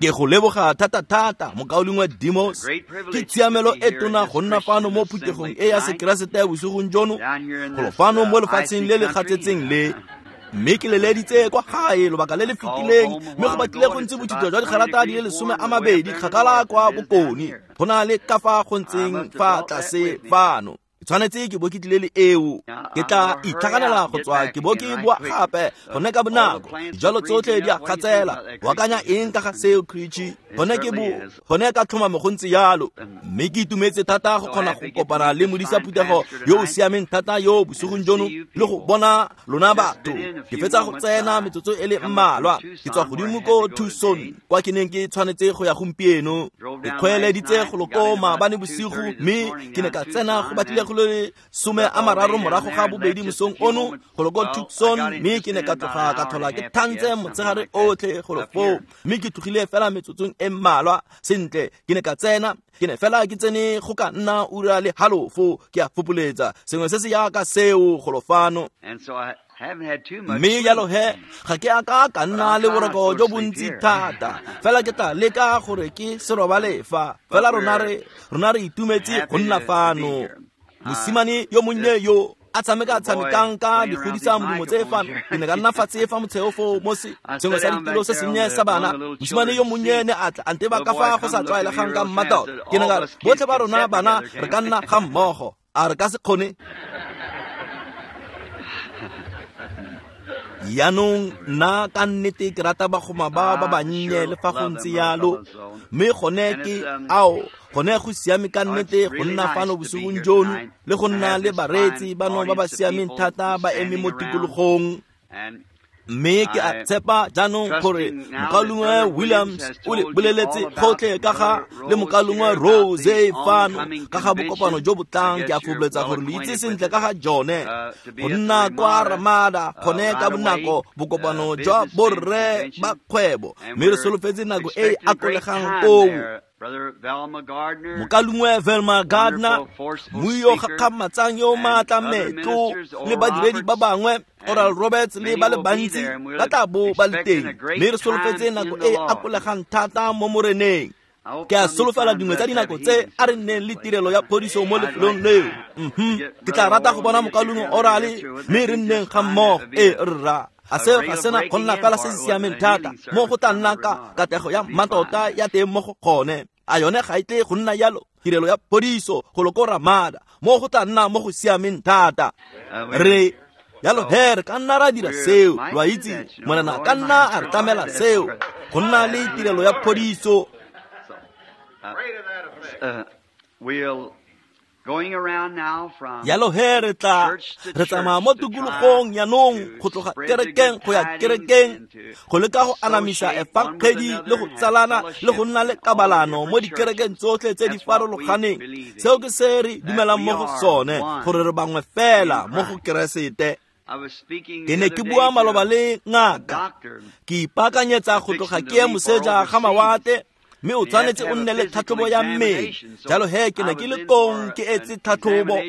Ke go leboga thata-thata mokaulengwe Demos. Ke tshiamelo e tona go nna fano mo phuthegong e ya Sekeresete ya bosigong jono, golo fano mo lefatsheng le le gatsetseng le. Mme ke leleditse kwa gae lobaka le le fetileng, mme go batlile go ntse bothito jwa digarata di le 20 kgakala kwa bokone go na le ka fa go ntseng fa tlase fano. Ke tshwanetse ke bo ke tlile le eo. Ke tla itlhaganela go tswa ke bo ke boa gape gone ka bonako. Dijalo tsotlhe di a gatsela. O akanya eng ka ga seo, Creechy? Gone ke bo gone ka tlhomamo go ntse jalo. Mme ke itumetse thata go kgona go kopana le modisa phuthego yo o siameng thata yo bosigong jono le go bona lona batho. Ke fetsa go tsena metsotso e le mmalwa. Ke tswa godimo ko Tucson kwa ke neng ke tshwanetse go ya gompieno. Ke kgweeleditse go loko maabane bosigo, mme ke ne ka tsena go batlile go le 2:30 mosong ono go loko Tucson, mme ke ne ka tloga ka tlhola ke thantse motshegare otlhe go foo, mme ke tlogile fela metsotsong e mmalwa. Sentle, ke ne ka tsena, ke ne fela ke tsene go ka nna 1:30, ke a fopoletsa sengwe se se yaka seo golo fano. Mme jalo he ga ke a ka ka nna le boroko jo bontsi thata, fela ke tla leka gore ke se robale fa. Fela rona re itumetse go nna fano. Mosimane yo monnye yo a tshamekang ka digodisa modumo tse fano, ke ne ka nna fatshe fa motsheo foo mo sengwe sa ditilo se sennye sa bana. Mosimane yo monnye ne a tla a nteba ka fa go sa tlwaelegang ka mmatota. Ke ne ka re, botlhe ba rona bana re ka nna ga mmogo, a re ka se kgone? Jaanong nna ka nnete ke rata bagoma ba ba bannye le fa go ntse jalo, mme gone ke ao gone go siame ka nnete go nna fano bosigong jono le go nna le bareetsi bano ba ba siameng thata ba eme mo tikologong. Mme ke a tshepa jaanong gore mokaulengwe Williams o le boleletse gotlhe ka ga le mokaulengwe Rose fano ka ga bokopano jo bo tlang. Ke a fopholetsa gore lo itse sentle ka ga jone go nna kwa Ramada gone ka bonako bokopano jwa borre ba kgwebo, mme re solofetse nako e e akolegang koo. Mokaulengwe Velma Gardner, mmui yo gakgamatsang yo maatla metlo, le badiredi ba bangwe Oral Roberts le ba le bantsi ba tla bo ba le teng, mme re solofetse nako e e akolegang thata mo Moreneng. Ke a solofela dingwe tsa dinako tse a re nneng le tirelo ya phodiso mo lefelong leo. Ke tla rata go bona mokaulengwe Oral, mme re nneng ga mmogo. Ee rra, a seo ga sena go nna fela se se siameng thata mo go tla nna ka katlego ya mmatota ya teng mo go gone. A yone ga e tle go nna jalo? Tirelo ya phodiso go loko Ramada mo go tla nna mo go siameng thata. Re jalo he re ka nna ra dira seo, lo a itse, Morena ka nna a re tlamela seo go nna le tirelo ya phodiso. Jalo he re tla re tsamaya mo tikologong jaanong go tloga kerekeng go ya kerekeng go leka go anamisa efangedi le go tsalana le go nna le kabalano mo dikerekeng tsotlhe tse di farologaneng. Seo ke se re dumelang mo go sone, gore re bangwe fela mo go Keresete. Ke ne ke bua maloba le ngaka, ke ipaakanyetsa go tloga ke ye moseja ga mawatle, mme o tshwanetse o nne le tlhatlhobo ya mmele. Jalo he ke ne ke le kong ke etse tlhatlhobo,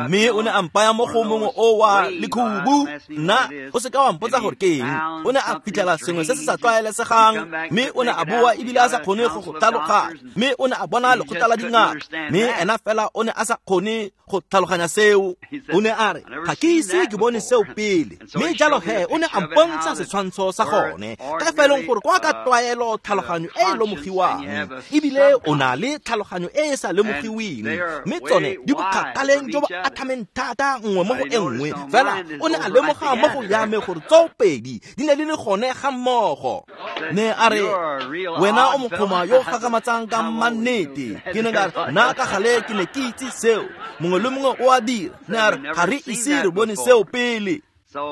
mme o ne a mpaya mo go mongwe o wa lekhubu. Nna o se ka wa mpotsa gore ke eng. O ne a fitlhela sengwe se se sa tlwaelesegang, mme o ne a boa ebile a sa kgone go go tlhaloganya, mme o ne a bona lekgotla la dingaka, mme ena fela o ne a sa kgone go tlhaloganya seo. O ne a re, ga ke ise ke bone seo pele. Mme jalo he o ne a mpontsha setshwantsho sa gone, ka fa e leng gore kwa ka tlwaelo tlhaloganyo e e lemogiwang, ebile o na le tlhaloganyo e e sa lemogiweng, mme tsone di bokgakaleng jo bo athameng thata nngwe mo go e nngwe. Fela o ne a lemoga mo go ya me gore tsoopedi di ne di le gone ga mmogo. Ne a re, wena o mokgoma yo gakgamatsang ka mannete. Ke ne ka re, nna ka gale ke ne ke itse seo, mongwe le mongwe o a dira. Ne a re, ga re ise re bone seo pele.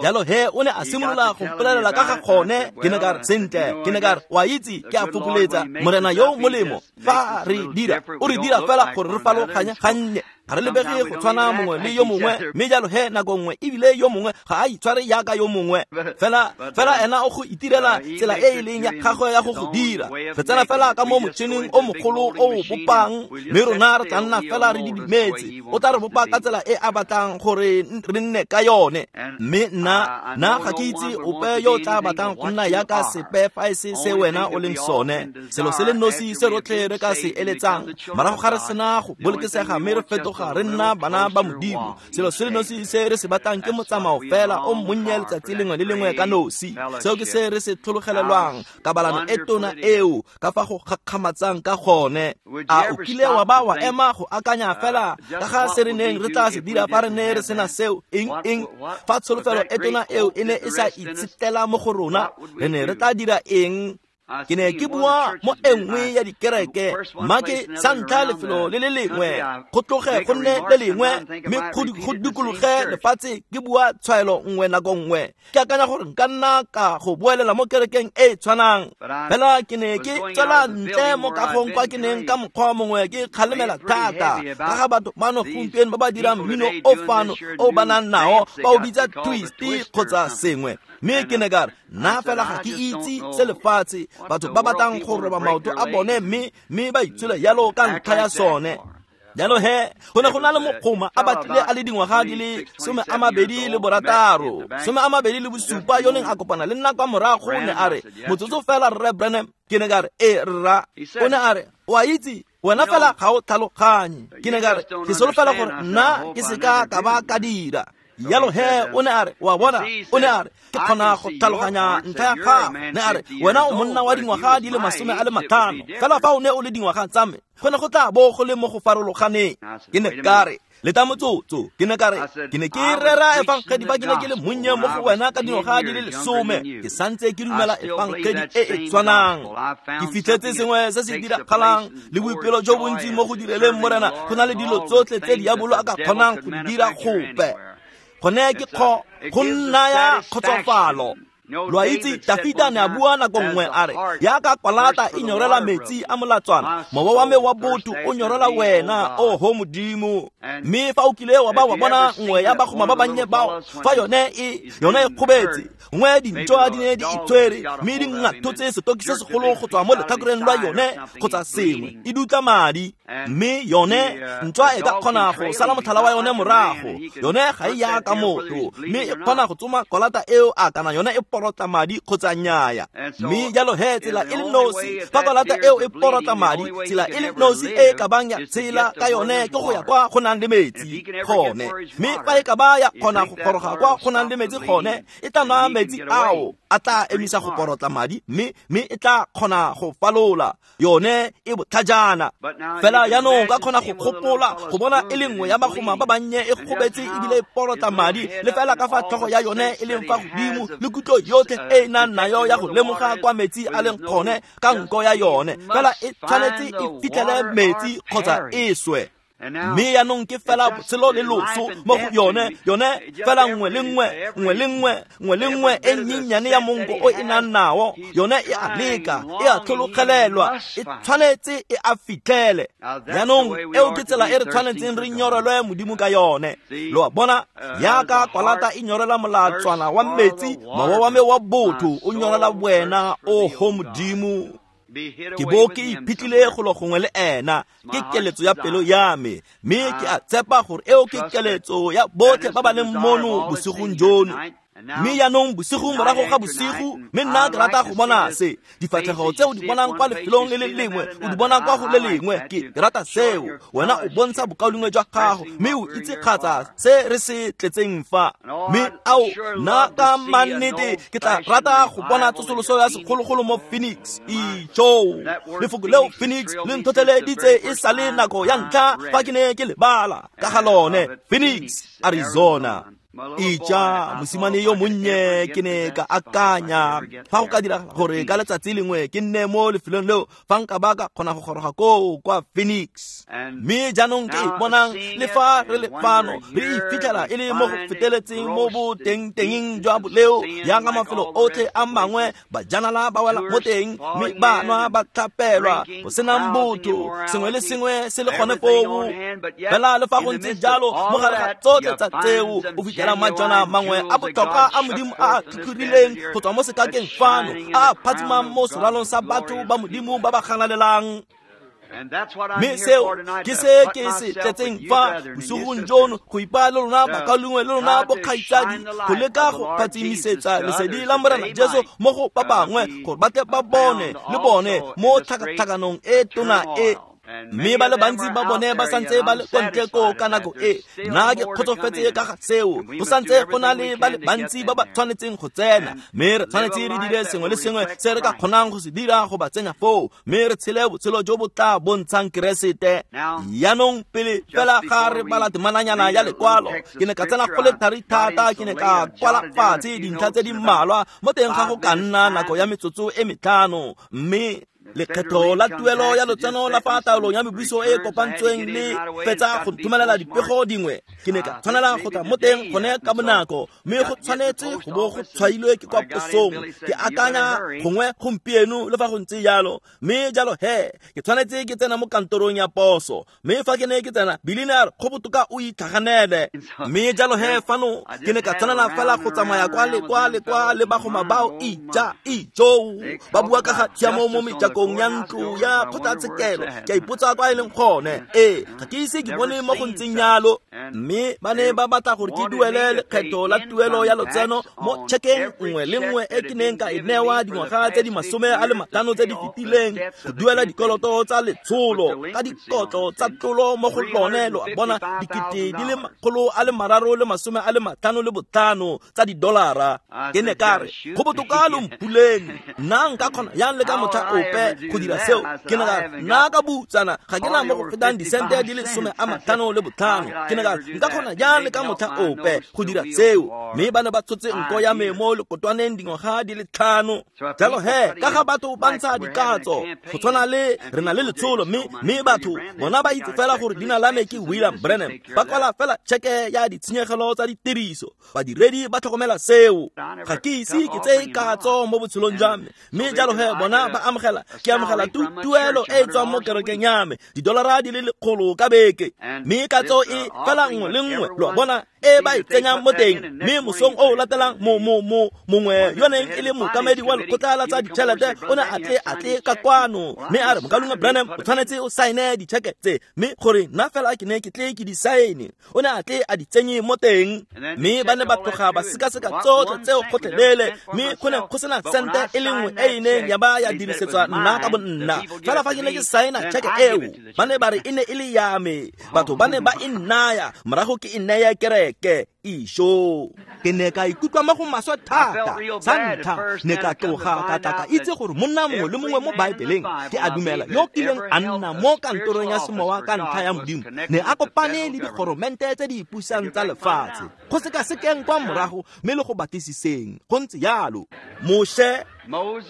Jalo he o ne a simolola go mpolelela ka ga gone. Ke ne ka re, sentle, ke ne ka re, wa itse, ke a fokoletsa Morena yo molemo fa re dira, o re dira fela gore re farologanye gannye. Ga re lebege go tshwana mongwe le yo mongwe, mme jalo he nako nngwe ebile yo mongwe ga a itshware jaaka yo mongwe. Fela ena o go itirela tsela e e leng ya gagwe ya go go dira. Re tsena fela ka mo motšhineng o mogolo o o bopang, mme rona re tla nna fela re didimetse. O tla re bopa ka tsela e a batlang gore re nne ka yone. Mme nna ga ke itse ope yo o tla batlang go nna jaaka sepe fa e se se wena o leng sone. Selo se le nosi se rotlhe re ka se eletsang morago ga re sena go bolokesega mme re fetoga re nna bana ba Modimo, selo se le nosi se re se batlang ke motsamao fela o monnye letsatsi lengwe le lengwe ka nosi. Seo ke se re se tlhologelelwang, kabalano e tona eo ka fa go gakgamatsang ka gone. A o kile wa ba wa ema go akanya fela ka ga se re neng re tla se dira fa re ne re sena seo? Eng fa tsholofelo e tona eo e ne e sa itshetlela mo go rona, re ne re tla dira eng? Ke ne ke bua mo e nngwe ya dikereke, mma ke sa ntlha lefelo le le lengwe, go tloge go nne le lengwe, mme go dikologe lefatshe ke bua tshwaelo nngwe nako nngwe. Ke akanya gore nka nna ka go boelela mo kerekeng e e tshwanang. Fela ke ne ke tswela ntle mo kagong kwa ke neng ka mokgwa mongwe ke kgalemela thata ka ga batho bano gompieno ba ba dirang mmino o fano o ba nang nao, ba o bitsa twist kgotsa sengwe. Mme ke ne ka re, nna fela ga ke itse se lefatshe batho ba batlang go roba maoto a bone mme ba itshole jalo ka ntlha ya sone. Jalo he, go ne go na le mogoma a batlile a le dingwaga di le 26, 27 yo neng a kopana le nna kwa morago, ne a re, motsotso fela Rre Branham. Ke ne ka re, ee rra. O ne a re, o a itse, wena fela ga o tlhaloganye. Ke ne ka re, ke solofela gore nna ke seka ka ba ka dira. Jalo he, o ne a re, wa bona, o ne a re, ke kgona go tlhaloganya ntlha ya gago. Ne a re, wena o monna wa dingwaga di le 50, fela fa o ne o le dingwaga tsa me, go ne go tla bo go le mo go farologaneng. Ke ne ka re, leta motsotso. Ke ne ka re, ke ne ke rera efangedi fa ke ne ke le monnye mo go wena ka dingwaga di le 10, ke santse ke dumela efangedi e e tshwanang. Ke fitlhetse sengwe se se diragalang le boipelo jo bontsi mo go direleng Morena, go na le dilo tsotlhe tse diabolo a ka kgonang go di dira gope. Gone ke go nnaya kgotsofalo. Lo a itse, Dafita ne a bua nako nngwe a re, jaaka kwalata e nyorela metsi a molatswana, mowa wa me wa botho o nyorela wena, oho Modimo. Mme fa o kile wa ba wa bona nngwe ya bagoma ba bannye bao, fa yone e kgobetse, nngwe dintšwa di ne di itshwere, mme di ngathotse setoki se segolo go tswa mo letlhakoreng lwa yone kgotsa sengwe, e dutla madi. Mme yone ntšwa e ka kgona go sala motlhala wa yone morago, yone ga e ya ka motho, mme e kgona go tsoma kwalata eo a kana yone e porotla madi kgotsa nnyaya. Mme jalo he, tsela e le nosi fa kwalata eo e porotla madi, tsela e le nosi e ka bang ya tshela ka yone ke go ya kwa go nang le metsi gone. Mme fa e ka ba ya kgona go goroga kwa go nang le metsi gone, e tla nwa metsi ao a tla emisa go porotla madi, mme e tla kgona go falola. Yone e botlhajana. Fela jaanong ka kgona go gopola go bona e le nngwe ya bagoma ba bannye e gobetse ebile e porotla madi, le fela ka fa tlhogo ya yone e leng fa godimo, le kutlo yotlhe e e nang nayo ya go lemoga kwa metsi a leng gone ka nko ya yone. Fela e tshwanetse e fitlhele metsi kgotsa e swe. Mme jaanong ke fela botshelo le loso mo go yone, yone fela nngwe le nngwe, nngwe le nngwe, nngwe le nngwe e nnyenyane ya monko o e nang nao, yone e a leka, e a tlhologelelwa, e tshwanetse e a fitlhele. Jaanong eo ke tsela e re tshwanetseng re nyorelwe Modimo ka yone. Lo a bona, jaaka kwalata e nyorela molatswana wa metsi, mowa wa me wa botho o nyorela wena, oho Modimo. Ke bo ke iphitlhile golo gongwe le ena, ke keletso ya pelo ya me, mme ke a tshepa gore eo ke keletso ya botlhe ba ba leng mono bosigong jono. Mme jaanong bosigo morago ga bosigo, mme nna ke rata go bona se. Difatlhego tse o di bonang kwa lefelong le le lengwe, o di bona kwa go le lengwe. Ke rata seo. Wena o bontsha bokaulengwe jwa gago, mme o itse kgatsa se re se tletseng fa. Mme ao, nna ka mannete ke tla rata go bona tsosoloso ya segologolo mo Phoenix. Ijo, lefoko leo Phoenix le ntlhotlheleditse e sa le nako ya ntlha fa ke ne ke lebala ka ga lone. Phoenix, Arizona. Ija mosimane yo monnye ke ne ka akanya fa go ka dira gore ka letsatsi lengwe ke nne mo lefelong leo fa nka ba ka kgona go goroga koo kwa Phoenix. Mme jaanong ke bonang le fa re le fano re ifitlhela e le mo go feteletseng mo botengtengeng jwa boleo yang ka mafelo otlhe a mangwe, bajanala ba wela mo teng mme ba nwa ba tlhapelwa go senang botho, sengwe le sengwe se le gone foo. Fela le fa go ntse jalo, mo gare ga tsotlhe tsa tseo o fitlhela majwana mangwe a botlhokwa a Modimo a a tlhotlhorileng go tswa mo sekakeng fano, a a phatsimang mo seralong sa batho ba Modimo ba ba ganalelang. Mme seo ke se ke se tletseng fa bosigong jono, go ipaya le lona bakaulengwe le lona bokgaitsadi, go leka go phatsimisetsa lesedi la Morena Jesu mo go ba bangwe gore ba tle ba bone le bone mo tlhakatlhakanong e tona e. Mme ba le bantsi ba bone ba santse ba le ko ntle koo ka nako e. Nna ke kgotsofetse ka ga seo. Go santse go na le ba le bantsi ba ba tshwanetseng go tsena, mme re tshwanetse re dire sengwe le sengwe se re ka kgonang go se dira go ba tsenya foo, mme re tshele botshelo jo bo tla bontshang Keresete. Jaanong pele fela ga re bala temananyana ya lekwalo, ke ne ka tsena go le thari thata, ke ne ka kwala fatshe dintlha tse di mmalwa mo teng ga go ka nna nako ya metsotso e metlhano, mme lekgetho la tuelo ya lotseno la fa taolong ya mebuso e kopantsweng le fetsa go nthomelela dipego dingwe, ke ne ka tshwanela go tla mo teng gone ka bonako, mme go tshwanetse go bo go tshwailwe ke kwa posong. Ke akanya gongwe gompieno le fa go ntse jalo, mme jalo he ke tshwanetse ke tsena mo kantorong ya poso, mme fa ke ne ke tsena Billy ne a re go botoka o itlhaganele. Mme jalo he fano ke ne ka tshwanela fela go tsamaya kwa le kwa le kwa le bagoma bao ija ijoo ba bua ka ga tshiamo mo mejakong ya ntlo ya kgotlatshekelo. Ke a ipotsa kwa e leng gone. Ee, ga ke ise ke bone mo go ntseng jalo. Mme ba ne ba batla gore ke duele lekgetho la tuelo ya lotseno mo tšhekeng nngwe le nngwe e ke neng ka e newa dingwaga tse di 50 tse di fetileng, go duela dikoloto tsa letsholo ka dikotlo tsa tlolo mo go lone, lo a bona, $335 tsa didolara. Ke ne ka re go botoka lo mpuleng, nna nka kgona yang le ka motlha ope go dira seo? Ke ne ka re nna ka butsana ga ke na mo go fetang disente di le 55. Ke ne ka re nka kgona jang le ka motlha ope go dira seo? Mme ba ne ba tshotse nko ya me mo lekotwaneng dingwaga di le 5. Jalo he ka ga batho ba ntsha dikatso go tshwana le re na le letsholo, mme batho bona ba itse fela gore leina la me ke William Branham, ba kwala fela tšheke ya ditshenyegelo tsa ditiriso. Badiredi ba tlhokomela seo. Ga ke ise ke tseye katso mo botshelong jwa me, mme jalo he bona ba amogela, ke amogela tuelo e e tswang mo kerekeng ya me, $100 ka beke, mme katso e fela nngwe le nngwe, lo bona, e ba e tsenyang mo teng. Mme mosong o latelang mongwe yo neng e le mookamedi wa lekgotla la tsa ditšhelete o ne a tle ka kwano, mme a re mokaulengwe Branham o tshwanetse o saene ditšheke tse, mme gore nna fela ke ne ke tle ke di saene, o ne a tle a di tsenye mo teng. Mme ba ne ba tloga ba sekaseka tsotlhe tseo gotlhelele, mme go ne go sena sente e le nngwe e e neng ya ba ya dirisetswa nna ka bonna. Fela fa ke ne ke saena tšheke eo, ba ne ba re e ne e le ya me, batho ba ne ba e nnaya, morago ke e naya kereke. Isho. Ke ne ka ikutlwa mo go maswe thata. Sa ntlha ne ka tloga ka tla ka itse gore monna mongwe le mongwe mo Baebeleng, ke a dumela, yo kileng a nna mo kantorong ya semowa ka ntlha ya Modimo, ne a kopane le dikgoromente tse di ipusang tsa lefatshe, go sekasekeng kwa morago mme le go batlisiseng. Go ntse jalo. Moshe,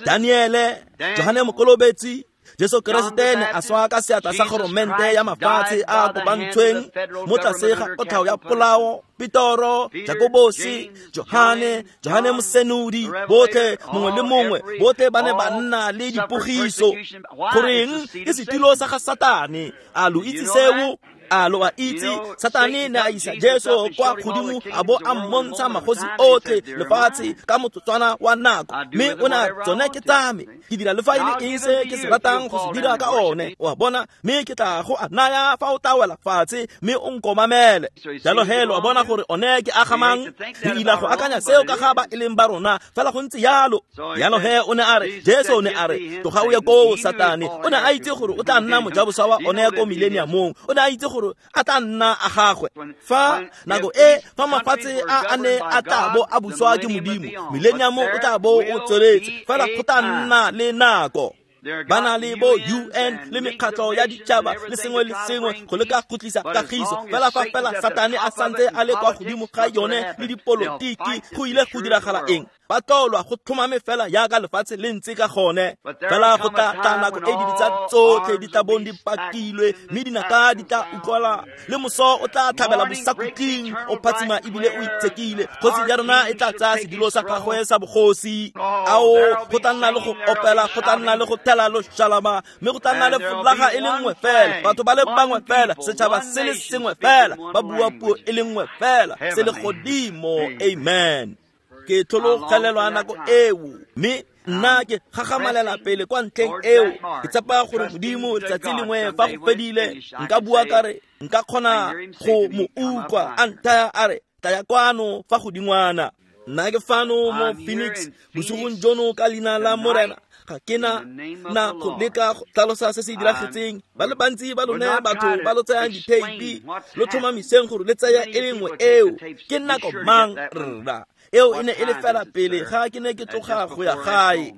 Daniele, Johane Mokolobetsi, Jesu Keresete ne a swa ka seatla sa goromente ya mafatshe a kopantshweng mo tlase ga kotlhao ya polao. Petoro, Jakobosi, Johane, Johane Mosenodi, botlhe mongwe le mongwe, botlhe ba ne ba nna le dipogiso. Goreng ke setilo sa ga Satane? A lo itse seo? A lo a itse? Satane ne a isa Jesu kwa godimo a bo a mmontsha magosi otlhe lefatshe ka motsotswana wa nako, mme o ne a tsone ke tsa me, ke dira le fa e le eng se ke se ratang go se dira ka one, o a bona, mme ke tla go a naya fa o tla wela fatshe mme o nkomamele. Jalo he lo a bona gore one ke agamang. Re ila go akanya seo ka ga ba e leng ba rona, fela go ntse jalo. Jalo he o ne a re, Jesu o ne a re, tloga o ye koo Satane. O ne a itse gore o tla nna mojaboswa wa one ko millenniumong. O ne a itse gore a tla nna a gagwe. Fa nako e fa mafatshe a ne a tla bo a buswa ke Modimo, millennium o tla bo o tsweletse, fela go tla nna le nako. Ba na le bo UN le mekgatlho ya ditšhaba le sengwe le sengwe go leka go tlisa kagiso, fela fa fela Satane a santse a le kwa godimo ga yone le dipolotiki, go ile go diragala eng? Ba tlolwa go tlhomame fela jaaka lefatshe le ntse ka gone. Fela go tla tla nako e dibetsa tsotlhe di tla bong di pakilwe, mme dinaka di tla utlwala, le moso o tla tlhabela bosakhutleng o phatsima ebile o itshekile. Kgosi ya rona e tla tsaya sedilo sa gagwe sa bogosi. Ao, go tla nna le go opela, go tla nna le go thela loshalama, mme go tla nna le folaga e le nngwe fela, batho ba le bangwe fela, setšhaba se le sengwe fela, ba bua puo e le nngwe fela, se le godimo. Amen. Ke tlhologelelwa nako eo, mme nna ke gagamalela pele kwa ntlheng eo. Ke tshepa gore Modimo letsatsi lengwe fa go fedile nka bua ka re nka kgona go mo utlwa a nthaya a re tlaya kwano fa godingwana. Nna ke fano mo Phoenix bosigong jono ka leina la Morena. Ga ke na go leka go tlhalosa se se diragetseng. Ba le bantsi ba lone batho ba lo tsayang ditheipi, lo tlhomamiseng gore le tsaya e le nngwe eo. Ke nako mang rra? Eo e ne e le fela pele ga ke ne ke tloga go ya gae.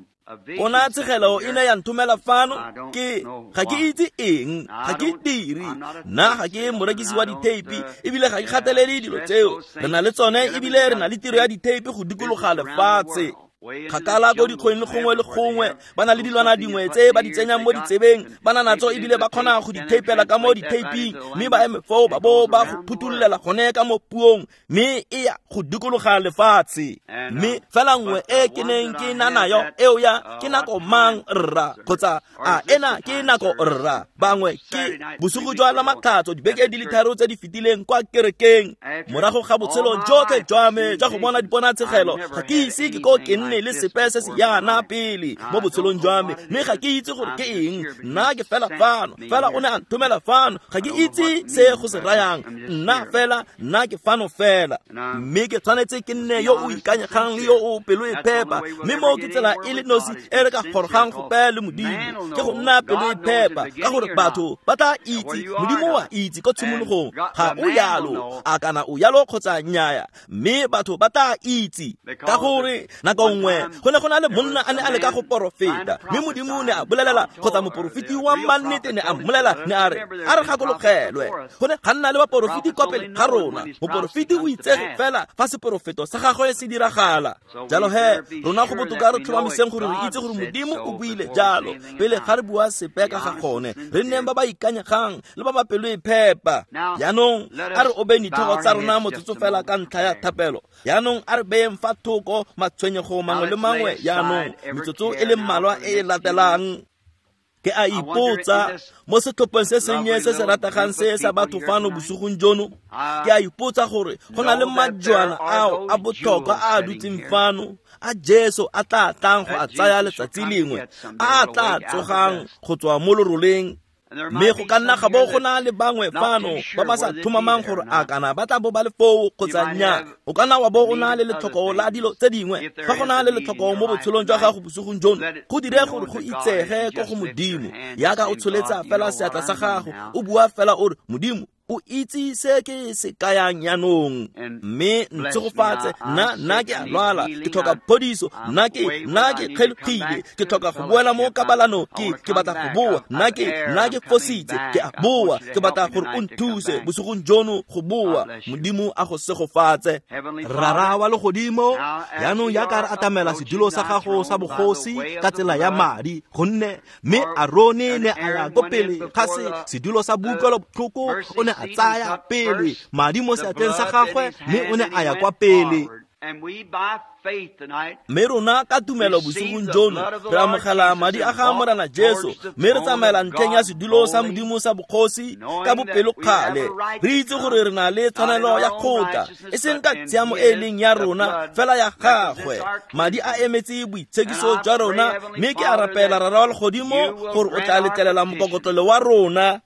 Ponatshegelo e ne ya nthomela fano. Ke ga ke itse eng, ga ke dire, nna ga ke morekisi wa ditheipi, ebile ga ke gatelele dilo tseo. Re na le tsone, ebile re na le tiro ya ditheipi go dikologa lefatshe. Kgakala ko dikgweng le gongwe le gongwe ba na le dilwana dingwe tse ba di tsenyang mo ditsebeng, ba na natso ebile ba kgona go di theipela ka mo ditheiping, mme ba eme foo ba bo ba go phuthulolela gone ka mo puong, mme e ya go dikologa lefatshe. Mme fela nngwe e ke neng ke na nayo eo ya ke nako mang rra, kgotsa a ena ke nako rra, bangwe ke bosigo jwa la Matlhatso dibeke di le tharo tse di fetileng kwa kerekeng, morago ga botshelo jotlhe jwa me jwa go bona diponatshegelo, ga ke ise ke ko ke nne le sepe se se yana pele mo botshelong jwa me, mme ga ke itse gore ke eng. Nna ke fela fano, fela o ne a nthomela fano, ga ke itse se go se rayang. Nna fela, nna ke fano fela, mme ke tshwanetse ke nne yo o ikanyegang le yo o pelo e phepa, mme mo ke tsela e le nosi e re ka gorogang go pele Modimo, ke go nna pelo e phepa, ka gore batho ba tla itse, Modimo wa itse ko tshimologong ga o yalo, a kana o yalo kgotsa nnyaya, mme batho ba tla itse. Ka gore nako nngwe go ne go na le monna a ne a leka go porofeta, mme Modimo ne a bolelela, kgotsa moporofeti wa mannete ne a mmolela, ne a re a re gakologelwe, go ne ga nna le baporofeti kwa pele ga rona. Moporofeti o itsege fela fa seporofeto sa gagwe se diragala. Jalo he rona go botoka re tlhomamiseng gore re itse gore Modimo o buile jalo pele ga re bua sepe ka ga gone. Re nneng ba ba ikanyegang le ba ba pelo e phepa. Jaanong a re obeng ditlhogo tsa rona motsotso fela ka ntlha ya thapelo. Jaanong a re beyeng fa thoko matshwenyego mangwe le mangwe jaanong metsotso e le mmalwa e e latelang. Ke a ipotsa mo setlhopheng se sennye se se rategang se sa batho fano bosigong jono, ke a ipotsa gore go na le majwana ao a botlhokwa a a dutseng fano, a Jesu a tla tlang go a tsaya letsatsi lengwe, a a tla tsogang go tswa mo loroleng. Mme go ka nna ga bo go na le bangwe fano ba ba sa tlhomamang gore a kana ba tla bo ba le foo kgotsa nnyaa. O ka nna wa bo o na le letlhoko la dilo tse dingwe. Fa go na le letlhoko mo botshelong jwa gago bosigong jono, go dire gore go itsege ko go Modimo. Yaka o tsholetsa fela seatla sa gago, o bua fela o re, Modimo, o itse se ke se kayang jaanong, mme ntshegofatse, nna ke a lwala, ke tlhoka phodiso, nna ke kgelogile, ke tlhoka go boela mo kabalanong, ke batla go boa, nna ke fositse, ke a boa, ke batla gore o nthuse bosigong jono go boa. Modimo a go segofatse. Rara wa legodimo, jaanong jaaka re atamela sedulo sa gago sa bogosi ka tsela ya madi, gonne mme Arone ne a ya ko pele ga sedulo sa boutlwelobotlhoko, o ne a tsaya pele madi mo seatleng sa gagwe, mme o ne a ya kwa pele. Mme rona ka tumelo bosigong jono re amogela madi a ga Morena Jesu, mme re tsamaela ntlheng ya sedulo sa Modimo sa bogosi ka bopelokgale, re itse gore re na le tshwanelo ya kgotla, e seng ka tshiamo e leng ya rona, fela ya gagwe. Madi a emetse boitshekiso jwa rona, mme ke a rapela Rara wa legodimo gore o tla letlelela mokokotlelo wa rona.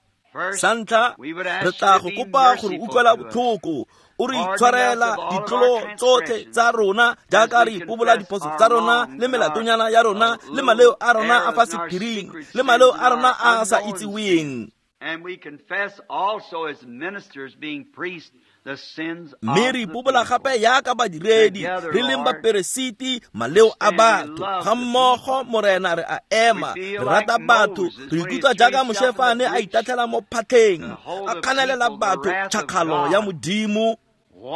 Sa ntlha, re tla go kopa gore utlwela botlhoko, o re itshwarela ditlolo tsotlhe tsa rona jaaka re ipobola diphoso tsa rona le melatonyana ya rona le maleo a rona a fa sephiring le maleo a rona a a sa itseweng. And we confess also as ministers, being priests, Mme re ipobola gape yaka badiredi re leng baperesiti maleo a batho ga mmogo Morena re a ema re rata batho re ikutlwa jaaka Moshe fa a ne a itatlhela mo phatlheng a kganelela batho tšhakgalo ya Modimo.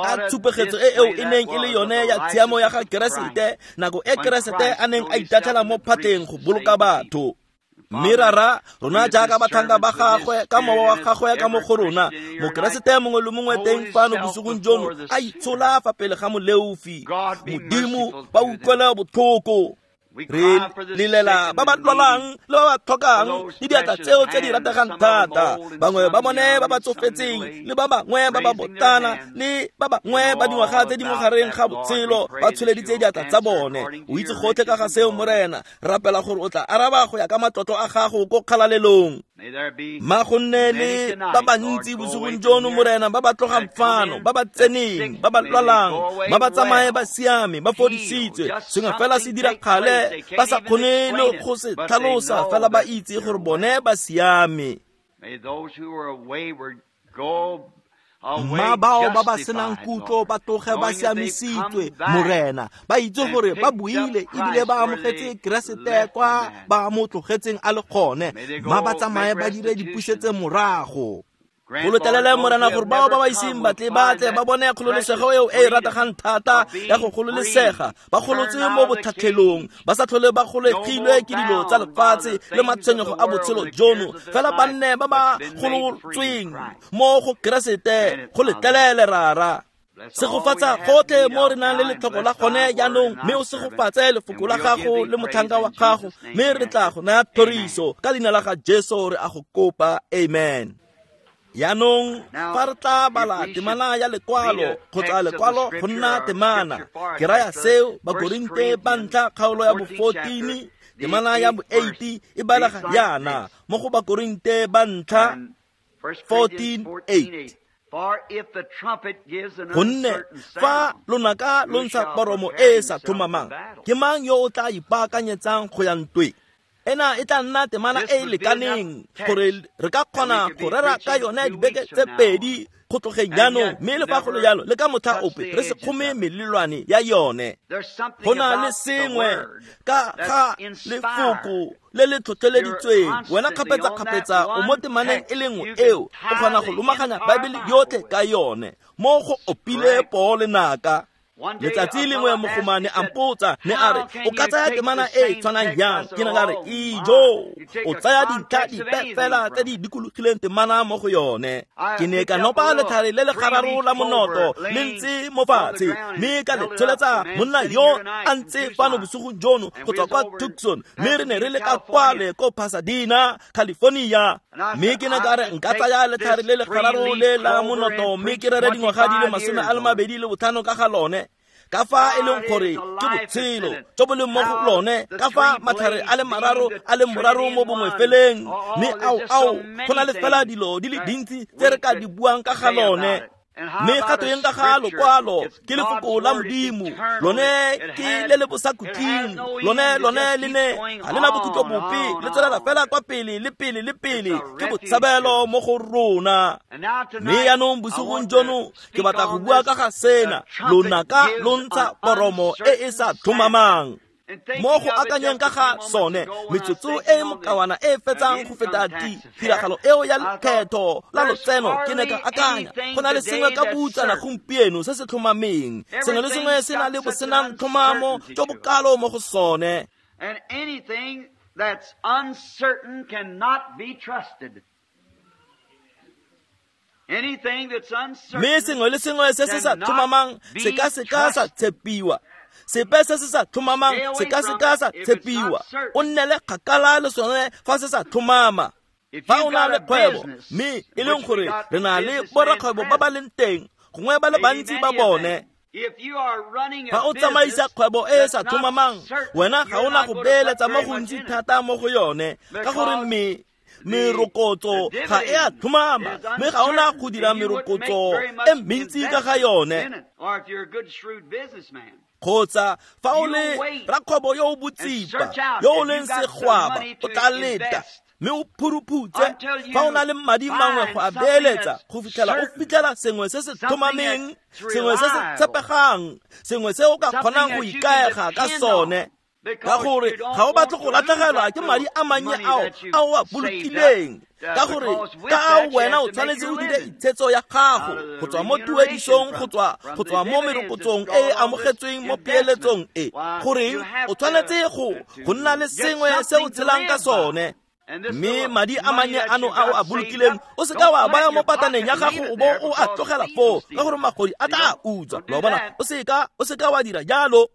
A tshupegetso e eo e neng e le yone ya tshiamo ya ga Keresete nako e Keresete a neng a itatlhela mo phatlheng go boloka batho. Mme rara rona jaaka batlhanka ba gagwe ka mowa wa gagwe ka mo go rona mokeresete mongwe le mongwe teng fano bosigong jono a itshola fa pele ga moleofi. Modimo ba utlwele botlhoko. Re lelela ba ba lwalang le ba ba tlhokang le diatla tseo tse di rategang thata, bangwe ba bone ba ba tsofetseng le ba bangwe ba ba botana le ba bangwe ba dingwaga tse di mo gareng ga botshelo ba tsholeditse diatla tsa bone. O itse gotlhe ka ga seo Morena, rapela gore o tla araba go ya ka matlotlo a gago ko kgalalelong. Ma go nne le ba bantsi bosigong jono Morena ba ba tlogang fano, ba ba tseneng, ba ba lwalang, ba ba tsamaye ba siame, ba fodisitswe. Sengwe fela se dira kgale ba sa kgone le go se tlhalosa, fela ba itse gore bone ba siame. Mma bao ba ba senang kutlo ba tloge ba siamisitswe Morena, ba itse gore ba buile ebile ba amogetse Keresete kwa ba mo tlogetseng a le gone. Mma ba tsamaye ba dire dipusetse morago. Go letlelele Morena gore bao ba ba iseng batle batle ba bone kgololesego eo e e rategang thata ya go gololesega, ba golotswe mo botlhatlhelong, ba sa tlhole ba golegilwe ke dilo tsa lefatshe le matshwenyego a botshelo jono, fela ba nne ba ba golotsweng mo go Keresete. Go letlelele rara. Segofatsa gotlhe mo re nang le letlhoko la gone jaanong, mme o segofatse lefoko la gago le motlhanka wa gago, mme re tla go naya thoriso ka leina la ga Jesu re a go kopa. Amen. Yaanong fa re tla bala temana ya lekwalo kgotsa lekwalo go nna temana, ke raya seo Bakorinte ba ntlha kgaolo ya bo-14 temana ya bo-8 e balega yana mo go Bakorinte ba ntlha 14:8. Gonne fa lonaka lo ntsha poromo e e sa tlhomamang, ke mang yo o tla ipaakanyetsang go ya ntweng? Ena e tla nna temana e e lekaneng gore re ka kgona go rera ka yone dibeke tse pedi go tlogeng jaanong, mme le fa go le jalo le ka motlha ope re se kgome melelwane ya yone. Go na le sengwe ka ga lefoko le le tlhotlheleditsweng. Wena kgapetsa-kgapetsa o mo temaneng e le nngwe eo, o kgona go lomaganya Baebele yotlhe ka yone. Mo go opile poo lenaka. Letsatsi lengwe mogomane a mpotsa mme a re, o ka tsaya temana e e tshwanang jang? Ke ne ka re, ijo, o tsaya dintlha dipe fela tse di dikologileng temana mo go yone. Ke ne ka nopa letlhare le le gararo la monoto le ntse mo fatshe, mme ka le tsholetsa monna yo a ntse fano bosigong jono go tswa kwa Tucson, mme re ne re le ka kwale ko Pasadena, California. Mme ke ne ka re nka tsaya letlhare le le gararo le la monoto mme ke rere dingwaga di le 25 ka ga lone, ka fa e leng gore ke botshelo jo bo leng mo go lone, ka fa matlhare a le mararo a le moraro mo bongwe feleng, mme ao go na le fela dilo di le dintsi tse re ka di buang ka ga lone. Mme gato eng ka ga lokwalo ke lefoko la Modimo, lone ke le le bosakhutleng, lone le ne ga le na bokhutlo bope, le tswelela fela kwa pele le pele le pele, ke botshabelo mo go rona. Mme jaanong bosigong jono ke batla go bua ka ga sena, lonaka lo ntsha poromo e e sa tlhomamang. Mo go akanyeng ka ga sone, metsotso e mokawana e fetsang go feta tiragalo eo ya lekgetho la lotseno, ke ne ka akanya go na le sengwe ka butsana gompieno se se tlhomameng. Sengwe le sengwe se na le bosenang tlhomamo jo bokalo mo go sone. And anything that's uncertain cannot be trusted. Mme sengwe le sengwe se se sa tlhomamang se ka seka sa tshepiwa. Sepe se se sa tlhomamang se ka seka sa tshepiwa. O nnele kgakala le sone fa se sa tlhomama. Fa o na le kgwebo, mme e leng gore re na le borakgwebo ba ba leng teng, gongwe ba le bantsi ba bone. Fa o tsamaisa kgwebo e e sa tlhomamang, wena ga o na go beeletsa mo gontsi thata mo go yone, ka gore merokotso ga e a tlhomama, mme ga ona go dira merokotso e mentsi ka ga yone. Kgotsa fa o le rakgwebo yo o botsipa, yo o leng segwaba, o tla leta Mme o phuruphutse fa o na le madi mangwe go a beeletsa go fitlhela o fitlhela sengwe se se tlhomameng, sengwe se se tshepegang, sengwe se o ka kgonang go ikaega ka sone. Ka gore ga o batle go latlhegelwa ke madi a mannye ao a o a bolokileng, ka gore ka ao wena o tshwanetse o dire itshetso ya gago go tswa mo tuedisong, go tswa mo merokotsong e e amogetsweng mo peeletsong e. Goreng o tshwanetse go nna le sengwe se o tshelang ka sone. Mme madi a mannye ano a o a bolokileng o se ka wa baya mo pataneng ya gago o bo o a tlogela foo, ka gore magodi a tla utswa. Lo bona, o se ka wa dira jalo.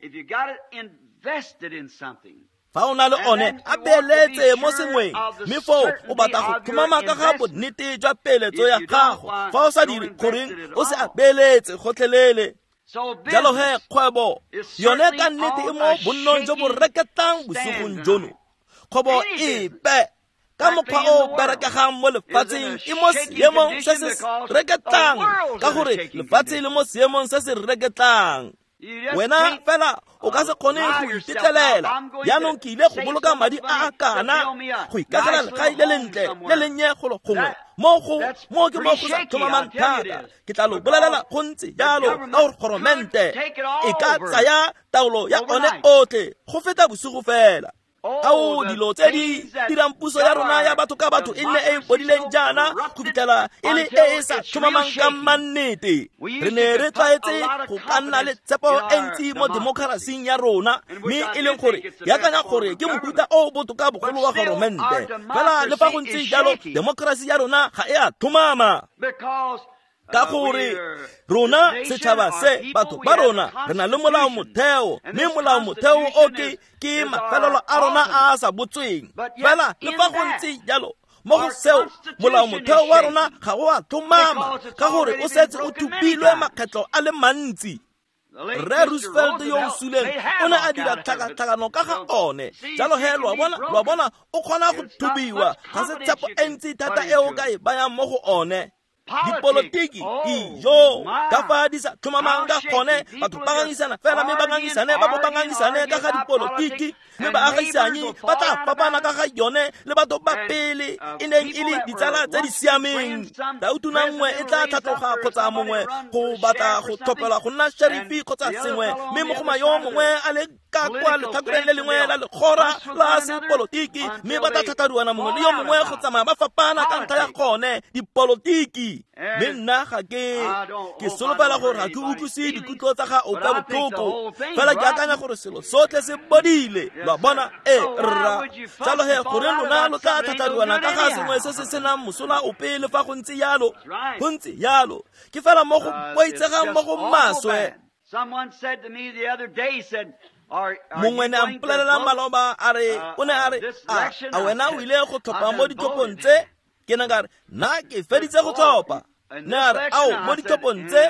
Fa o na le one a beeletse mo sengweng, mme foo o batla go tlhomama ka ga bonnete jwa peeletso ya gago. Fa o sa dire, goreng o se a beeletse gotlhelele. Jalo he kgwebo yone ka nnete e mo bonnong jo bo reketlang bosigong jono. Kgwebo epe ka mokgwa o berekegang mo lefatsheng e mo seemong se se reketlang, ka gore lefatshe le mo seemong se se reketlang. Wena fela o ka se kgone go itetlelela. Jaanong ke ile go boloka madi a a kana go ikagela legae le lentle le lennye golo gongwe mo ke mo go sa tlhomamang thata. Ke tla lo bolelela go ntse jalo, ka gore goromente e ka tsaya taolo ya one otlhe go feta bosigo fela. Ao dilo tse di dirang puso ya rona ya batho ka batho e nne e e bodileng jaana go fitlhela e le e e sa tlhomamang ka mannete. Re ne re tlwaetse go ka nna le tshepo e ntsi mo demokerasing ya rona, mme e leng gore ke akanya gore ke mofuta o botoka bogolo wa goromente. Fela le fa go ntse jalo, demokerasi ya rona ga e a tlhomama, ka gore rona setšhaba se, batho ba rona, re na le molao motheo, mme molao motheo o ke mafelelo a rona a a sa botsweng. Fela le fa go ntse jalo, mo go seo molao motheo wa rona ga o a tlhomama, ka gore o setse o thupilwe makgetlo a le mantsi. Rre Roosevelt yo o suleng o ne a dira tlhakatlhakano ka ga one. Jalo he lo a bona o kgona go thubiwa, ga se tshepo e ntsi thata e o ka e bayang mo go one. Dipolotiki ijo ka fa di sa tlhomamang ka gone, batho ba ngangisana fela, mme ba ngangisane ba bo ba ngangisane ka ga dipolotiki, mme baagisanyi ba tla fapana ka ga yone le batho ba pele e neng e le ditsala tse di siameng. Tautona nngwe e tla tlhatloga kgotsa mongwe go batla go tlhopelwa go nna sherifi kgotsa sengwe, mme mogoma yo mongwe a le ka kwa letlhakoreng le lengwe la legora la sepolotiki, mme ba tla tlhatlharuana mongwe le yo mongwe go tsamaya ba fapana ka ntlha ya gone dipolotiki. Mme nna ga ke solofela gore ga ke utlwise dikutlo tsa ga ope botlhoko, fela ke akanya gore selo sotlhe se bodile. Lo a bona? E rra. Jalo he gore lona lo tla tlhatlharuana ka ga sengwe se se senang mosola ope le fa go ntse jalo. Go ntse jalo ke fela mo go boitsegang mo go maswe. Mongwe ne a mpolelela maloba a re, o ne a re, a wena o ile go tlhopha mo ditlhophong tse? Ke ne ka re, nna ke feditse go tlhopha. Ne a re, ao mo ditlhophong tse?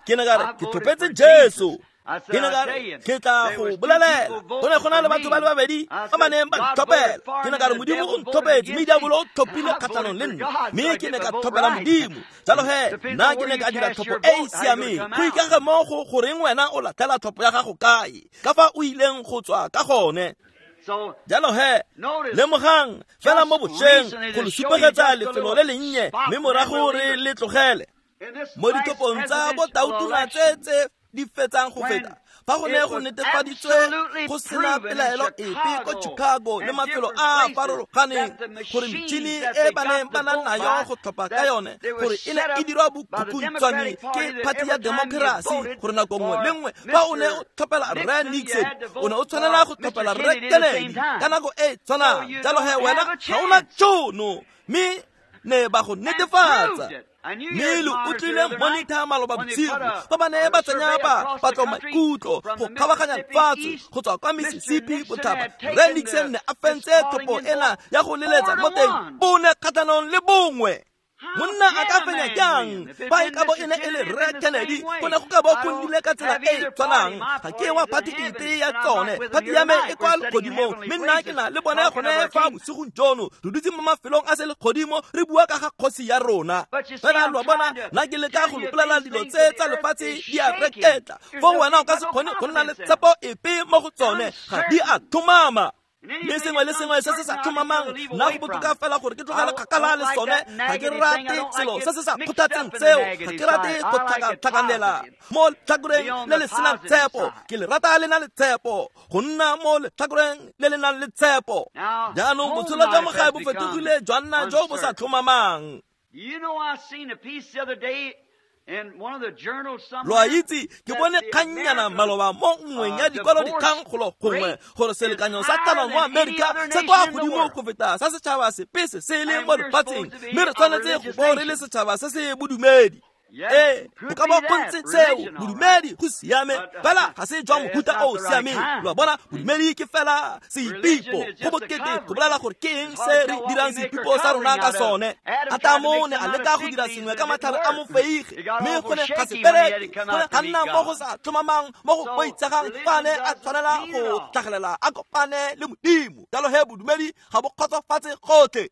Ke ne ka re, ke tlhophetse Jesu. Ke ne ka re, ke tla go bolelela. Go ne go na le batho ba le babedi ba ba neng ba ntlhophela. Ke ne ka re, Modimo o ntlhophetse, mme diabolo o tlhophile kgatlhanong le nna, mme ke ne ka tlhophela Modimo. Jalo he nna ke ne ka dira tlhopho e e siameng. Go ikage mo go goreng wena o latlhela tlhopho ya gago kae, ka fa o ileng go tswa ka gone. Jalo he lemogang fela mo bošweng go le supegetsa lefelo le lennye, mme morago re le tlogele. Mo ditlhophong tsa botautona tse di fetsang go feta, fa go ne go netefaditswe go sena pelaelo epe ko Chicago le mafelo a a farologaneng gore metšhini e ba neng ba na nayo go tlhopha ka yone gore e ne e dirwa bokhukhuntshwane ke party ya democracy, gore nako nngwe le nngwe fa o ne o tlhophela Rre Nixon o ne o tshwanela go tlhophela Rre Kennedy ka nako e tshwanang. Jalo he wena ga o na tšhono, mme ne ba go netefatsa. Mme lo utlwile monitor maloba bosigo fa ba ne ba tsenya ba patlo maikutlo go kgabaganya lefatshe go tswa kwa Mississippi botlhaba. Rre Nixon ne a fentse tlhopho ena ya go leletsa mo teng bone kgatlhanong le bongwe. Monna a ka fenya jang fa e ka bo e ne e le Rre Kennedy? Go ne go ka bo go nnile ka tsela e e tshwanang. Ga ke wa party epe ya tsone, party ya me e kwa legodimong, mme nna ke na le bone gone fa bosigong jono. Re dutse mo mafelong a selegodimo re bua ka ga kgosi ya rona. Fela lo a bona, nna ke leka go lo bolelela dilo tse tsa lefatshe di a reketla, foo wena o ka se kgone go nna le tshepo epe mo go tsone, ga di a tlhomama. Mme sengwe le sengwe se se sa tlhomamang nna go botoka fela gore ke tlogele kgakala le sone. Ga ke rate selo se se sa kgothatseng seo, ga ke rate go tlhakatlhakanela mo letlhakoreng le le senang tshepo. Ke le rata le na le tshepo, go nna mo letlhakoreng le le nang le tshepo. Jaanong botshelo jwa mo gae bo fetogile jwa nna jo bo sa tlhomamang. Lo a itse, ke bone kgannyana maloba mo nngweng ya dikwalodikgang golo gongwe gore selekanyo sa tlhalo mo Amerika se kwa godimo go feta sa setšhaba sepe se se leng mo lefatsheng, mme re tshwanetse go bo re le setšhaba se se bodumedi. Ee, go ka bo go ntse seo, bodumedi go siame, fela ga se jwa mohuta o o siameng. Lo a bona, bodumedi ke fela seipipo, go bokete go bolela gore ke eng se re dirang seipipo sa rona ka sone. Atamo ne a leka go dira sengwe ka matlhare a mofeige, mme go ne ga se bereke, go ne ga nna mo go sa tlhomamang, mo go boitshegang fa a ne a tshwanela go tlhagelela a kopane le Modimo. Jalo he bodumedi ga bo kgotsofatse gotlhe.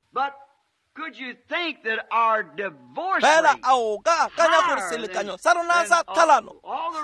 Fela a o ka akanya gore selekanyo sa rona sa tlhalano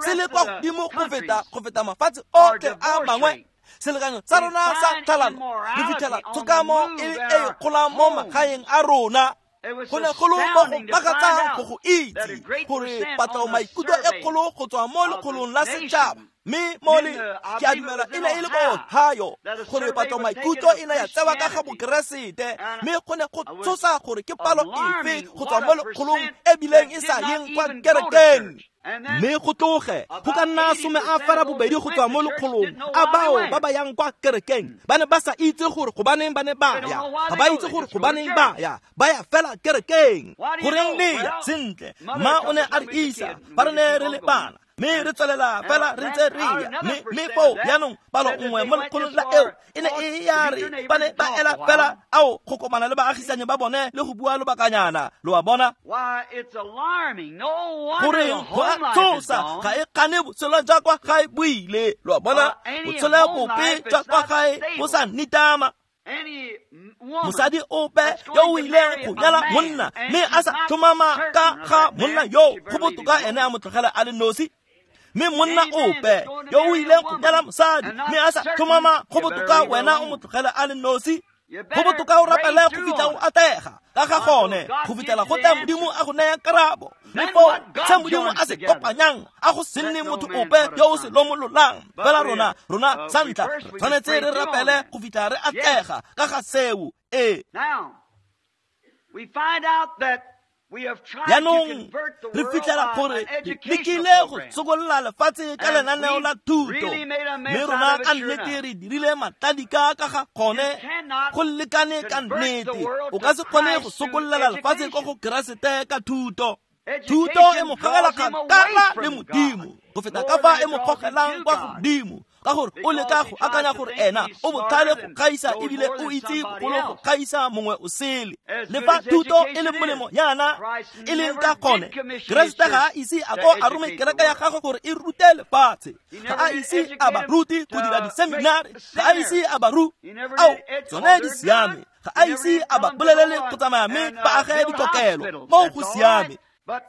se le kwa godimo go feta mafatshe otlhe a mangwe? Selekanyo sa rona sa tlhalano re fitlhela tshokamo e e kgolang mo magaeng a rona. Go ne go le mo go makatsang go go itse gore patlo maikutlo e kgolo go tswa mo lekgolong la setšhaba, mme mo le ke a dumela e ne e le ko Ohio, gore patlo maikutlo e ne ya tsewa ka ga Bokeresete, mme go ne go tshosa gore ke palo efe go tswa mo lekgolong e bileng e sa yeng kwa kerekeng. Mme go tloge go ka nna 82 go tswa mo lekgolong a bao ba ba yang kwa kerekeng ba ne ba sa itse gore gobaneng ba ne ba ya, ga ba itse gore gobaneng ba ya, ba ya fela kerekeng. Goreng le ya? Sentle, mma o ne a re isa fa re ne re le bana, mme re tswelela fela re ntse re ya. Mme foo jaanong palo nngwe mo lekgolong la eo e ne e ya re ba ne ba ela fela ao go kopana le baagisane ba bone le go bua lobakanyana. Lo a bona? Goreng go a tshosa, ga e kgane botshelo jwa kwa gae bo ile. Lo a bona? Botshelo bope jwa kwa gae bo sa nitama. Mosadi ope yo o ileng go nyala monna mme a sa tlhomama ka ga monna yo, go botoka ene a mo tlogela a le nosi. Mme monna ope yo o ileng go nyala mosadi mme a sa tlhomama, go botoka wena o mo tlogela a le nosi. Go botoka o rapele go fitlha o atlega ka ga gone, go fitlhela go tla Modimo a go naya karabo. Mme foo se Modimo a se kopanyang a go se nne motho ope yo o se lomololang. Fela rona sa ntlha re tshwanetse re rapele go fitlha re atlega ka ga seo. Ee. Jaanong re fitlhela gore lekile go sokolola lefatshe ka lenaneo la thuto, mme rona ka nnete re dirile matladika ka ga gone go lekane ka nnete. O ka se kgone go sokololela lefatshe ko go Keresete ka thuto. Thuto e mo gogela kgakala le Modimo go feta ka fa e mo gogelang kwa godimo, ka gore o leka go akanya gore ena o botlhale go gaisa ebile o itse bogolo go gaisa mongwe o sele. Le fa thuto e le molemo yana e leng ka gone, Keresete ga a ise a ko a rome kereke ya gagwe gore e rute lefatshe. Ga a ise a ba rute go dira diseminari, ga a ise a ba ao tsone di siame, ga a ise a ba bolelele go tsamaya mme ba age dikokelo, moo go siame.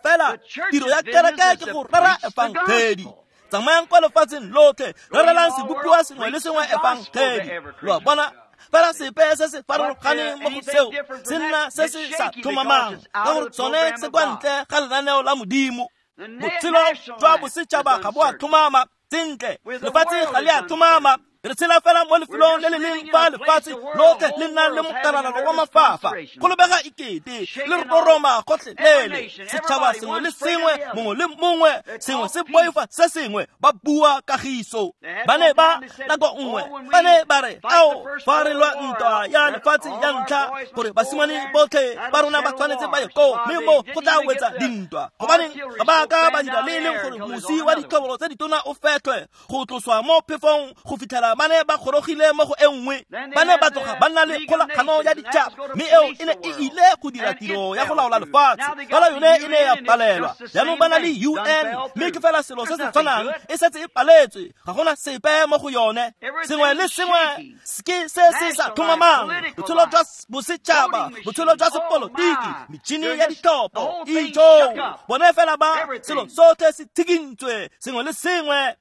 Fela tiro ya kereke ke go rera efangedi. Tsamayang kwa lefatsheng lotlhe, rerelang sebopiwa sengwe le sengwe efangedi. Lo a bona? Fela sepe se se farologaneng mo go seo se nna se se sa tlhomamang, ka gore tsone se kwa ntle ga lenaneo la Modimo. Botshelo jwa bosetšhaba ga bo a tlhomama sentle, lefatshe ga le a tlhomama. Re tshela fela mo lefelong le le leng fa lefatshe lotlhe le nang le mokaralalo wa mafafa. Go lebega ekete le re roroma gotlhelele, setšhaba sengwe le sengwe, mongwe le mongwe, sengwe se boifa se sengwe, ba bua kagiso. Ba ne ba nako nngwe ba ne ba re, ao fa re lwa ntwa ya lefatshe ya ntlha, gore basimane botlhe ba rona ba tshwanetse ba ye koo, mme mo go tla wetsa dintwa. Gobaneng ga ba ka ba dira le e leng gore mosi wa ditlhobolo tse ditona o fetlhwe go tloswa mo phefong go fitlhela ba ne ba gorogile mo go e nngwe. Ba ne ba tloga ba nna le kgolagano ya ditšhaba, mme eo e ne e ile go dira tiro ya go laola lefatshe, fela yone e ne ya palelwa. Jaanong ba na le UN, mme ke fela selo se se tshwanang, e setse e paletswe, ga gona sepe mo go yone. Sengwe le sengwe ke se se sa tlhomamang, botshelo jwa bosetšhaba, botshelo jwa sepolotiki, metšhini ya ditlhopho, ijo, bone fela ba selo sotlhe se tshikintswe, sengwe le sengwe.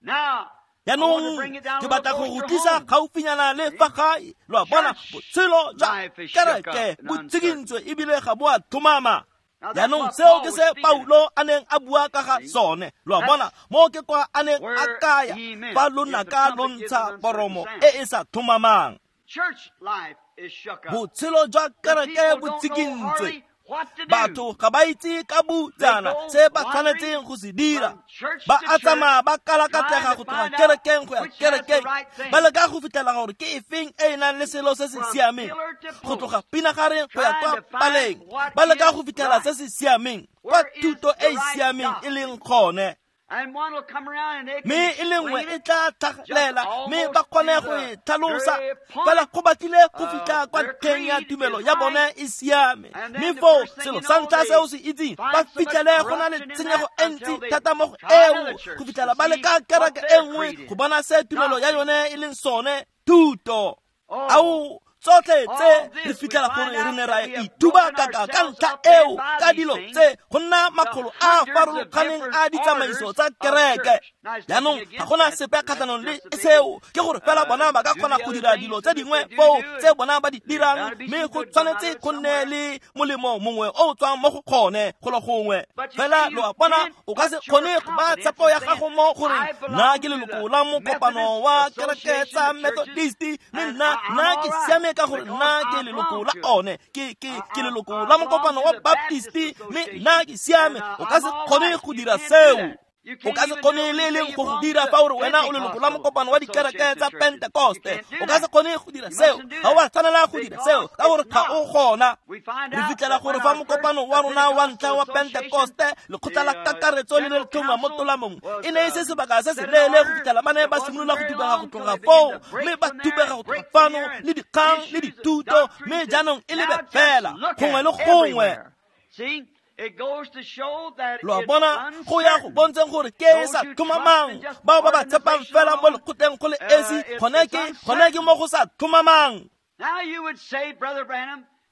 Jaanong ke batla go go tlisa gaufinyana le fa gae. Lo a bona, botshelo jwa kereke bo tsikintswe ebile ga bo a tlhomama. Jaanong seo ke se Paulo a neng a bua ka ga sone. Lo a bona, mo ke kwa a neng a kaya fa lonaka lo ntsha poromo e e sa tlhomamang. Botshelo jwa kereke bo tsikintswe. Batho ga ba itse ka butsana se ba tshwanetseng go se dira. Ba a tsamaya ba kalakatlega go tloga kerekeng go ya kerekeng, ba leka go fitlhela gore ke efeng e e nang le selo se se siameng, go tloga pinagareng go ya kwa paleng, ba leka go fitlhela se se siameng, kwa thuto e e siameng e leng gone. Mme e le nngwe e tla tlhagelela mme ba kgone go e tlhalosa, fela go batlile go fitlha kwa ntlheng ya tumelo ya bone e siame. Mme foo selo sa ntlha se o se itseng, ba fitlhele go na le tshenyego e ntsi thata mo go eo, go fitlhela ba leka kereke e nngwe go bona se tumelo ya yone e leng sone, thuto. Ao, tsotlhe tse re fitlhela gore re ne ra ithuba kaka ka ntlha eo, ka dilo tse go nna makgolo a farologaneng a ditsamaiso tsa kereke. Jaanong ga gona sepe kgatlhanong le seo, ke gore fela bona ba ka kgona go dira dilo tse dingwe foo tse bona ba di dirang, mme go tshwanetse go nne le molemo mongwe o o tswang mo go gone golo gongwe. Fela lo a bona, o ka se kgone go ba tshepo ya gago mo goreng nna ke leloko la mokopano wa kereke tsa Methodist, mme nna ke siame ka gore nna ke leloko la one, ke leloko la mokopano wa Baptist, mme nna ke siame. O ka se kgone go dira seo. O ka se kgone le leng go go dira fa ore wena o leloko la mokopano wa dikereke tsa Pentecoste. O ka se kgone go dira seo. Ga o a tshwanela go dira seo ka gore ga o gona. Re fitlhela gore fa mokopano wa rona wa ntlha wa Pentecoste, lekgotla la kakaretso le ne le tlhongwa mo tolamong, e ne e se sebaka se se leele go fitlhela ba ne ba simolola go thubega go tloga foo, mme ba thubega go tloga fano le dikgang le dithuto, mme jaanong e lebe fela gongwe le gongwe. Lo a bona, go ya go bontsheng gore ke e sa tlhomamang. Bao ba ba tshepang fela mo lekgotleng go le esi, gone ke mo go sa tlhomamang.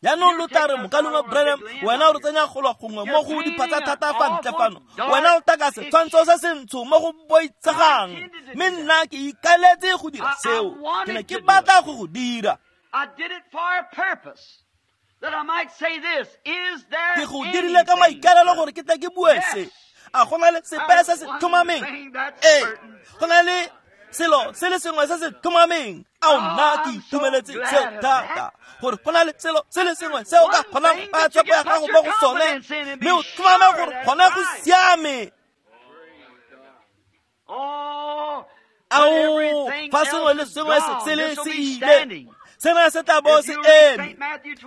Jaanong lo tla re, mokaulengwe Branham, wena o re tsenya golo gongwe mo go diphatsa thata fa ntle fano, wena o taka setshwantsho se sentsho mo go boitshegang, mme nna ke ikaeletse go dira seo. Ke ne ke batla go go dira. Ke go dirile ka maikaelelo gore ke tle ke bue se. A go na le sepe se se tlhomameng? Ee, go na le selo se le sengwe se se tlhomameng. Ao, nna ke itumeletse seo thata, gore go na le selo se le sengwe se o ka kgonang go baya tshepo ya gago mo go sone, mme o tlhomame gore gone go siame. Ao, fa sengwe le sengwe se sele se ile, sena se tla bo se eme.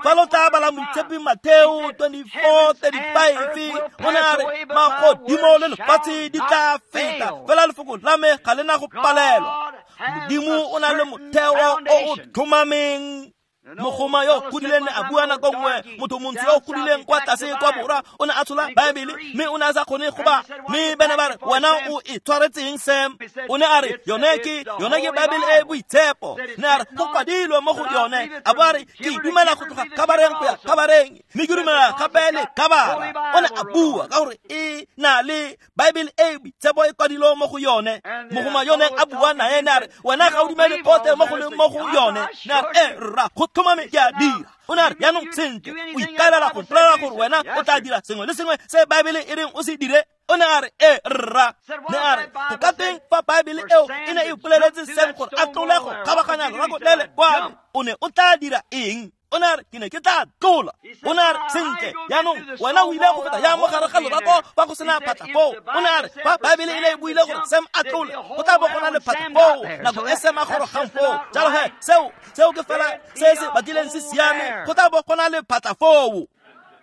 Fa lo tla bala moitshepi Mateo 24:35, o ne a re magodimo le lefatshe di tla feta, fela lefoko la me ga le na go palelwa. Modimo o na le motheo o o tlhomameng. Mogoma yo godileng ne a bua nako nngwe, motho montsho yo godileng kwa tlase kwa borwa o ne a tshola Baebele, mme o ne a sa kgone go ba. Mme bana ba re, wena o e tshwaretseng Sam? O ne a re, yone ke Baebele e boitshepo. Ne a re, go kwadilwe mo go yone. A bo a re, ke dumela go tloga kabareng go ya kabareng, mme ke dumela gape le kabara. O ne a bua ka gore e na le Baebele e boitshepo e kwadilwe mo go yone. Mogoma yo neng a bua nae ne a re, wena ga o dumele gotlhe mo go leng mo go yone. Ne a re, e rra, go tlhomame ke a dira. O ne a re, jaanong sentle, o ikaelela go mpolelela gore wena o tla dira sengwe le sengwe se Baebele e reng o se dire? O ne a re, e rra. Ne a re, go ka teng fa Baebele eo e ne e poleletse Sam gore a tlole go kgabaganya lorako le le kwano, o ne o tla dira eng? O ne a re, ke ne ke tla tlola. O ne a re, sentle, jaanong wena o ile go feta yang mo gare ga lorako fa go sena phatlha foo? O ne a re, fa Baebele e ne e buile gore Sam a tlole, go tla bo go na le phatlha foo nako e Sam a gorogang foo. Jalo he, seo ke fela se se batlileng se siame, go tla bo go na le phatlha foo.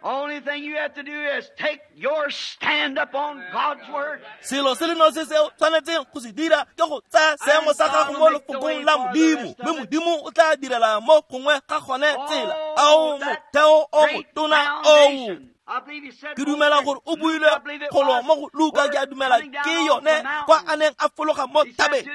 Only thing you have to do is take your stand up on God's word. Selo se le nosi se o tshwanetseng go se dira ke go tsaya seemo sa gago mo lefokong la Modimo, mme Modimo o tla direla mo gongwe ga gone tsela. Ao, motheo o motona oo. Ke dumela gore o buile golo mo go Luka, ke a dumela ke yone kwa a neng a fologa mo thabeng,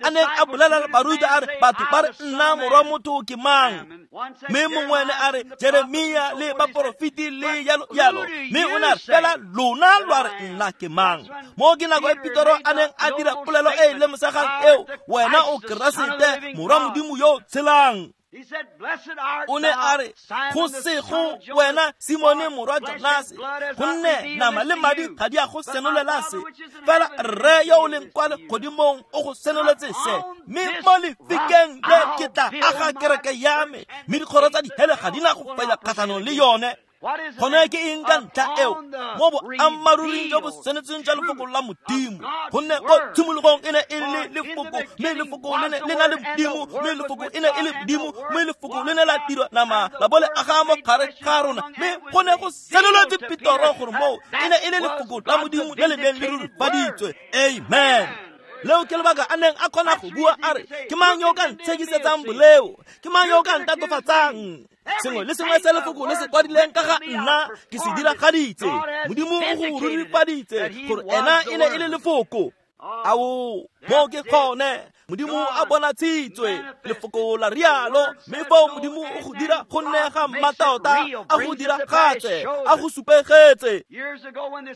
a neng a bolelela barutwa a re, batho ba re nna morwa motho ke mang? Mme mongwe ne a re Jeremia le baporofeti le yalo yalo, mme o ne a re fela lona lwa re nna ke mang? Mo ke nako e Petoro a neng a dira polelo e e lemosegang eo, wena o Keresete morwa Modimo yo o tshelang. O ne a re go sego wena Simone morwa Jonase, gonne nama le madi ga di a go senolela se, fela Rre yo o leng kwa legodimong o go senoletse se. Mme mo lefikeng le ke tla aga kereke ya me, mme dikgoro tsa dihele ga di na go fenya kgatlhanong le yone. Gone ke eng ka ntlha eo? Mo boammaruring jo bo senetseng jwa lefoko la Modimo, gonne ko tshimologong e ne e le lefoko, mme lefoko le ne le na le Modimo, mme lefoko e ne e le Modimo, mme lefoko le ne la dirwa nama la bo le aga mo gare ga rona. Mme go ne go senoletse Petoro gore moo e ne e le lefoko la Modimo le le neng le rurifaditswe. Amen. Leo ke lebaka a neng a kgona go bua a re, ke mang yo o ka ntshekisetsang boleo? Ke mang yo o ka ntatofatsang? Sengwe le sengwe se lefoko le se kwadileng ka ga nna ke se diragaditse. Modimo o go rurifaditse gore ena e ne e le lefoko. Ao, mo ke gone Modimo a bonatshitswe, lefoko la rialo, mme foo Modimo o go dira go nne ga mmatota, a go diragatse, a go supegetse.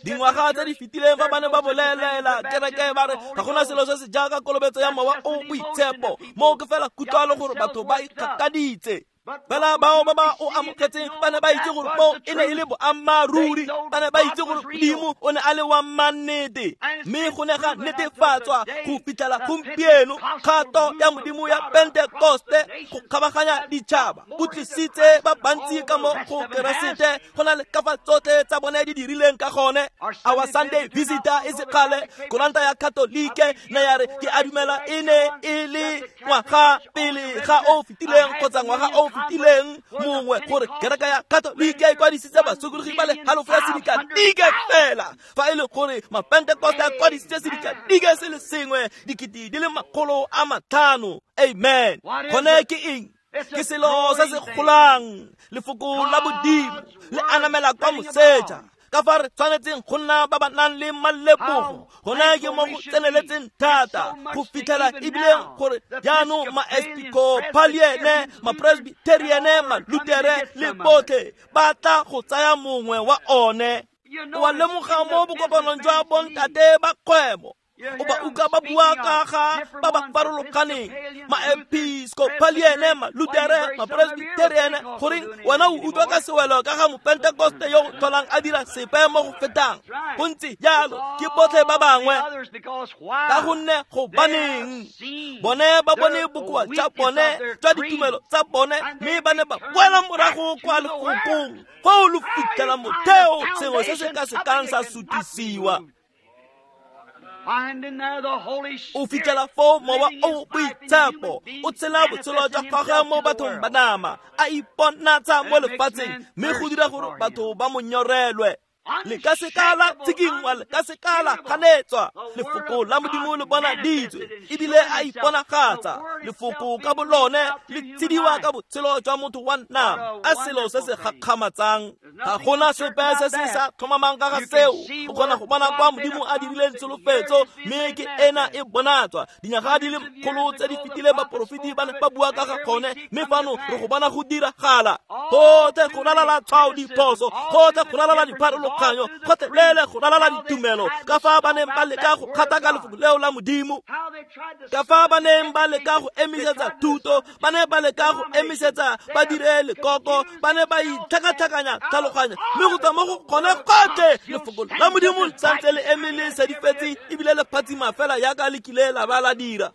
Dingwaga tse di fetileng fa ba ne ba bolelela kereke ba re ga gona selo se se jaaka kolobetso ya mowa o boitshepo, moo ke fela kutlwalo gore batho ba ikgakaditse. Fela bao ba ba o amogetseng ba ne ba itse gore moo e ne e le boammaaruri, ba ne ba itse gore Modimo o ne a le wa mannete, mme go ne ga netefatswa go fitlhela gompieno kgato ya Modimo ya Pentekoste go kgabaganya ditšhaba go tlisitse ba bantsi ka mo go Keresete go na le ka fa tsotlhe tsa bone di dirileng ka gone. Our Sunday Visitor e sekgale, koranta ya Katolike ne ya re ke a dumela e ne e le ngwaga pele ga o fetileng kgotsa ngwaga o fetileng mongwe gore kereke ya Katolike e kwadisitse basokologi ba le halofo ya sedikadike fela, fa e le gore mapentekoste a kwadisitse sedikadike se le sengwe 500,000. Amen. Gone ke eng? Ke selo se se golang, lefoko la Modimo le anamela kwa moseja. Ka fa re tshwanetseng go nna ba ba nang le malebogo, gone ke mo go tseneletseng thata go fitlhela ebileng gore jaanong ma-Episcopaliene, ma-Presbyteriene, ma-Lutere le botlhe ba tla go tsaya mongwe wa one. O a lemoga mo bokopanong jwa bontate ba kgwebo, o ba utlwa ba bua ka ga ba ba farologaneng, ma-Episcopaliene, ma-Lutere, ma-Presbyteriene, goreng wena o utlwa ka sewelo ka ga mopentekoste yo o tlholang a dira sepe mo go fetang. Go ntse jalo ke botlhe ba bangwe, ka gonne gobaneng bone ba bone bokoa jwa bone jwa ditumelo tsa bone, mme ba ne ba boela morago kwa lefokong foo lo fitlhela motheo sengwe se se ka sekang sa sutisiwa. O fitlhela foo mowa o boitshepo o tshela botshelo jwa gagwe mo bathong ba nama, a iponatsa mo lefatsheng, mme go dira gore batho ba mo nyorelwe. Le ka seka la tshikinngwa, le ka seka la ganetswa. Lefoko la Modimo le bonaditswe ebile a iponagatsa. Lefoko ka bolone le tshediwa ka botshelo jwa motho wa nama, a selo se se gakgamatsang. Ga gona sepe se se sa tlhomamang ka ga seo. O kgona go bona kwa Modimo a dirileng tsholofetso, mme ke ena e bonatswa. Dinyaga di le kgolo tse di fetileng baporofeti ba ne ba bua ka ga gone, mme fano re go bona go diragala. Gotlhe go ralala tshwao diphoso, gotlhe go ralala dipharologanyo, gotlhelele go ralala ditumelo, ka fa ba neng ba leka go kgata ka lefoko leo la Modimo, ka fa ba neng ba leka go emisetsa thuto, ba ne ba leka go emisetsa ba dire lekoko, ba ne ba itlhakatlhakanya tlhaloganya, mme go tswa mo go gone gotlhe lefoko la Modimo le santse le eme le sedifetse ebile le phatsima fela jaaka le kile la ba la dira.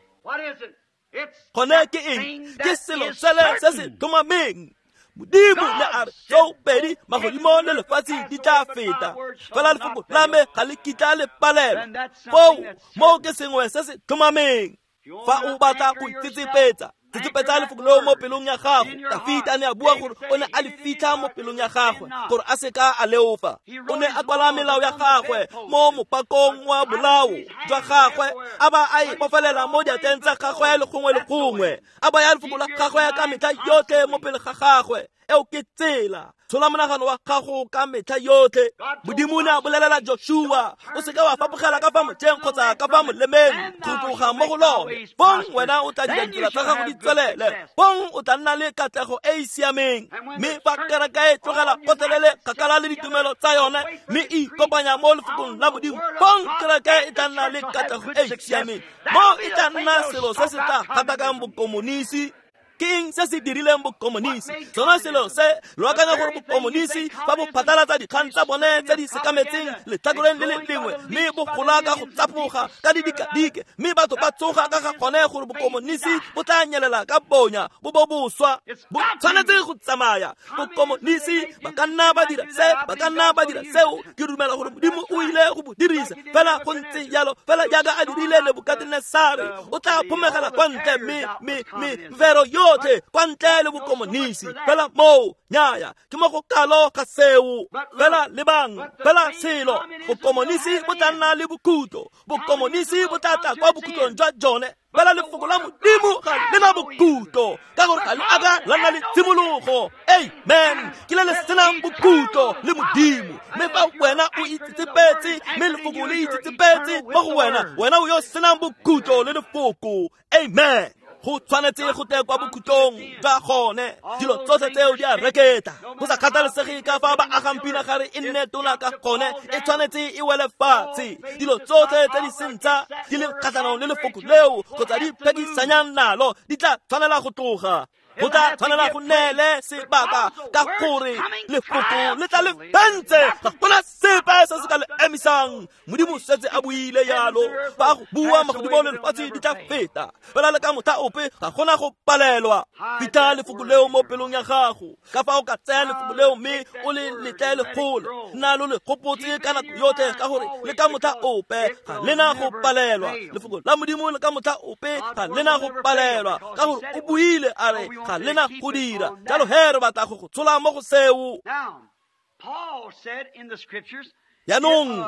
Gone ke eng? Ke selo sele se se tlhomameng. Modimo ne a re tsoopedi magodimo le lefatshe di tla feta, fela lefoko la me ga le kitla le palelwa. Foo moo ke sengwe se se tlhomameng. Fa o batla go itsetsepetsa, tsetsepetsa lefoko leo mo pelong ya gago. Dafita ne a bua gore o ne a le fitlha mo pelong ya gagwe gore a seka a leofa. O ne a kwala melao ya gagwe mo mopakong wa bolao jwa gagwe, a ba a e bofelela mo diatleng tsa gagwe le gongwe le gongwe, a baya lefoko la gagwe ka metlha yotlhe mo pele ga gagwe. Eo ke tsela. Tshola monagano wa gago ka metlha yotlhe. Modimo ne a bolelela Joshua, o seka wa fapogela ka fa mojeng kgotsa ka fa molemeng go tloga mo go lone. Bong wena o tla dira ditsela tsa gago di tswelele. Bong o tla nna le katlego e e siameng. Mme fa kereke e tlogela gotlhelele kgakala le ditumelo tsa yone mme e ikopanya mo lefokong la Modimo, bong kereke e tla nna le katlego e e siameng. Mo e tla nna selo se se tla gatakang bokomonisi. Ke eng se se dirileng bokomonisi? Sona selo se lo akanya gore bokomonisi fa bo phatlalatsa dikgang tsa bone tse di sekametseng letlhakoreng le le lengwe, mme bo gola ka go tsapoga ka didikadike, mme batho ba tsoga ka ga gone gore bokomonisi bo tla nyelela ka bonya bo bo boswa. Bo tshwanetse go tsamaya. Bokomonisi ba ka nna ba dira se, ba ka nna ba dira seo. Ke dumela gore Modimo o ile go bo dirisa fela go ntse jalo, fela jaaka a dirile Nebukatenesare. O tla phomegela kwa ntle mme mvero yo kwa ntle le bokomonisi. Fela moo nyaya ke mo go kalo ga seo. Fela lebang, fela selo, bokomonisi bo tla nna le bokhutlo. Bokomonisi bo tla tla kwa bokhutlong jwa jone. Fela lefoko la Modimo ga le na bokhutlo, ka gore ga le aka la nna le tshimologo. Amen. Ke le le senang bokhutlo le Modimo. Mme fa wena o itsetsepetse, mme lefoko le itsetsepetse mo go wena, wena o yo senang bokhutlo le lefoko. Amen. Go tshwanetse go tle kwa bokhutlong jwa gone. Dilo tsotlhe tseo di a reketla. Go sa kgathalesege ka fa ba agang pinagare e nne tona ka gone, e tshwanetse e wele fatshe. Dilo tsotlhe tse di seng tsa di le kgatlhanong le lefoko leo kgotsa di phekisanyang nalo di tla tshwanela go tloga. Go tla tshwanela go neele sebaka, ka gore lefoko le tla le fentse. Ga gona sepe se se ka le emisang. Modimo setse a buile yalo. Fa go bua magodimo le lefatshe di tla feta, fela le ka motlha ope ga gona go palelwa. Fitlha lefoko leo mo pelong ya gago. Ka fa o ka tsaya lefoko leo mme o le letle legolo, nna lo le gopotse ka nako yotlhe, ka gore le ka motlha ope ga lena go palelwa. Lefoko la Modimo le ka motlha ope ga lena go palelwa, ka gore o buile a re ga lena go dira. Jalo he re batla go go tshola mo go seo. Jaanong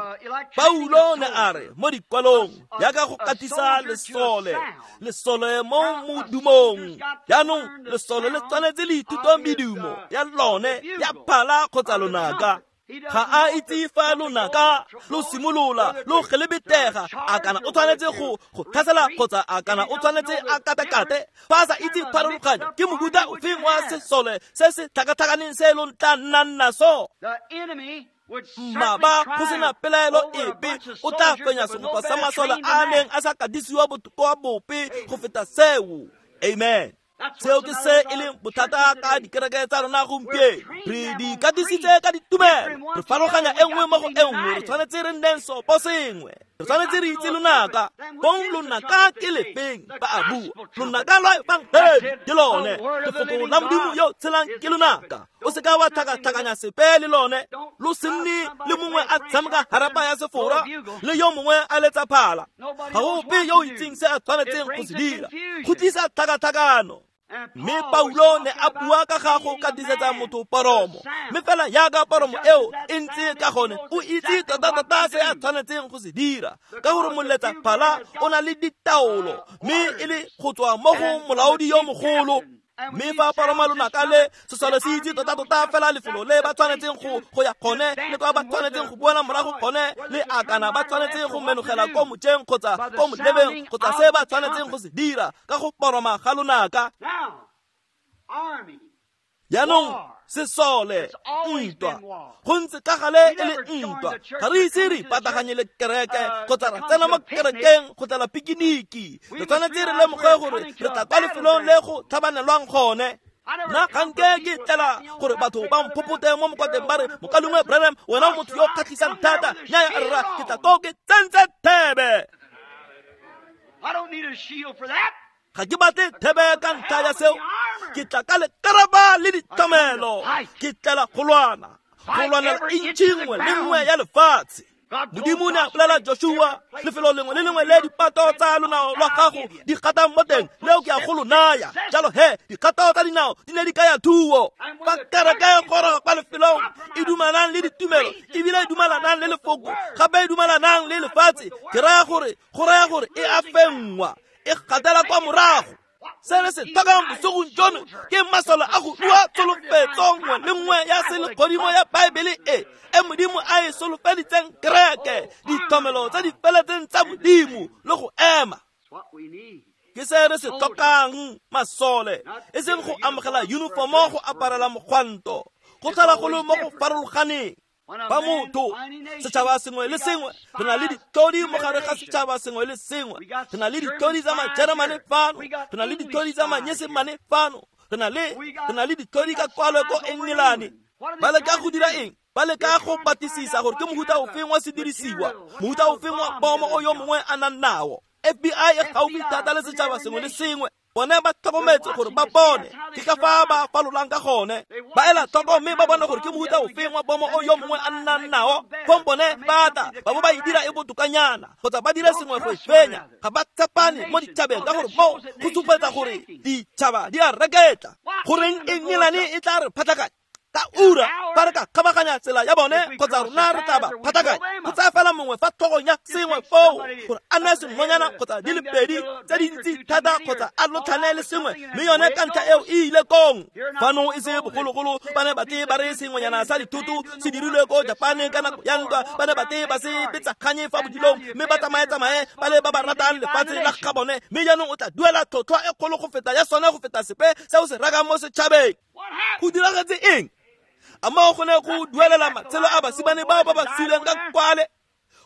Paulo ne a re mo dikwalong, jaaka go katisa lesole, lesole mo modumong. Jaanong lesole le tshwanetse le ithuta medumo ya lone ya phala kgotsa lonaka. Ga a itse fa lonaka lo simolola lo gelebetega, a kana o tshwanetse go tlhasela kgotsa a kana o tshwanetse a katakate. Fa a sa itse pharologanyo, ke mofuta ofeng wa sesole se se tlhakatlhakaneng se lo tla nnang naso? Mmaba go sena pelaelo epe o tla fenya segopa sa masole a neng a sa katisiwa botoka bope go feta seo. Amen. Seo ke se e leng bothata ka dikereke tsa rona gompieno. Re di katisitse ka ditumelo, re farologanya e nngwe mo go e nngwe. Re tshwanetse re nneng sopo sengwe. Re tshwanetse re itse lonaka. Bong lonaka ke lefeng? Ba a bua. Lonaka lwa efangedi ke lone. Lefoko la Modimo yo tshelang ke lonaka. O seka wa tlhakatlhakanya sepe le lone. Lo se nne le mongwe a tshameka harapa ya sefora le yo mongwe a letsa phala. Ga go ope yo o itseng se a tshwanetseng go se dira. Go tlisa tlhakatlhakano. Mme Paulo ne a bua ka ga go katisetsa motho poromo, mme fela jaaka poromo eo e ntse ka gone, o itse tota-tota se a tshwanetseng go se dira, ka gore moletsa phala o na le ditaolo, mme e le go tswa mo go molaodi yo mogolo. Mme fa poroma lonaka le sesole se itse tota-tota fela lefelo le ba tshwanetseng go ya gone, le kwa ba tshwanetseng go boela morago gone, le a kana ba tshwanetse go menogela ko mojeng kgotsa ko molebeng kgotsa se ba tshwanetseng go se dira ka go poroma ga lonaka. Jaanong sesole, ntwa, go ntse ka gale e le ntwa. Ga re ise re ipataganye le kereke kgotsa ra tsena mo kerekeng go tlela pikiniki. Re tshwanetse re lemoge gore re tla kwa lefelong le go tlhabanelwang gone. Nna ga nke ke tlela gore batho ba mphopote mo mokwateng ba re, Mokalengwe Branham, wena o motho yo o kgatlhisang thata. Nnyaya rra, ke tla ko ke tsentse thebe. Ga ke batle thebe ka ntlha ya seo. Ke tla ka lekaraba le ditlamelo. Ke tlela go lwana, go lwanela intšhi nngwe le nngwe ya lefatshe. Modimo ne a bolela Joshua, lefelo lengwe le lengwe le dipato tsa lonao lwa gago di gatang mo teng, leo ke a go lo naya. Jalo he, dikgato tsa dinao di ne di kaya thuo. Fa kereke e goroga kwa lefelong e dumelanang le ditumelo, ebile e dumelanang le lefoko, gape e dumelanang le lefatshe, ke raya gore, go raya gore e a fenngwa, e gatela kwa morago. Se re se tlhokang bosigong jono ke masole a go rua tsholofetso nngwe le nngwe ya selegodimo ya Baebele e Modimo a e solofeditseng kereke, ditlhomelo tse di feletseng tsa Modimo le go ema. Ke se re se tlhokang masole, e seng go amogela uniformo go aparela mogwanto, go tlhola go le mo go farologaneng. Ba motho, setšhaba sengwe le sengwe, re na le ditlhodi mo gare ga setšhaba sengwe le sengwe. Re na le ditlhodi tsa Majeremane fano, re na le ditlhodi tsa Manyesemane fano, re na le ditlhodi ka kwalo ko Engelane. Ba leka go dira eng? Ba leka go batlisisa gore ke mohuta ofeng wa sedirisiwa, mohuta ofeng wa bomo o yo mongwe a nang nao. FBI e gaufi thata le setšhaba sengwe le sengwe. Bone ba tlhokometse gore ba bone ke ka fa ba falolang ka gone. Ba ela tlhoko mme ba bone gore ke mohuta ofeng wa bomo o yo mongwe a nnang nao. Fong bone ba tla ba bo ba e dira e botokanyana kgotsa ba dira sengwe go e fenya. Ga ba tshepane mo ditšhabeng ka gore moo go supetsa gore ditšhaba di a reketla. Goreng Engelane e tla re phatlakanya ka ura fa re ka kgabaganya tsela ya bone kgotsa rona re tla ba phatlakanya. Go tsaya fela mongwe fa tlhogong ya sengwe foo gore a nne sengwenyana kgotsa di le pedi tse dintsi thata kgotsa a lotlhane le sengwe, mme yone ka ntlha eo e ile kong. Fano e se bogologolo ba ne batle ba re sengwenyana sa dithoto se dirilwe ko Japane ka nako ya ntwa, ba ne batle ba se betsaganye fa bodilong mme ba tsamaye-tsamaye ba le ba ba ratang lefatshe la ga bone, mme jaanong o tla duela tlhotlhwa e kgolo go feta ya sone go feta sepe se o se rekang mo setšhabeng. Go diragetse eng? A moo go ne go duelela matshelo a basimane bao ba ba suleng ka kwale?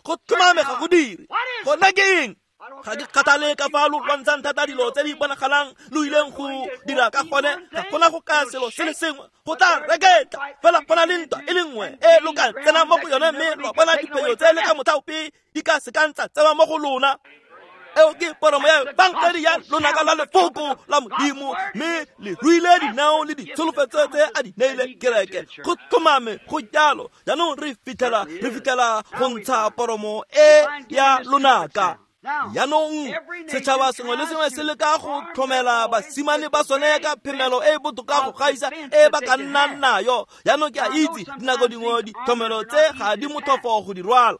Go tlhomame ga go dire. Gona ke eng? Ga ke kgathale ka fa lo lwantshang thata dilo tse di bonagalang lo ileng go dira ka gone, ga gona go kaya selo se le sengwe, go tla reketla. Fela go na le ntwa e le nngwe e lo ka tsenang mo go yone mme lwa bona diphenyo tse le ka motlha ope di ka sekang tsa tsewa mo go lona. Eo ke poromo ya bankedi ya lonaka la lefoko la Modimo, mme le ruile dinao le ditsholofetso tse a di neile kereke. Go tlhomame go jalo. Jaanong re fitlhela go ntsha poromo e ya lonaka. Jaanong setšhaba sengwe le sengwe se leka go tlhomela basimane ba sone ka phemelo e e botoka go gaisa e ba ka nnang nayo. Jaanong ke a itse dinako dingwe ditlhomelo tse ga di motlhofo go di rwala.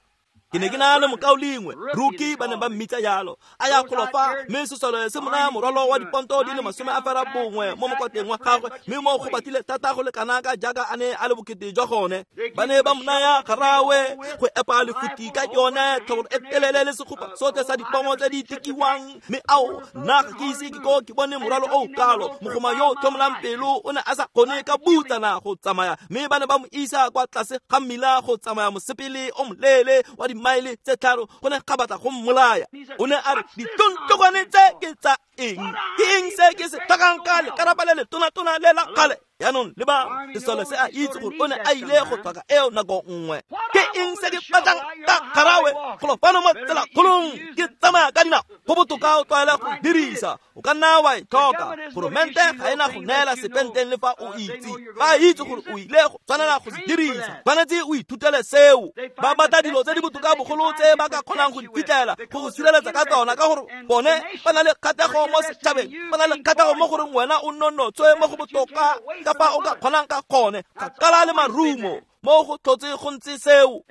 Ke ne ke na le mokaulengwe Ruki, ba ne ba mmitsa jalo, a ya golo fa, mme sesole se mo naya morwalo wa diponto di le 91 mo mokwateng wa gagwe, mme mo go batlile thata go le kana ka jaaka a ne a le bokete jwa gone. Ba ne ba mo naya garawe go epa lefuti ka yone, tlhobolo e telele le segopa sotlhe sa dipomo tse di tikiwang. Mme ao, nna ga ke ise ke ko ke bone morwalo o kalo. Mogoma yo o tlhomolang pelo o ne a sa kgone ka butsana go tsamaya, mme ba ne ba mo isa kwa tlase ga mmila go tsamaya mosepele o moleele wa dimaele tse 3, go ne ga batla go mmolaya. O ne a re, ditontlokwane tse ke tsa eng? Ke eng se ke se tlhokang ka lekarapa le letonatona le la kgale? Jaanong le ba sesole se a itse gore o ne a ile go tlhoka eo nako nngwe. Ke eng se ke batlang ka garawe golo fano mo tselakgolong ke tsamaya ka dinao? Go botoka o tlwaele go dirisa, o ka nna wa e tlhoka. Goromente ga ena go neela sepenteng le fa o itse. Ba itse gore o ile go tshwanela go se dirisa, tshwanetse o ithutele seo. Ba batla dilo tse di botoka bogolo tse ba ka kgonang go di fitlhela go go sireletsa ka tsona, ka gore bone ba na le kgatlhego mo setšhabeng, ba na le kgatlhego mo goreng wena o nonotswe mo go botoka ka fa o ka kgonang ka gone. Kgakala le marumo mo go tlhotse go ntse seo.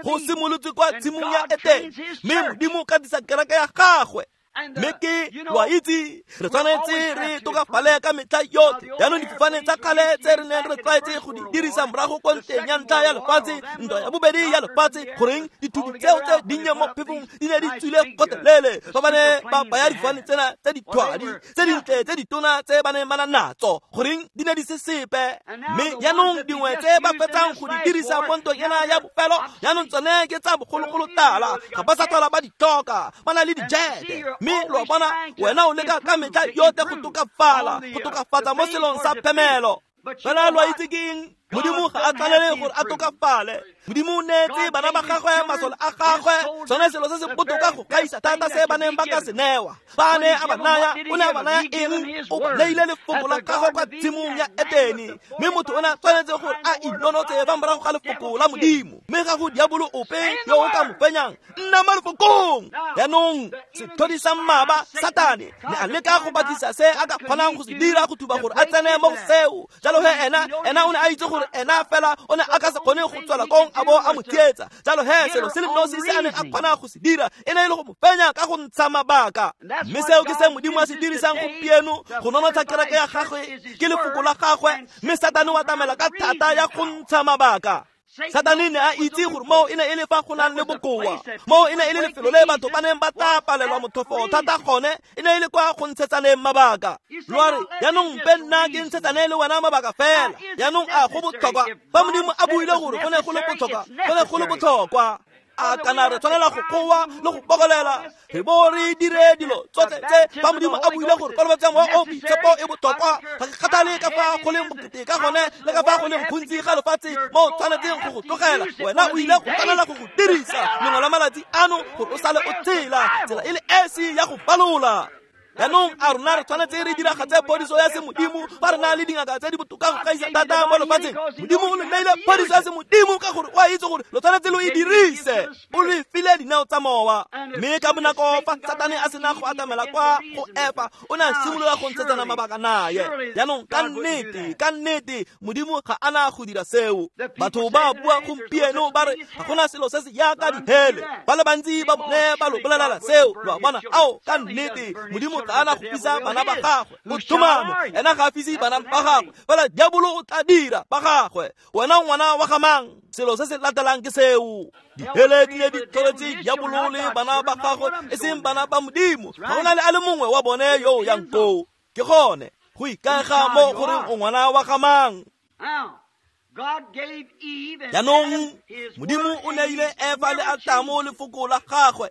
Go simolotse kwa tshimong ya Etene, mme Modimo ka disa kereke ya gagwe. Mme ke wa itse re tshwanetse re tokafale ka metlha yotlhe. Jaanong difofane tsa kgale tse re neng re tlwaetse go di dirisa morago ko nteng ya ntlha ya lefatshe, ntwa ya bobedi ya lefatshe, goreng dithuti tseo tse dinnye mo phefong di ne di tswile gotlhelele fa ba ne ba baya difofane tsena tse dithwadi tse dintle tse ditona tse ba neng ba na natso, goreng di ne di se sepe. Mme jaanong dingwe tse ba fetsang go di dirisa mo ntweng ena ya bofelo, jaanong tsone ke tsa bogologolo tala, ga ba sa tlhola ba di tlhoka, ba na le dijete. Mme lo bona, wena o leka ka metlha yotlhe go tokafala, go tokafatsa mo selong sa phemelo. Fela lo itse ke eng? Modimo ga a tshwanele gore a tokafale. Modimo o neetse bana ba gagwe masole a gagwe, sone selo se se botoka go gaisa thata se ba neng ba ka se newa. Ba ne a ba naya, o ne a ba naya eng? O ba neile lefoko la gagwe kwa tshimong ya Etene. Mme motho o ne a tshwanetse gore a inonotse fa morago ga lefoko la Modimo. Mme ga go diabolo ope yo o ka mo fenyang. Nna mo lefokong. Jaanong setlhodi sa mmaba Satane ne a leka go batlisa se a ka kgonang go se dira go thuba gore a tsene mo go seo. Jalo he ena o ne a itse gore gore ena fela o ne a ka se kgone go tswela kong a bo a mo tsietsa. Jalo he selo se le nosi se a neng a kgona go se dira e ne e le go mo fenya ka go ntsha mabaka. Mme seo ke se Modimo a se dirisang gompieno go nonotsha kereke ya gagwe ke lefoko la gagwe, mme Satane o atamela ka thata ya go ntsha mabaka. Satane ne a itse gore moo e ne e le fa go nang le bokoa, moo e ne e le lefelo le batho ba neng ba tla palelwa motlhofo thata gone, e ne e le kwa go ntshetsaneng mabaka. Lo a re, jaanong mpe nna ke ntshetsane le wena mabaka fela. Jaanong a go botlhokwa fa Modimo a buile gore go ne go le botlhokwa, go ne go le botlhokwa. A kana re tshwanela go goa le go bokolela re bo re dire dilo tsotlhe tse fa Modimo a buile gore kolobetso ya Mowa o o Boitshepo e botlhokwa. Ga ke kgathale ka fa go leng bokete ka gone le ka fa go leng gontsi ga lefatshe mo o tshwanetseng go go tlogela, wena o ile go tshwanela go go dirisa lengwe la malatsi ano gore o sale o tsela tsela e le esi ya go balola. Jaanong a rona re tshwanetse re diragatse phodiso ya semodimo fa re na le dingaka tse di botoka go gaisa thata mo lefatsheng. Modimo o le neile phodiso ya semodimo ka gore o a itse gore lo tshwanetse lo e dirise. O le file dineo tsa mowa. Mme ka bonako fa Satane a sena go atamela kwa go Efa, o ne a simolola go ntshetsana mabaka naye. Jaanong ka nnete Modimo ga a na go dira seo. Batho ba bua gompieno ba re ga gona selo se se jaaka dihele. Ba le bantsi ba bone ba lo bolelela seo. Lo a bona? Ao, ka nnete Modimo ga a na go fisa bana ba gagwe. Go tlhomame ena ga a fise bana ba gagwe, fela diabolo o tla dira ba gagwe. Wena ngwana wa ga mang? Selo se se latelang ke seo. Dihele di ne di tlholetse diabolo le bana ba gagwe, e seng bana ba Modimo. Ga go na le a le mongwe wa bone yo o yang koo. Ke gone go ikaega mo goreng o ngwana wa ga mang. Jaanong Modimo o neile Efa le Atamo lefoko la gagwe,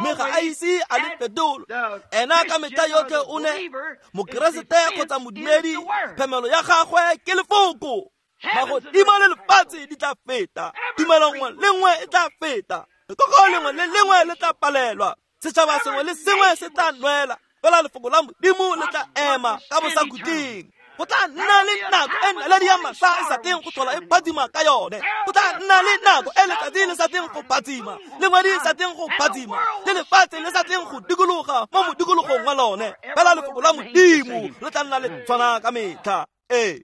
mme ga a ise a le fetole. Ena ka metlha yotlhe o ne Mokeresete kgotsa modumedi, phemelo ya gagwe ke lefoko. Magodimo le lefatshe di tla feta, tumelo nngwe le nngwe e tla feta, lekoko lengwe le lengwe le tla palelwa, setšhaba sengwe le sengwe se tla nwela, fela lefoko la Modimo le tla ema ka bosakhutleng. Go tla nna le nako e naledi ya masa e sa tleng go tlhola e phatsima ka yone. Go tla nna le nako e letsatsi le sa tleng go phatsima, le ngwedi e sa tleng go phatsima, le lefatshe le sa tleng go dikologa mo modikologong wa lone. Fela lefoko la Modimo le tla nna le tshwana ka metlha. Ee.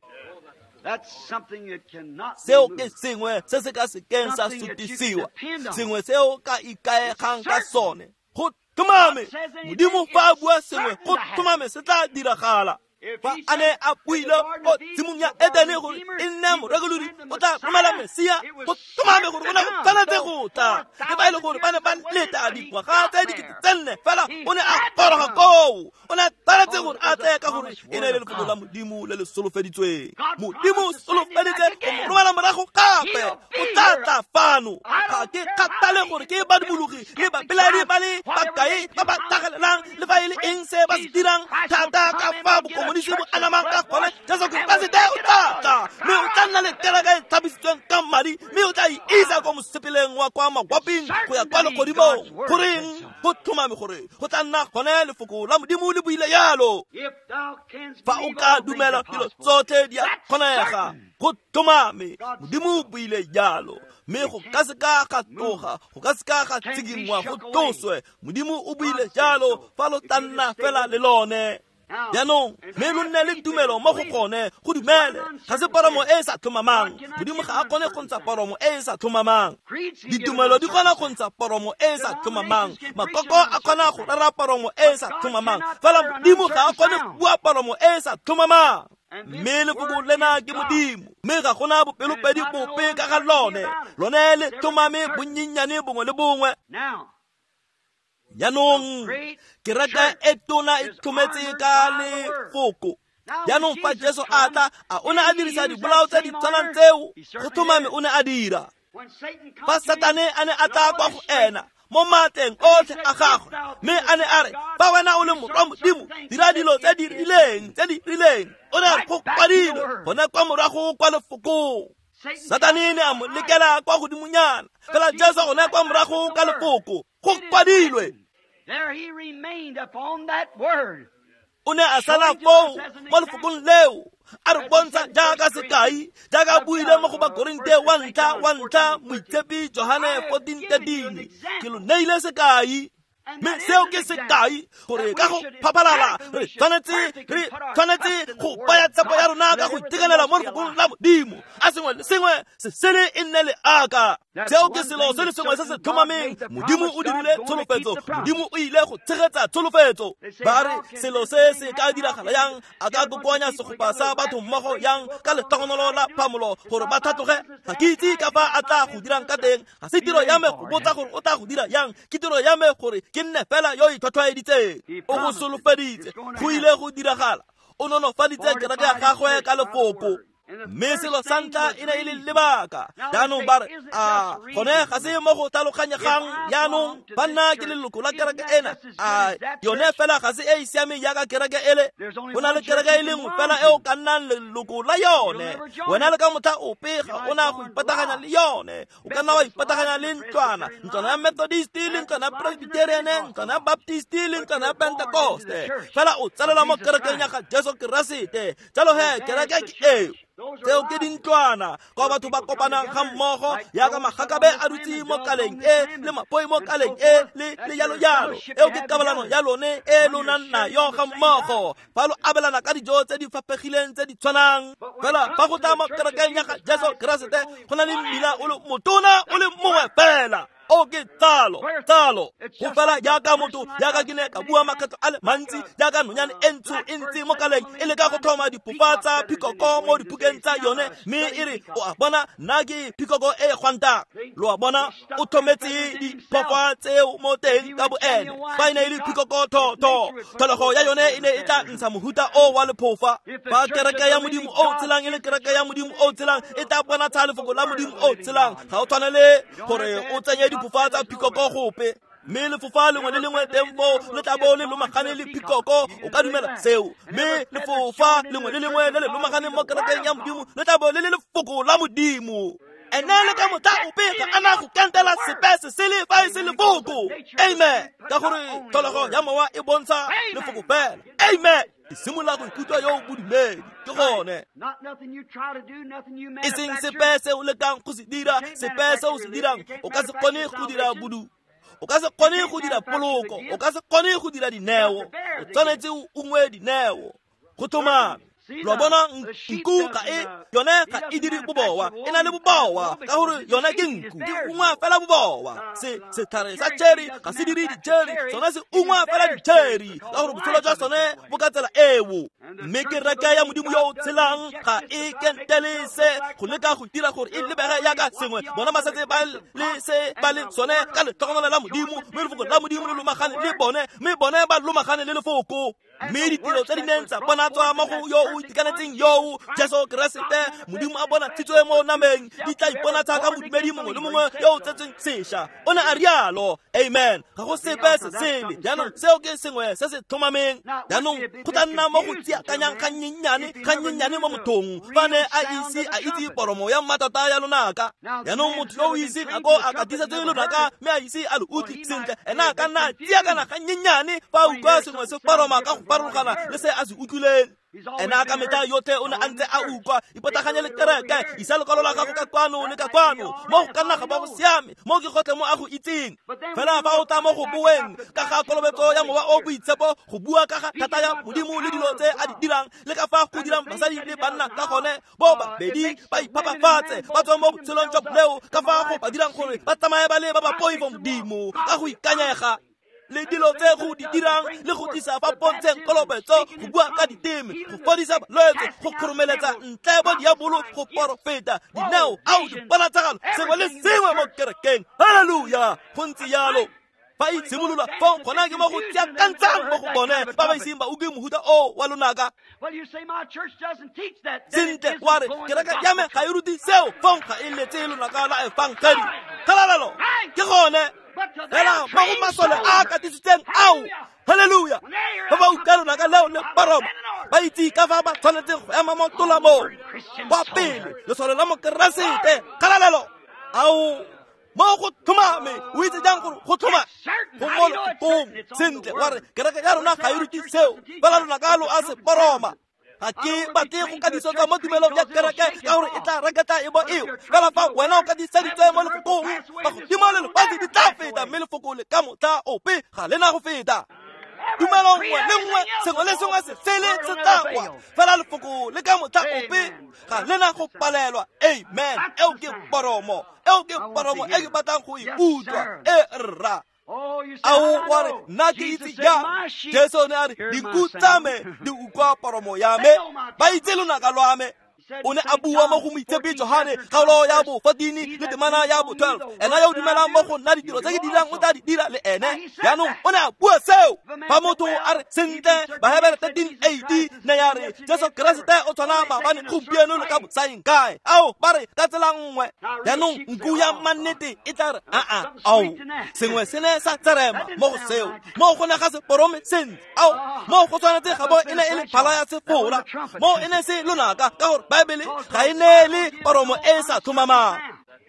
Seo ke sengwe se se ka sekeng sa sutisiwa, sengwe seo ka ikaegang ka sone. Go tlhomame Modimo fa a bua sengwe, go tlhomame se tla diragala. Fa a ne a buile ko tshimong ya Edene gore e nne morekolodi o tla romela Mesia, go tlhomame gore o ne go tshwanetse go tla. Le fa e le gore ba ne ba leta dingwaga tse 4,000, fela o ne a goroga koo. O ne a tshwanetse gore a tle ka gore e ne e le lefoko la Modimo le le solofeditsweng. Modimo o solofeditse go mo romela morago gape, o tla tla fano. Ga ke kgathale gore ke badumologi le bapelaedi ba le bakae ba ba tlhagelelang, le fa e le eng se ba se dirang thata ka fa bokomonisi bo anamang ka gone. Jesu Keresete o tla tla, mme o tla nna le kereke e tlhapisitsweng ka madi, mme o tla e isa kwa mosepeleng wa kwa mawaping go ya kwa legodimong. Goreng? Go tlhomame gore go tla nna gone lefoko la Modimo le buile yalo. Fa o ka dumela dilo tsotlhe di a kgonega. Go tlhomame Modimo o buile jalo, mme go ka se ka ga tloga, go ka se ka ga tshikinngwa, go tloswe. Modimo o buile jalo, fa lo tla nna fela le lone. Jaanong mme lo nne le tumelo mo go gone, go dumele. Ga se poromo e e sa tlhomamang. Modimo ga a kgone go ntsha poromo e e sa tlhomamang. Ditumelo di kgona go ntsha poromo e e sa tlhomamang. Makoko a kgona go rera poromo e e sa tlhomamang, fela Modimo ga a kgone go bua poromo e e sa tlhomamang. Mme lefoko lena ke Modimo, mme ga gona bopelopedi bope ka ga lone. Lone le tlhomame bonnyennyane bongwe le bongwe. Jaanong kereke e tona e tlhometse ka lefoko. Jaanong fa Jesu a tla, a o ne a dirisa dibolao tse di tshwanang tseo? Go tlhomame o ne a dira. Fa Satane a ne a tla kwa go ena mo maatleng otlhe a gagwe, mme a ne a re, fa wena o le morwa Modimo, dira dilo tse di rileng, tse di rileng. O ne a re go kwadilwe gone kwa morago kwa lefokong. Satane ne a mo lekela kwa godimonyana, fela Jesu gone kwa morago ka lefoko, go kwadilwe. O ne a sala foo mo lefokong leo, a re bontsha jaaka sekai, jaaka a buile mo go Bakorinte wa ntlha Moitshepi Johane 14:13, ke lo neile sekai. Mme seo ke sekai gore ka go phaphalala re tshwanetse go baya tshepo ya rona ka go itekanela mo lefokong la Modimo. A sengwe le sengwe se sele e nne leaka. Seo ke selo se le sengwe se se tlhomameng. Modimo o dirile tsholofetso, Modimo o ile go tshegetsa tsholofetso. Ba re selo se se ka diragala yang? A ka kokoanya segopa sa batho mmogo yang ka lehlogonolo la phamolo gore ba tlhatloge? Ga ke itse ka fa a tla go dirang ka teng. Ga se tiro ya me go botsa gore o tla go dira yang, ke tiro ya me gore ke nne fela yo itlhwatlhwaeditseng. O go solofeditse, go ile go diragala. O nolofaditse kereke ya gagwe ka lefoko. Mme selo sa ntlha e ne e le lebaka. Jaanong ba re, a gone ga se mo go tlhaloganyegang jaanong ba nna ke leloko la kereke ena. A yone fela ga se e e siameng jaaka kereke ele? Go na le kereke e le nngwe fela e o ka nnang leloko la yone. Wena le ka motlha ope ga o na go ipataganya le yone. O ka nna wa ipataganya le ntlwana, ntlwana ya Methodist le ntlwana ya Presbyterian, ntlwana ya Baptist le ntlwana ya Pentecoste. Fela o tsalelwa mo kerekeng ya ga Jesu Keresete. Jalo he kereke ke eo. Tseo ke dintlwana kwa batho ba kopanang ga mmogo jaaka magakabe a dutse mo kaleng e le mapoi mo kaleng e le jalo jalo. Eo ke kabalano ya lone e lo nang nayo ga mmogo fa lo abelana ka dijo tse di faphegileng tse di tshwanang. Fela fa go tla mo kerekeng ya ga Jesu Keresete go na le mmila o le motona o le mongwe fela. O ke tsalo. Go fela jaaka motho, jaaka ke ne ka bua makgetlo a le mantsi, jaaka nonyane e ntsho e ntse mo kaleng e leka go tlhoma diphofa tsa phikoko mo diphukeng tsa yone, mme e re, o a bona, nna ke phikoko e gwantang. Lo a bona, o tlhometse diphofa tseo mo teng ka boene. Fa e ne e le phikoko thotho, tlholego ya yone e ne e tla ntsha mohuta o wa lephofa. Fa kereke ya Modimo o tshelang e le kereke ya Modimo o tshelang, e tla bonatsha lefoko la Modimo o tshelang. Ga o tshwanele gore o tsenye diphofa tsa phikoko gope. Mme lefofa lengwe le lengwe teng foo le tla bo le lomagane le phikoko, o ka dumela seo. Mme lefofa lengwe le lengwe le le lomaganeng mo kerekeng ya Modimo le tla bo le le lefoko la Modimo. Ene le ka motlha ope ga a na go kentela sepe se sele fa e se lefoko. Amen. Ka gore tlholego ya mowa e bontsha lefoko fela. Amen. Ke simolola go ikutlwa yo o bodumedi. Ke gone. E seng sepe se o lekang go se dira, sepe se o se dirang, o ka se kgone go dira bodu. O ka se kgone go dira poloko, o ka se kgone go dira dineo. O tshwanetse o ungwe dineo. Go tlhomame. Lo bona nku ga e yone ga e dire bobowa, e na le bobowa ka gore yone ke nku, ke ungwa fela bobowa. Se setlhare sa cherry ga se dire di-cherry, sone se ungwa fela di-cherry ka gore botshelo jwa sone bo ka tsela eo. Mme kereke ya Modimo yo o tshelang ga e kentele se go leka go dira gore e lebege jaaka sengwe. Bona ba setse ba le se ba le sone ka letlhogonolo la Modimo, mme lefoko la Modimo le lomagane le bone, mme bone ba lomagane le lefoko. Mme ditiro tse di neng tsa bonatswa mo go yo o itekanetseng yo Jesu Keresete, Modimo a bonatshitswe mo nameng, di tla iponatsha ka modumedi mongwe le mongwe yo o tsetsweng sešwa. O ne a rialo. Amen. Ga go sepe se sele. Jaanong seo ke sengwe se se tlhomameng. Jaanong go tla nna mo go tsiakanyang gannyennyane mo mothong fa ne a ise a itse poromo ya mmatota ya lonaka. Jaanong motho yo o iseng a ko a katisetswe lonaka mme a ise a lo utlwe sentle, ena a ka nna tsiakana gannyennyane fa a utlwa sengwe se poroma ka go farologana le se a se utlwileng. Ena ka metlha yotlhe o ne a ntse a utlwa. Ipotaganye le kereke, isa lekwalo la gago ka kwano le ka kwano, mo go ka nna ga ba go siame, mo ke gotlhe mo a go itseng. Fela fa o tla mo go boeng ka ga kolobetso ya mowa o boitshepo, go bua ka ga thata ya Modimo le dilo tse a di dirang, le ka fa go dirang basadi le banna ka gone, bo babedi ba iphapafatse ba tswa mo botshelong jwa boleo, ka fa go ba dirang gore ba tsamaye ba le ba ba poifo Modimo ka go ikanyega. Le dilo tse go di dirang le go tlisa fa pontsheng kolobetso, go bua ka diteme, go fodisa balwetse, go kgoromeletsa ntle bo diabolo, go porofeta, dineo, ao diponatsagalo, sengwe le sengwe mo kerekeng. Halleluja! Go ntse jalo. Fa e itshimolola fong gona ke mo go tsiakantshang mo go bone ba ba iseng ba utlwe mohuta o wa lonaka. Sentle wa re kereke ya me ga e rute seo, fong ga e letse lonaka la efangedi. Kgalalelo ke gone. Fela mo go masole a katisitseng ao. Halleluja! Ba ba utlwa lonaka leo le poroma, ba itse ka fa ba tshwanetseng go ema mo tolamong. Kwa pele lesole la Mokeresete. Kgalalelo! Ao mo go tlhomame. O itse jang gore go tlhoma go mo lefokong? Sentle wa re kereke ya rona ga e rute seo, fela lonaka lo a se poroma. Ga ke batle go kadisetsa mo tumelong ya kereke ka gore e tla reketla e bo eo. Fela fa wena o kadiseditswe mo lefokong, magodimo le lefatshe di tla feta, mme lefoko le ka motlha ope ga le na go feta. Tumelo nngwe le nngwe, sengwe le sengwe se sele se tla kwa, fela lefoko le ka motlha ope ga le na go palelwa. Amen. Eo ke poromo, eo ke poromo e ke batlang go e utlwa. E rra. Ao wa re nna ke itse jang? Jesu ne a re dinku tsa me di utlwa poromo ya me, ba itse lonaka lwa me. O ne a bua mo go moitshepi Johane kgaolo ya bo 14 le temana ya bo 12. Ena yo o dumelang mo go nna, ditiro tse ke dirang o tla di dira le ene. Jaanong o ne a bua seo. Fa motho a re sentle, Bahebere 13:8 ne ya re Jesu Keresete o tshwana maabane, gompieno le ka bosaeng kae. Ao ba re ka tsela nngwe. Jaanong nku ya mannete e tla re aa, ao sengwe se ne sa tserema mo go seo, mo go ne ga se porome sentle. Ao mo go tshwanetse ga bo e ne e le phala ya sefora, mo e ne se lonaka, ka gore Baebele ga e neele poromo e sa tlhomamang.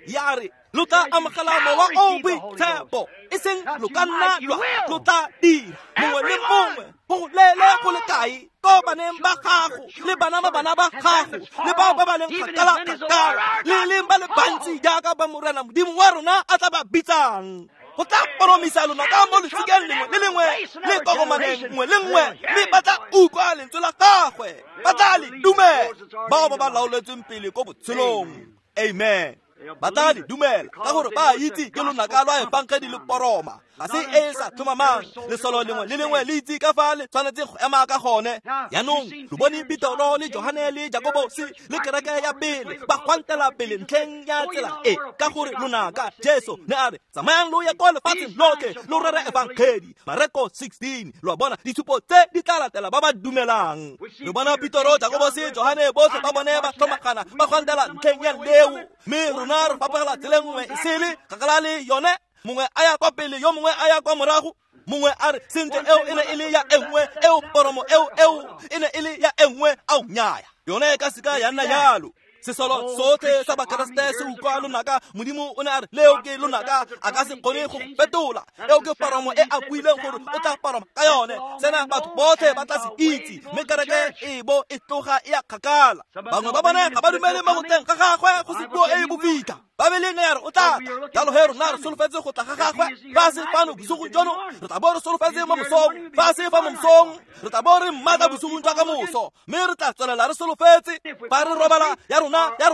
Ya re lo tla amogela mowa o boitshepo, e seng lo ka nna lwa, lo tla dira mongwe le mongwe go leele go le kae ko baneng ba gago le bana ba bana ba gago le bao ba ba leng kgakala-kgakala le leng ba le bantsi jaaka ba Morena Modimo wa rona a tla ba bitsang. Go tla poromisa lona ka mo lesikeng lengwe le lengwe le kokomaneng nngwe le nngwe, mme ba tla utlwa lentswe la gagwe, ba tla le dumela. Bao ba ba laoletsweng pele ko botshelong. Amen. Ba tla le dumela ka gore ba itse ke lonaka lwa efangedi le poroma, ga se e sa tlhomamang. Lesolo lengwe le lengwe le itse ka fa le tshwanetse go ema ka gone. Jaanong lo bone Petoro le Johane le Jakobose le kereke ya pele ba gwantela pele ntlheng ya tsela e, ka gore lonaka Jesu ne a re tsamayang lo ye ko lefatsheng lotlhe lo rere efangedi. Mareko 16. Lo a bona ditshupo tse di tla latela ba ba dumelang. Re bona Petoro, Jakobose, Johane botlhe ba bone ba tlhomagana ba gwantela ntlheng ya leo, mme rona re fapogela tseleng nngwe e sele kgakala le yone. Mongwe a ya kwa pele, yo mongwe a ya kwa morago. Mongwe a re sentle eo e ne e le ya e nngwe, eo poromo eo eo e ne e le ya e nngwe. Ao nnyaya, yone e ka seka ya nna jalo. Sesolo sotlhe sa Bakeresete se utlwa lonaka. Modimo o ne a re leo ke lonaka, a ka se kgone go fetola. Eo ke poromo e a buileng gore o tla poroma ka yone. Sena batho botlhe ba tla se itse, mme kereke e bo e tloga e ya kgakala. Bangwe ba bone ga ba dumele mo go tleng ga gagwe go se puo e e bofitlha. Baebele ne ya re o tla tla, jalo he rona re solofetse go tla ga gagwe. Fa se fano bosigong jono, re tla bo re solofetse mo mosong. Fa se fa mo mosong, re tla bo re mmatla bosigong jwa ka moso, mme re tla tswelela re solofetse. Fa re robala ya rona ga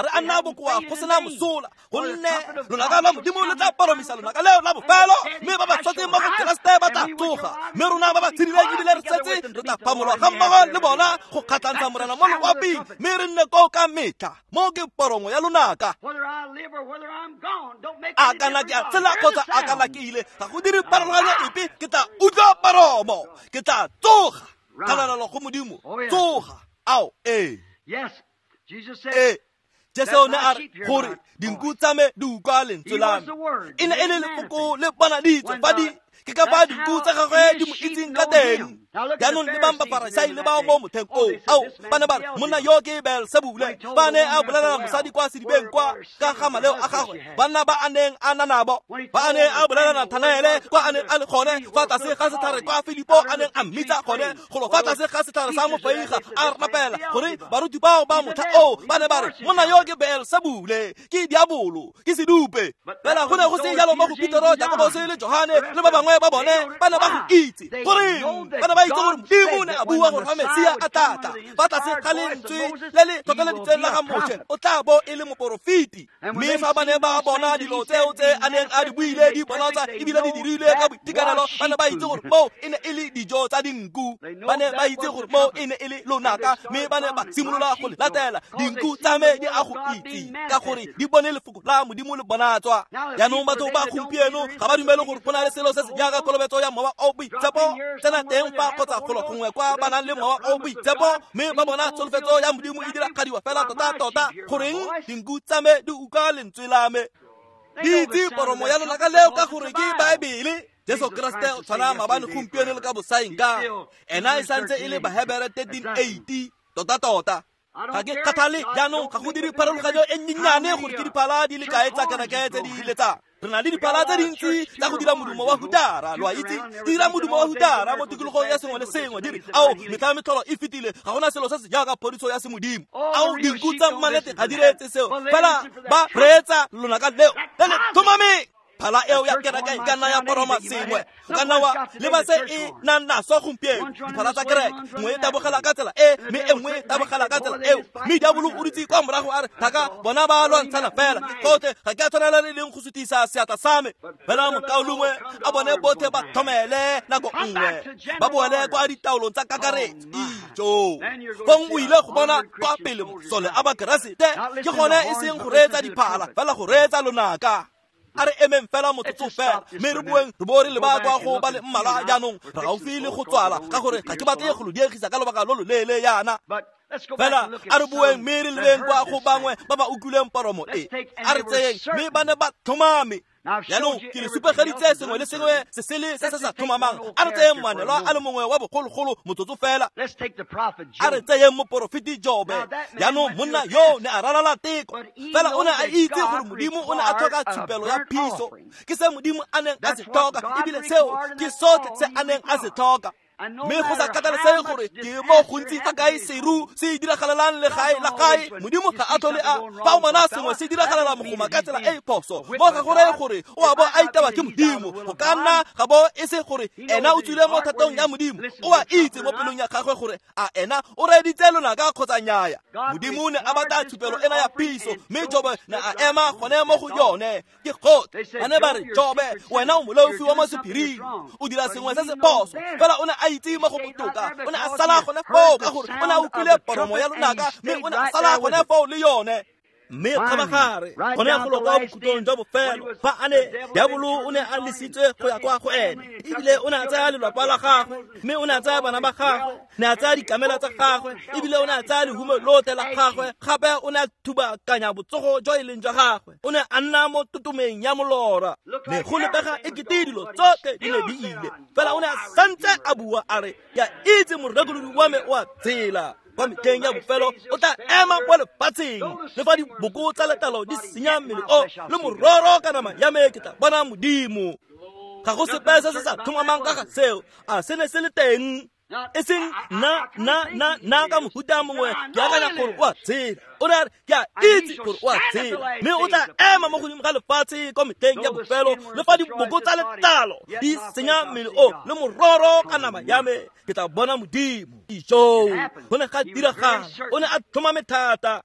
re a nna bokoa go sena mosola, gonne lonaka lwa Modimo le tla poromisa lonaka leo la bofelo, mme ba ba tshwatseng mo go Keresete ba tla tsoga, mme rona ba ba tshedileng ebile re setse re tla phamolwa ga mmogo le bona go kgatlhantsha Morena mo loaping, mme re nne koo ka metlha. Mo ke poromo ya lonaka. A kana ke a tshela kgotsa a kana ke ile, ga go dire pharologanyo epe. Ke tla utlwa poromo, ke tla tsoga. Kgalalelo go Modimo, tsoga. Ao ee. Ee, Jesu ne a re gore dinku tsa me di utlwa lentswe la me. E ne e le lefoko le bonaditswe fa di ke ka fa dinku tsa gagwe di mo itseng ka teng. Jaanong le bang Bafarasai le bao mo motheng oo, ao ba ne ba re monna yo ke Beelsebule. Ba ne a bolelela mosadi kwa sedibeng kwa ka ga maleo a gagwe, banna ba a neng a na nabo. Ba ne a bolelela Nathanaele kwa a neng a le gone fa tlase ga setlhare kwa Filipo a neng a mmitsa gone, golo fa tlase ga setlhare sa mofeiga a rapela, gore baruti bao ba motlha oo ba ne ba re monna yo ke Beelsebule, ke diabolo, ke sedupe. Fela go ne go se jalo mo go Petoro, Jakobose le Johane le ba bangwe ba bone. Ba ne ba go itse. Goreng? Ba ne ba itse gore Modimo ne a bua gore fa Mesia a tla tla fa tlase ga lentswe le le tlhotlheleditsweng la ga Moshe, o tla bo e le moporofeti. Mme fa ba ne ba bona dilo tseo tse a neng a di buile di bonatsa ebile di dirilwe ka boitekanelo, ba ne ba itse gore moo e ne e le dijo tsa dinku. Ba ne ba itse gore moo e ne e le lonaka, mme ba ne ba simolola go le latela. Dinku tsa me di a go itse ka gore di bone lefoko la Modimo le bonatswa. Jaanong batho ba gompieno ga ba dumele gore go na le selo se se jaaka kolobetso ya mowa o boitshepo. Tsena teng fa kgotsa golo gongwe kwa ba nang le mowa o boitshepo, mme ba bona tsholofetso ya Modimo e diragadiwa fela tota-tota. Goreng? Dinku tsa me di utlwa lentswe la me, di itse poromo ya lonaka leo ka gore ke Baebele. Jesu Keresete o tshwana maabane, gompieno le ka bosaeng ka. Ena e santse e le Bahebere 13:8 tota-tota. Ga ke kgathale jaanong, ga go dire pharologanyo e nnyenyane gore ke diphala di le kae tsa kereke tse di letsang. Re na le diphala tse dintsi tsa go dira modumo wa hutara, lo a itse, di dira modumo wa hutara mo tikologong ya sengwe le sengwe, di re ao metlha metlholo e fetile, ga gona selo se se jaaka phodiso ya semodimo. Ao dinku tsa mmalete ga di reetse seo, fela ba reetsa lonaka leo le le tlhomameng. Phala eo ya kereke e ka nna ya poroma sengwe, o ka nna wa leba se e nang naso gompieno. Diphala tsa kereke nngwe e tabogela ka tsela e, mme e nngwe e tabogela ka tsela eo, mme diabolo o dutse kwa morago a re thaka bona ba lwantshana fela, ke gotlhe ga ke a tshwanela le leng go sutisa seatla sa me. Fela mokaulengwe a bone botlhe ba tlhomele nako nngwe, ba boele kwa ditaolong tsa kakaretso. Ijo fong o ile go bona kwa pele masole a bakeresete, ke gone e seng go reetsa diphala fela, go reetsa lonaka. A re emeng fela motsotso fela, mme re boeng re bo re leba kwa go ba le mmalwa jaanong. Re gaufi le go tswala ka gore ga ke batle go lo diegisa ka lobaka lo lo leele yana. Fela a re boeng mme re lebeng kwa go bangwe ba ba utlwileng poromo e. A re tseyeng, mme ba ne ba tlhomame. Jaanong ke le supegeditse sengwe le sengwe se sele se se sa tlhomamang. A re tseyeng moanelwa a le mongwe wa bogologolo motsotso fela. A re tseyeng moporofeti Jobe. Jaanong monna yo ne a ralala teko, fela o ne a itse gore Modimo o ne a tlhoka tshupelo ya phiso. Ke se Modimo a neng a se tlhoka, ebile seo ke sotlhe se a neng a se tlhoka. Mme go sa kgathalesege gore ke mo gontsi fa kae seru se diragalelang legae la gae, Modimo ga a tlhole a fa o bona sengwe se diragalela mogoma ka tsela e e phoso, mo ga go reye gore o a bo a itewa ke Modimo. Go ka nna ga bo e se gore ena o tswile mo thatong ya Modimo. O a itse mo pelong ya gagwe gore a ena o reeditse lonaka kgotsa nnyaya. Modimo ne a batla tshupelo ena ya phiso, mme Jobe ne a ema gone mo go yone. Ke gotlhe ba ne ba re, Jobe, wena o moleofi wa mo sephiring, o dira sengwe se se phoso. Fela o ne a itse mo go botoka, o ne a sala gone foo ka gore o ne a utlwile poromo ya lonaka, mme o ne a sala gone foo le yone. Mme kgabagare gone go lo kwa bokhutlong jwa bofelo, fa a ne diabolo o ne a lesitswe go ya kwa go ene, ebile o ne a tsaya lelapa la gagwe, mme o ne a tsaya bana ba gagwe, ne a tsaya dikamela tsa gagwe, ebile o ne a tsaya lehumo lotlhe la gagwe. Gape o ne a thubakanya botsogo jo e leng jwa gagwe, o ne a nna mo totomeng ya molora. Ne go lebega e kete dilo tsotlhe di ne di ile, fela o ne a santse a bua a re, ke a itse morekolodi wa me o a tshela, kwa metlheng ya bofelo o tla ema mo lefatsheng, le fa diboko tsa letlalo di senya mmele o le mororo ka nama ya me, ke tla bona Modimo. Ga go sepe se se sa tlhomamang ka ga seo. A se ne se le teng? E seng nna ka mohuta mongwe ke akanya gore o a tshela. O ne a re, ke a itse gore o a tshela, mme o tla ema mo godimo ga lefatshe kwa metlheng ya bofelo, le fa diboko tsa letlalo di senya mmele o le mororo ka nama ya me, ke tla bona Modimo. Ijo go ne ga diragala, o ne a tlhomame thata.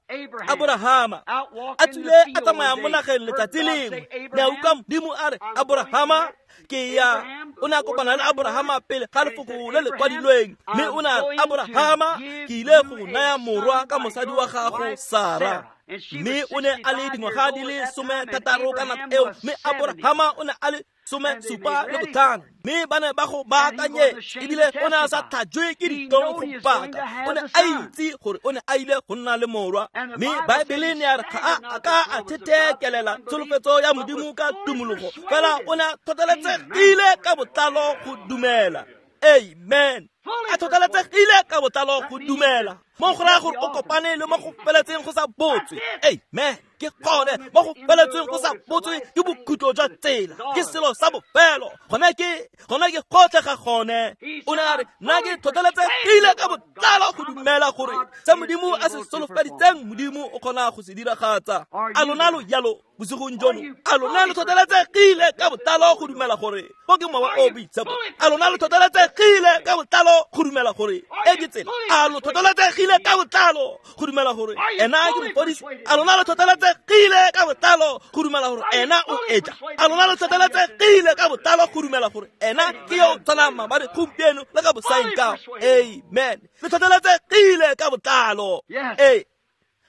Aborahama a tswile a tsamaya mo nageng letsatsi lengwe, ne a utlwa Modimo a re, Aborahama, ke ya. O ne a kopana le Aborahama pele ga lefoko le le kwadilweng, mme o ne a re, Aborahama, ke ile go naya morwa ka mosadi wa gago Sara. Mme o ne a le dingwaga di le 16 ka nako eo, mme Aborahama o ne a le 75, mme ba ne ba go baakanye, ebile o ne a sa tlhajwe ke ditlhong go paka. O ne a itse gore o ne a ile go nna le morwa, mme Baebele ne ya re ga a ka a thetheekelela tsholofetso ya Modimo ka tumologo, fela o ne a tlhotlheletsegile ka botlalo go dumela. Amen. A tlhotlheletsegile ka botlalo go dumela, mo go raya gore o kopane le mo go feletseng go sa botswe. Amen. Ke gone mo go feletseng go sa botswe ke bokhutlo jwa tsela, ke selo sa bofelo. Gone ke gotlhe ga gone. O ne a re, nna ke tlhotlheletsegile ka botlalo go dumela gore se Modimo a se solofeditseng, Modimo o kgona go se diragatsa. A lona lo jalo bosigong jono? A lona lo tlhotlheletsegile ka botlalo go dumela gore go ke mowa o boitshepo? A lona lo tlhotlheletsegile ka botlalo go dumela gore e ke tsela? A lo tlhotlheletsegile ka botlalo go dumela gore ena ke mofodisi? A lona lo tlhotlheletsegile ka botlalo go dumela gore ena o etla? A lona lo tlhotlheletsegile ka botlalo go dumela gore ena ke yo o tshwanang maabane, gompieno le ka bosaengkao? Amen. Le tlhotlheletsegile ka botlalo. Ee,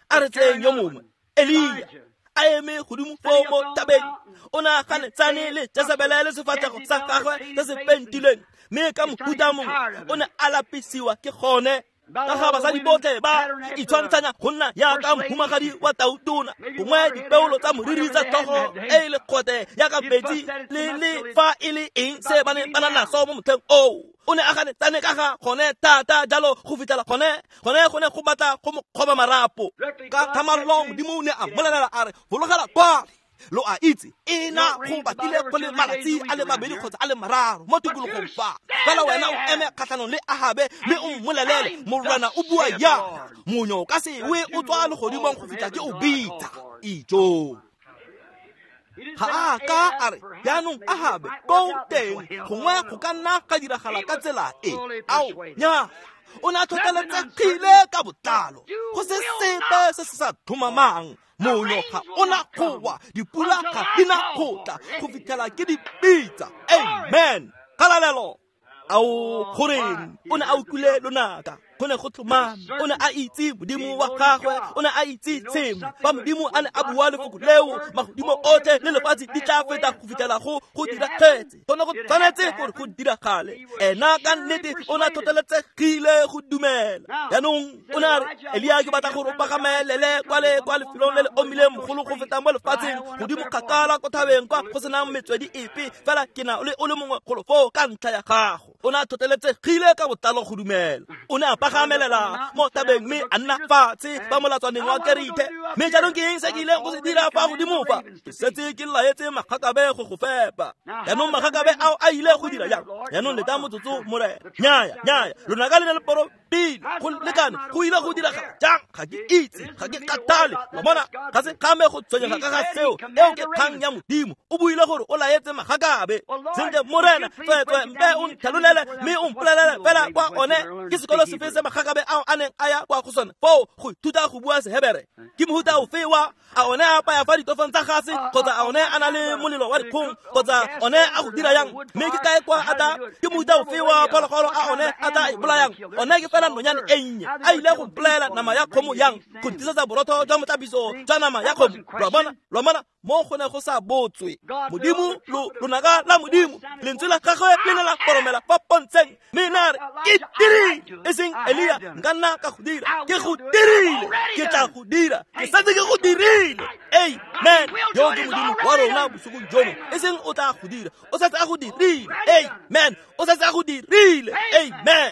a re tseyeng yo mongwe, Elia, a eme godimo foo mo thabeng. O ne a ganetsane le Jesebele le sefatlhego sa gagwe se se pentilweng, mme ka mohuta mongwe o ne a lapisiwa ke gone. Ka ga basadi botlhe ba itshwantshanya go nna jaaka mohumagadi wa tautona, gongwe dipeolo tsa moriri tsa tlhogo e e lekgote jaaka metsi le fa e le eng se ba ne ba na naso mo motlheng oo. O ne a ganetsane ka ga gone thata jalo go fitlhela gone go ne go batla go mo kgoba marapo. Ka thamallo Modimo o ne a mmolelela a re, fologela kwale. Lo a itse e na go batlile go le malatsi a le mabedi kgotsa a le mararo mo tikologong fa. Fela wena o eme kgatlhanong le Ahabe mme o mmolelele Morena o bua yana. Monyo ka sewe o tswa legodimong go fitlha ke o bitsa. Ijo. Ga a ka a re jaanong Ahabe ko teng gongwe go ka nna ga diragala ka tsela e. Ao nya o ne a tlhotlheletsegile ka botlalo go se sepe se se sa tlhomamang. Monyo ga ona go wa, dipula ga di na go tla go fitlhela ke di bitsa. Amen. Kgalalelo. Ao goreng o ne a utlwile lonaka, go ne go tlhomame. O ne a itse Modimo wa gagwe, o ne a itse sengwe. Fa Modimo a ne a bua lefoko leo, magodimo otlhe le lefatshe di tla feta go fitlhela go diragetse. Go ne go tshwanetse gore go diragale. Ena ka nnete o ne a tlhotlheletsegile go dumela. Jaanong o ne a re, Elia, ke batla gore o pagamelele kwa le kwa lefelong le le omileng mogolo go feta mo lefatsheng, godimo kgakala ko thabeng kwa go senang metswedi epe, fela ke na le o le mongwe golo foo ka ntlha ya gago. O ne a tlhotlheletsegile ka botlalo go dumela. O ne a pagamelela mo thabeng mme a nna fatshe fa molatswaneng wa Kerithe. Mme jaanong ke eng se ke ileng go se dira fa godimo fa? Ke setse ke laetse magakabe go go fepa. Jaanong magakabe ao a ile go dira jang? Jaanong leta motsotso, Morena. Nnyaya, nnyaya, lonaka le ne le porofile go lekane go ile go diragala jang? Ga ke itse, ga ke kgathale. Wa bona, ga se kgame go tshwenyega ka ga seo. Eo ke kgang ya Modimo. O buile gore o laetse magakabe. Sentle, Morena, tsweetswe mpe o ntlhalolele mme o mpolelele fela kwa one ke sekolo sefe se magakabe ao a neng a ya kwa go sone foo go ithuta go bua Sehebere. Ke mohuta ofe wa a one a apaya fa ditofong tsa gase, kgotsa a one a na le molelo wa dikgong, kgotsa one a go dira yang? Mme ke kae kwa a tla? Ke mohuta ofe wa phologolo a one a tla e bolayang? One ke fela nonyane e nnye. A ile go mpolaela nama ya kgomo yang? Go ntisetsa borotho jwa motlapiso jwa nama ya kgomo. Lwa bona, lwa bona, mo go ne go sa botswe. Modimo, lonaka la Modimo, lentswe la gagwe le ne la koromela fa pontsheng. Mme na re, ke dirile. E seng Elia, nka nna ka go dira. Ke go dirile. Ke tla go dira. Ke setse ke go dirile. Amen. Yo ke Modimo wa rona bosigong jono. E seng o tla go dira, o setse a go dirile. Amen. O setse a go dirile. Amen.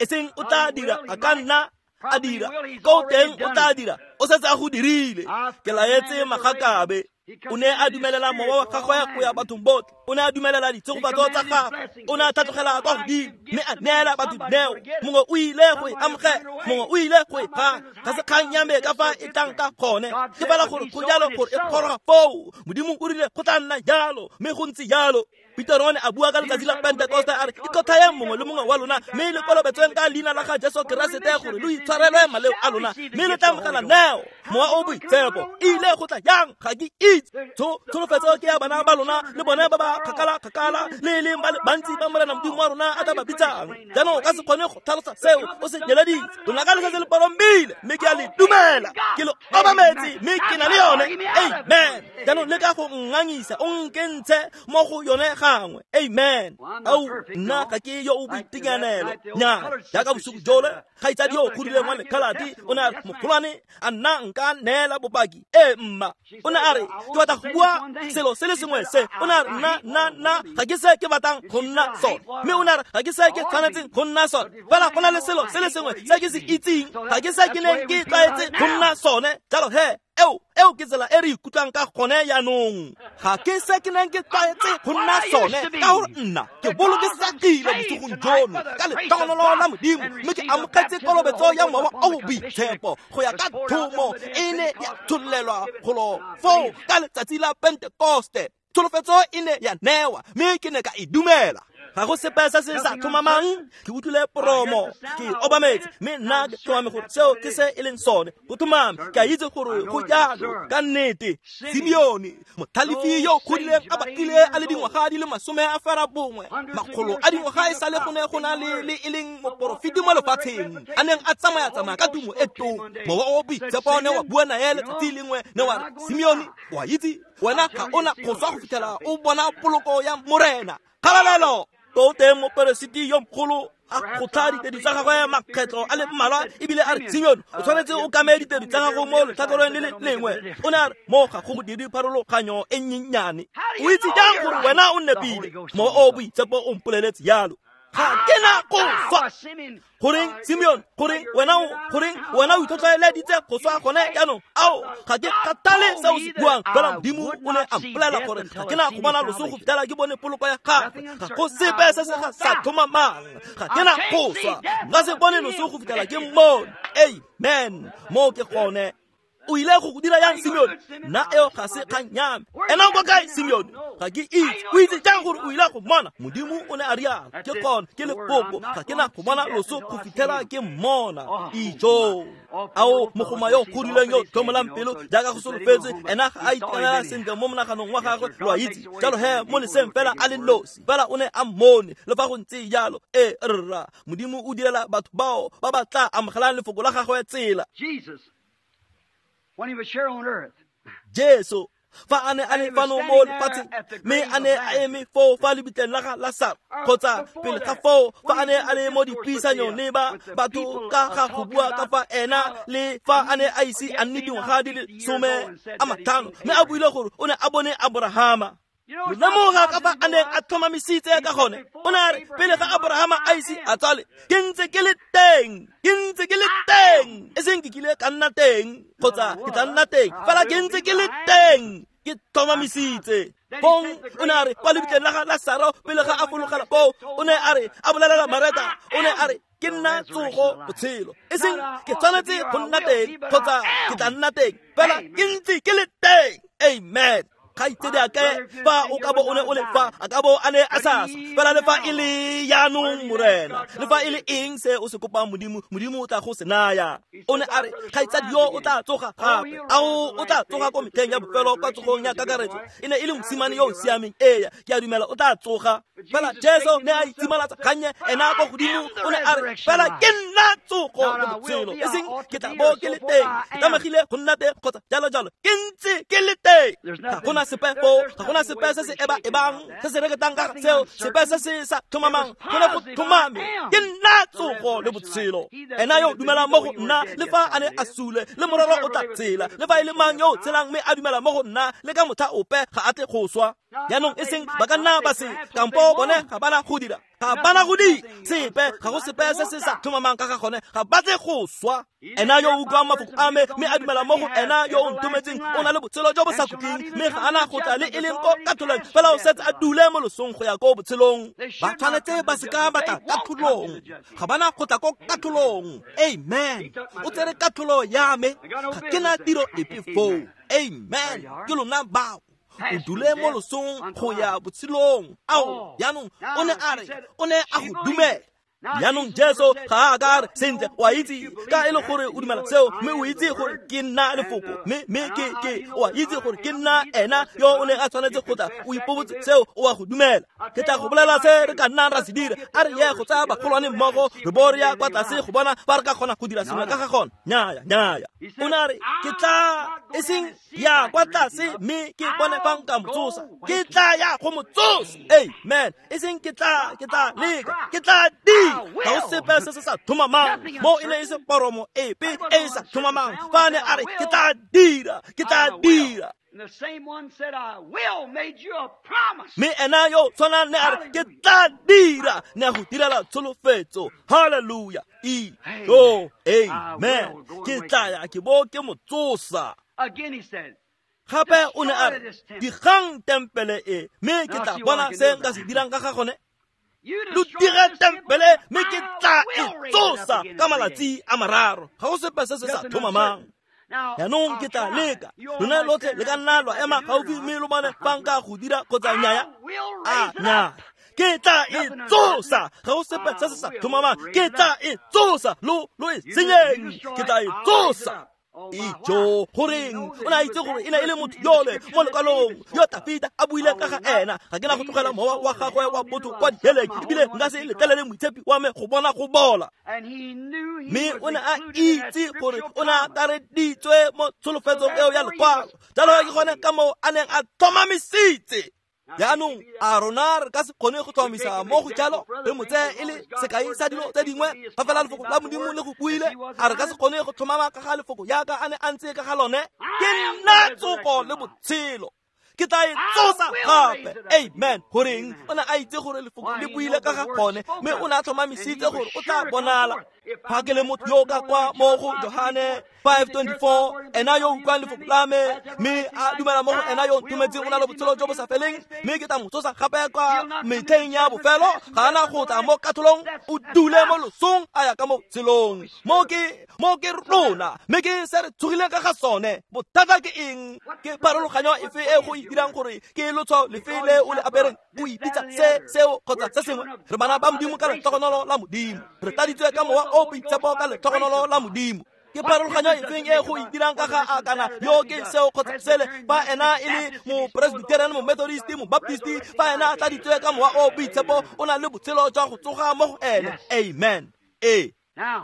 E seng o tla dira, a ka nna a dira. Ko teng o tla dira, o setse a go dirile. Ke laetse magakabe. O ne a dumelela mowa wa gagwe go ya bathong botlhe. O ne a dumelela ditshegofatso tsa gagwe. O ne a tlhatlogela kwa godimo mme a neela batho dineo. Mongwe o ile go e amogela, mongwe o ile go e gana. Ga se kgang ya me ka fa e tlang ka gone, ke fela gore go jalo gore e goroga foo. Modimo o rile go tla nna jalo, mme go ntse jalo. Peter o ne a bua ka letsatsi la Pentekoste a re, ikotlhayeng mongwe le mongwe wa lona mme le kolobetsweng ka leina la ga Jesu Keresete gore lo itshwarelwe maleo a lona, mme le tla amogela neo, Mowa o Boitshepo. E ile go tla jang? Ga ke itse. Tsholofetso ke ya bana ba lona le bone ba ba kgakala-kgakala, le e leng ba le bantsi ba Morena Modimo wa rona a tla ba bitsang. Jaanong o ka se kgone go tlhalosa seo o se nyeleditse. Lonaka le setse le porombile, mme ke a le dumela. Ke le obametse mme ke na le yone. Amen. Jaanong le ka go nngangisa, o nkentshe mo go yone gangwe. Amen. Ao, nna ga ke yo o boitekanelo. Nya, jaaka bosigo jole, kgaitsadi yo o godileng wa lekhaladi o ne a re, mogolwane, a nna nka neela bopaki? Ee, mma. O ne a re, ke batla go bua selo se le sengwe se. O ne a re, nna ga ke se ke batlang go nna sone. Mme o ne a re, ga ke se ke tshwanetseng go nna sone. Fela go na le selo se le sengwe se ke se itseng, ga ke se ke neng ke tlwaetse go nna sone. Jalo he, eo ke tsela e re ikutlwang ka gone jaanong. Ga ke se ke neng ke tlwaetse go nna sone, ka gore nna ke bolokesegile bosigong jono ka letlhogonolo la Modimo, mme ke amogetse kolobetso ya Mowa o o Boitshepo go ya ka thomo e ne ya tshololelwa golo foo ka letsatsi la Pentekoste. Tsholofetso e ne ya newa, mme ke ne ka e dumela. Ga go sepe se se sa tlhomamang. Ke utlwile poromo, ke obametse, mme nna ke tlhomame gore seo ke se e leng sone. Go tlhomame, ke a itse gore go jalo ka nnete. Simeone, motlhalefi yo o godileng a batlile a le dingwaga di le 90, makgolo a dingwaga e sale go ne go na le e leng moporofeti mo lefatsheng, a neng a tsamaya-tsamaya ka tumo e tona. Mowa o Boitshepo ne wa bua nae letsatsi lengwe, ne wa re, Simeone, o a itse, wena ga ona go swa go fitlhela o bona poloko ya Morena. Kgalalelo. Ko teng moperesiti yo mogolo a kgotlha ditedu tsa gagwe makgetlo a le mmalwa, ebile a re, Simeone, o tshwanetse o kame ditedu tsa gago mo letlhakoreng le le lengwe. O ne a re, mo ga go dire pharologanyo e nnyennyane. O itse jang gore wena o nepile? Mowa o Boitshepo o mpoleletse jalo. Ga ke na go swa. Goreng Simeon, goreng wena o, goreng wena o itlhotlheleditse go swa gone jaanong? Ao, ga ke kgathale se o se buang, fela Modimo o ne a mpolelela gore ga ke na go bona loso go fitlhela ke bone poloko ya gagwe. Ga go sepe se se ga sa tlhomamang. Ga ke na go swa, nka se bone loso go fitlhela ke mmone. Amen. Moo ke gone. O ile go go dira yang, Simeon? Nna eo ga se kgang ya me. Ena o kwa kae, Simeon? Ga ke itse. O itse jang gore o ile go mmona? Modimo o ne a rialo. Ke gone, ke lefoko. Ga ke na go bona loso go fitlhela ke mmona. Ijo. Ao, mogoma yo godileng yo tlhomolang pelo jaaka go solofetswe, ena ga a itekanela sentle mo monaganong wa gagwe, lo a itse. Jalo he, mo leseng fela a le nosi, fela o ne a mmone. Le fa go ntse jalo, ee rra, Modimo o direla batho bao ba ba tla amogelang lefoko la gagwe tsela. Jesus, when he was here on earth, Jesu, fa a ne a le fano mo lefatsheng, mme a ne a eme foo fa lebitleng la ga Lasaro, kgotsa pele ga foo, fa a ne a le mo dipuisanyong le ba batho ka ga go bua ka fa ena le fa a ne a ise a nne dingwaga di le 50, mme a buile gore o ne a bone Aborahama. Lo lemoga ka fa a neng a tlhomamisitse ka gone. O ne a re, pele ga Aborahama a ise a tsale, ke ntse ke le teng, ke ntse ke le teng. E seng ke kile ka nna teng, kgotsa ke tla nna teng, fela ke ntse ke le teng, ke tlhomamisitse. Fong o ne a re kwa lebitleng la ga Lasaro pele ga a fologela koo, o ne a re, a bolelela Mareta, o ne a re, ke nna tsogo botshelo. E seng ke tshwanetse go nna teng, kgotsa ke tla nna teng, fela ke ntse ke le teng. Amen. Kgaitsedi a kae, fa o ka bo o ne o le fa, a ka bo a ne a sa swa. Fela le fa e le jaanong, Morena, le fa e le eng se o se kopang Modimo, Modimo o tla go se naya. O ne a re, kgaitsadi yo o tla tsoga gape. Ao, o tla tsoga ko metlheng ya bofelo, kwa tsogong ya kakaretso. E ne e le mosimane yo o siameng, ee, ke a dumela o tla tsoga. Fela Jesu ne a itsimalatsa gannye ena ko godimo, o ne a re, fela ke nna tsogo le botshelo. E seng ke tla bo ke le teng, ke tlamegile go nna teng, kgotsa jalo jalo. Ke ntse ke le teng. Ga gona sepe foo, ga gona sepe se se eba-ebang, se se reketang ka seo, sepe se se sa tlhomamang, go ne go tlhomame. Ke nna tsogo le botshelo. Ena yo dumelang mo go nna, le fa a ne a sule, le mororo o tla tshela. Le fa e le mang yo o tshelang mme a dumela mo go nna, le ka motlha ope ga a tle go swa. Jaanong e seng ba ka nna ba se, kampo bone ga bana go dira, ga bana go dira sepe, ga go sepe se se sa tlhomamang ka ga gone, ga ba tle go swa. Ena yo o utlwang mafoko a me mme a dumela mo go ena yo o nthometseng, o na le botshelo jo bo sa khutleng, mme ga ana go tla le e leng ko katlholong, fela o setse a dule mo losong go ya ko botshelong. Ba tshwanetse ba se ka ba tla katlholong, ga bana go tla ko katlholong. Amen. O tsere katlholo ya me, ga ke na tiro epe foo. Amen. Ke lona bao. O dule mo losong go ya botshelong. Ao, jaanong o ne a re, o ne a go dumela. Jaanong Jesu ga a ka re, sentle, o a itse ka e le gore o dumela seo, mme o itse gore ke nna lefoko, mme ke o a itse gore ke nna ena yo o neng a tshwanetse go tla, o ipobotse seo, o a go dumela. Ke tla go bolela se re ka nnang ra se dira. A re ye go tsaya bagolwane mmogo, re bo re ya kwa tlase go bona fa re ka kgona go dira sengwe ka ga gone. Nnyaya, nnyaya. O ne a re, ke tla e seng ya kwa tlase mme ke bone fa nka mo tsosa, ke tla ya go mo tsosa. Amen. E seng ke tla leka, ke tla dira. Ga go sepe se se sa tlhomamang mo, e ne e se poromo epe e e sa tlhomamang. Fa a ne a re, ke tla dira, ke tla dira. Mme ena yo tshwanang ne a re, ke tla dira, ne a go direla tsholofetso. Hallelujah. Iyo, amen. Ke tla ya ke bo ke mo tsosa. Gape o ne a re, digang tempele e, mme ke tla bona se nka se dirang ka ga gone. Lo dire tempele, mme ke tla e tsosa ka malatsi a mararo. Ga go sepe se se sa tlhomamang. Jaanong ke tla leka. Lona lotlhe le ka nna lwa ema gaufi mme lo bone fa nka go dira kgotsa nnyaya. A nnyaya. Ke tla e tsosa. Ga go sepe se se sa tlhomamang. Ke tla e tsosa. Lo e senyeng. Ke tla e tsosa. Ijo, goreng o ne a itse gore e ne e le motho yole mo lekwalong yo Tafita a buile ka ga ena. Ga ke na go tlogela mowa wa gagwe wa botho kwa diheleng, ebile nka se letlelele moitshepi wa me go bona go bola. Mme o ne a itse gore o ne a akareditswe mo tsholofetsong eo ya lekwalo. Jalo ke gone ka moo a neng a tlhomamisitse. Jaanong a rona re ka se kgone go tlhomamisa mo go jalo, re mo tseye e le sekai sa dilo tse dingwe, fa fela lefoko la Modimo le go buile. A re ka se kgone go tlhomama ka ga lefoko jaaka a ne a ntse ka ga lone? Ke nna tsogo le botshelo. Ke tla e tsosa gape. Amen. Goreng o ne a itse gore lefoko le buile ka ga gone, mme o ne a tlhomamisitse gore o tla bonala. Fa ke le motho yo ka kwa mo go Johane 5:24, ena yo utlwang lefoko la me mme a dumela mo go ena yo nthometseng o na le botshelo jo bo sa feleng, mme ke tla mo tsosa gape kwa metlheng ya bofelo. Ga ana go tla mo katlholong, o dule mo losong a ya ka mo botshelong. Mo ke rona, mme ke se re tshogileng ka ga sone. Bothata ke eng? Ke pharologanyo efe e go e dirang gore ke lotshwao lefe le o le apereng? O ipitsa se seo kgotsa se sengwe. Re bana ba Modimo ka letlhogonolo la Modimo. Re tladitswe ka mowa o boitshepo ka letlhogonolo la Modimo. Ke pharologanyo efeng e go e dirang ka ga a kana yo ke seo kgotsa sele? Fa ena e le mo-Presbyterian, mo-Methodist, mo-Baptist, fa ena a tladitswe ka mowa o boitshepo, o na le botshelo jwa go tsoga mo go ene. Amen. Ee.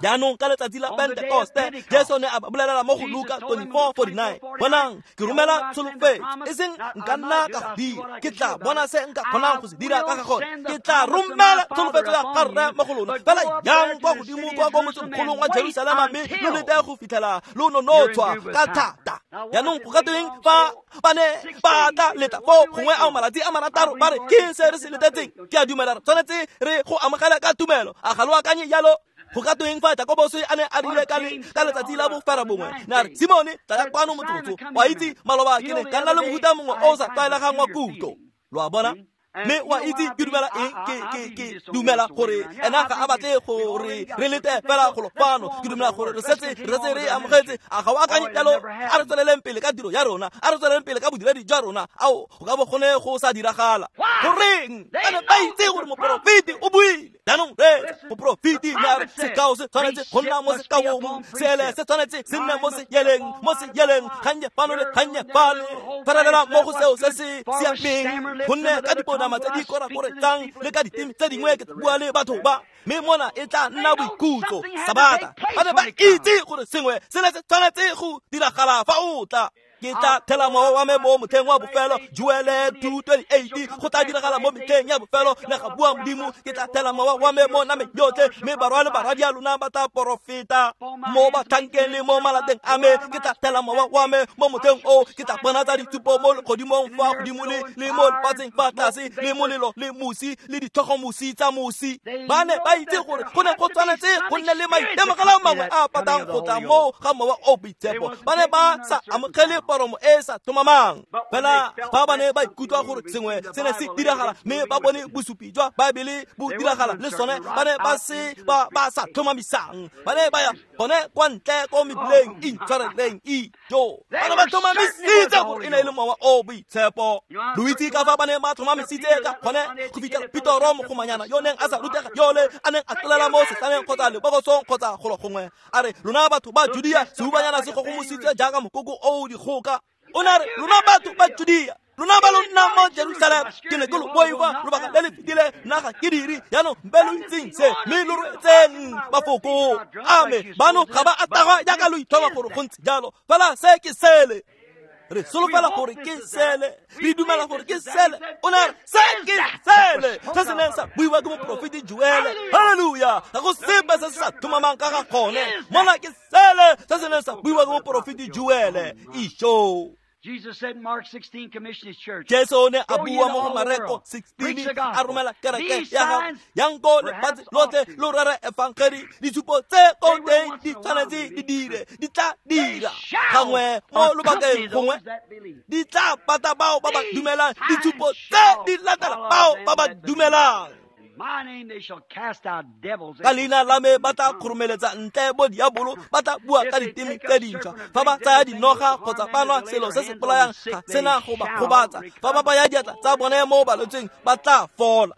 Jaanong ka letsatsi la Pentekoste, Jesu ne a ba bolelela mo go Luka 24:49, bonang ke romela tsholofetso, e seng nka nna ka go dira, ke tla bona se nka kgonang go se dira ka ga gone. Ke tla romela tsholofetso ya ga Rre mo go lona. Fela yang kwa godimo kwa ko motsemogolong wa Jerusalema, mme lo lete go fitlhela lo nonotshwa ka thata. Jaanong go ka tweng fa ba ne ba tla leta foo gongwe ao malatsi a marataro, ba re ke se re se letetseng? Ke a dumela re tshwanetse re go amogela ka tumelo. A ga lo akanye jalo? Go ka tweng fa Jakobose a ne a rile ka letsatsi la bofera bongwe, ne a re, Simone, tlaya kwano motsotso, wa itse maloba ke ne ka nna le mohuta mongwe o o sa tlwaelegang wa kutlo. Lo a bona? Mme wa itse ke dumela eng? Ke dumela gore ena ga a batle gore re lete fela golo fano. Ke dumela gore re setse re amogetse. A ga o akanye jalo? A re tsweleleng pele ka tiro ya rona, a re tsweleleng pele ka bodiredi jwa rona. Ao, go ka bo gone go sa diragala. Goreng? Ba ne ba itse gore moporofeti o buile. Jaanong re moporofeti ne a re sekao se tshwanetse go nna mo sekaong, seele se tshwanetse se nne mo seyeleng, mo seyeleng, gannye fano le gannye fale. Ferelela mo go seo se se siameng, gonne ka diponama tse di korakoretsang le ka diteme tse dingwe ke bua le batho ba, mme mona e tla nna boikhutso, Sabata. Ba ne ba itse gore sengwe se ne se tshwanetse go diragala fa o tla. Ke tla thela mowa wa me mo motlheng wa bofelo, Joele 2:28, go tla diragala mo metlheng ya bofelo, ne ga bua Modimo, ke tla thela mowa wa me mo nameng yotlhe, mme barwa le barwadi a lona ba tla porofeta. Mo batlhankeng le mo malateng a me, ke tla thela mowa wa me mo motlheng o, ke tla bonatsa ditshupo mo legodimong fa godimo le mo lefatsheng fa tlase, le molelo le mosi le ditlhogomosi tsa mosi. Ba ne ba itse gore go ne go tshwanetse go nne le maitemogelo mangwe a patang go tla mo ga mowa o boitshepo. Ba ne ba sa amogele poromo e sa tlhomamang. Fela fa ba ne ba ikutlwa gore sengwe se ne se diragala, mme ba bone bosupi jwa Baebele bo diragala le sone, ba ne ba se ba sa tlhomamisang. Ba ne ba ya gone kwa ntle ko mebileng, intshwareleng ijo. Ba ne ba tlhomamisitse gore e ne e le mowa o boitshepo. Lo itse ka fa ba ne ba tlhomamisitse ka gone go fitlhela Petoro mogomanyana yo neng a sa rutega yole a neng a tlolela mo setlaneng kgotsa lebokosong kgotsa golo gongwe, a re, lona batho ba Judea, seubanyana se gogomositswe jaaka mokoko o dikgoka. O ne a re, lona batho ba Judea, lona ba lo nnang mo Jerusalema, ke ne ke lo boifa lobaka le le fetileng, nna ga ke dire. Jaanong mpe lo itseng se, mme lo roetseng mafoko a me. Bano ga ba a tagwa jaaka lo itlhoma gore go ntse jalo, fela se ke sele. Re solofela gore ke sele, re dumela gore ke sele. O ne a re, se ke sele se se neng sa buiwa ke moporofeti Joele. Halleluja! Ga go sepe se se sa tlhomamang ka ga gone. Mona ke sele se se neng sa buiwa ke moporofeti Joele. Isho. Jesus said in Mark 16, commission his church. Jesu ne a bua mo go Mareko 16, a romela kereke ya gagwe, yang ko lefatshe lotlhe lo rere efangedi. Ditshupo tse ko teng di tshwanetse di dire, di tla dira gangwe mo lobakeng gongwe, di tla pata bao ba ba dumelang. Ditshupo tse di latela bao ba ba dumelang. Ka leina la me ba tla kgoromeletsa ntle bo diabolo, ba tla bua ka diteme tse dintšhwa. Fa ba tsaya dinoga kgotsa ba nwa selo se se bolayang, ga sena go ba gobatsa. Fa ba baya diatla tsa bone mo balwetseng, ba tla fola.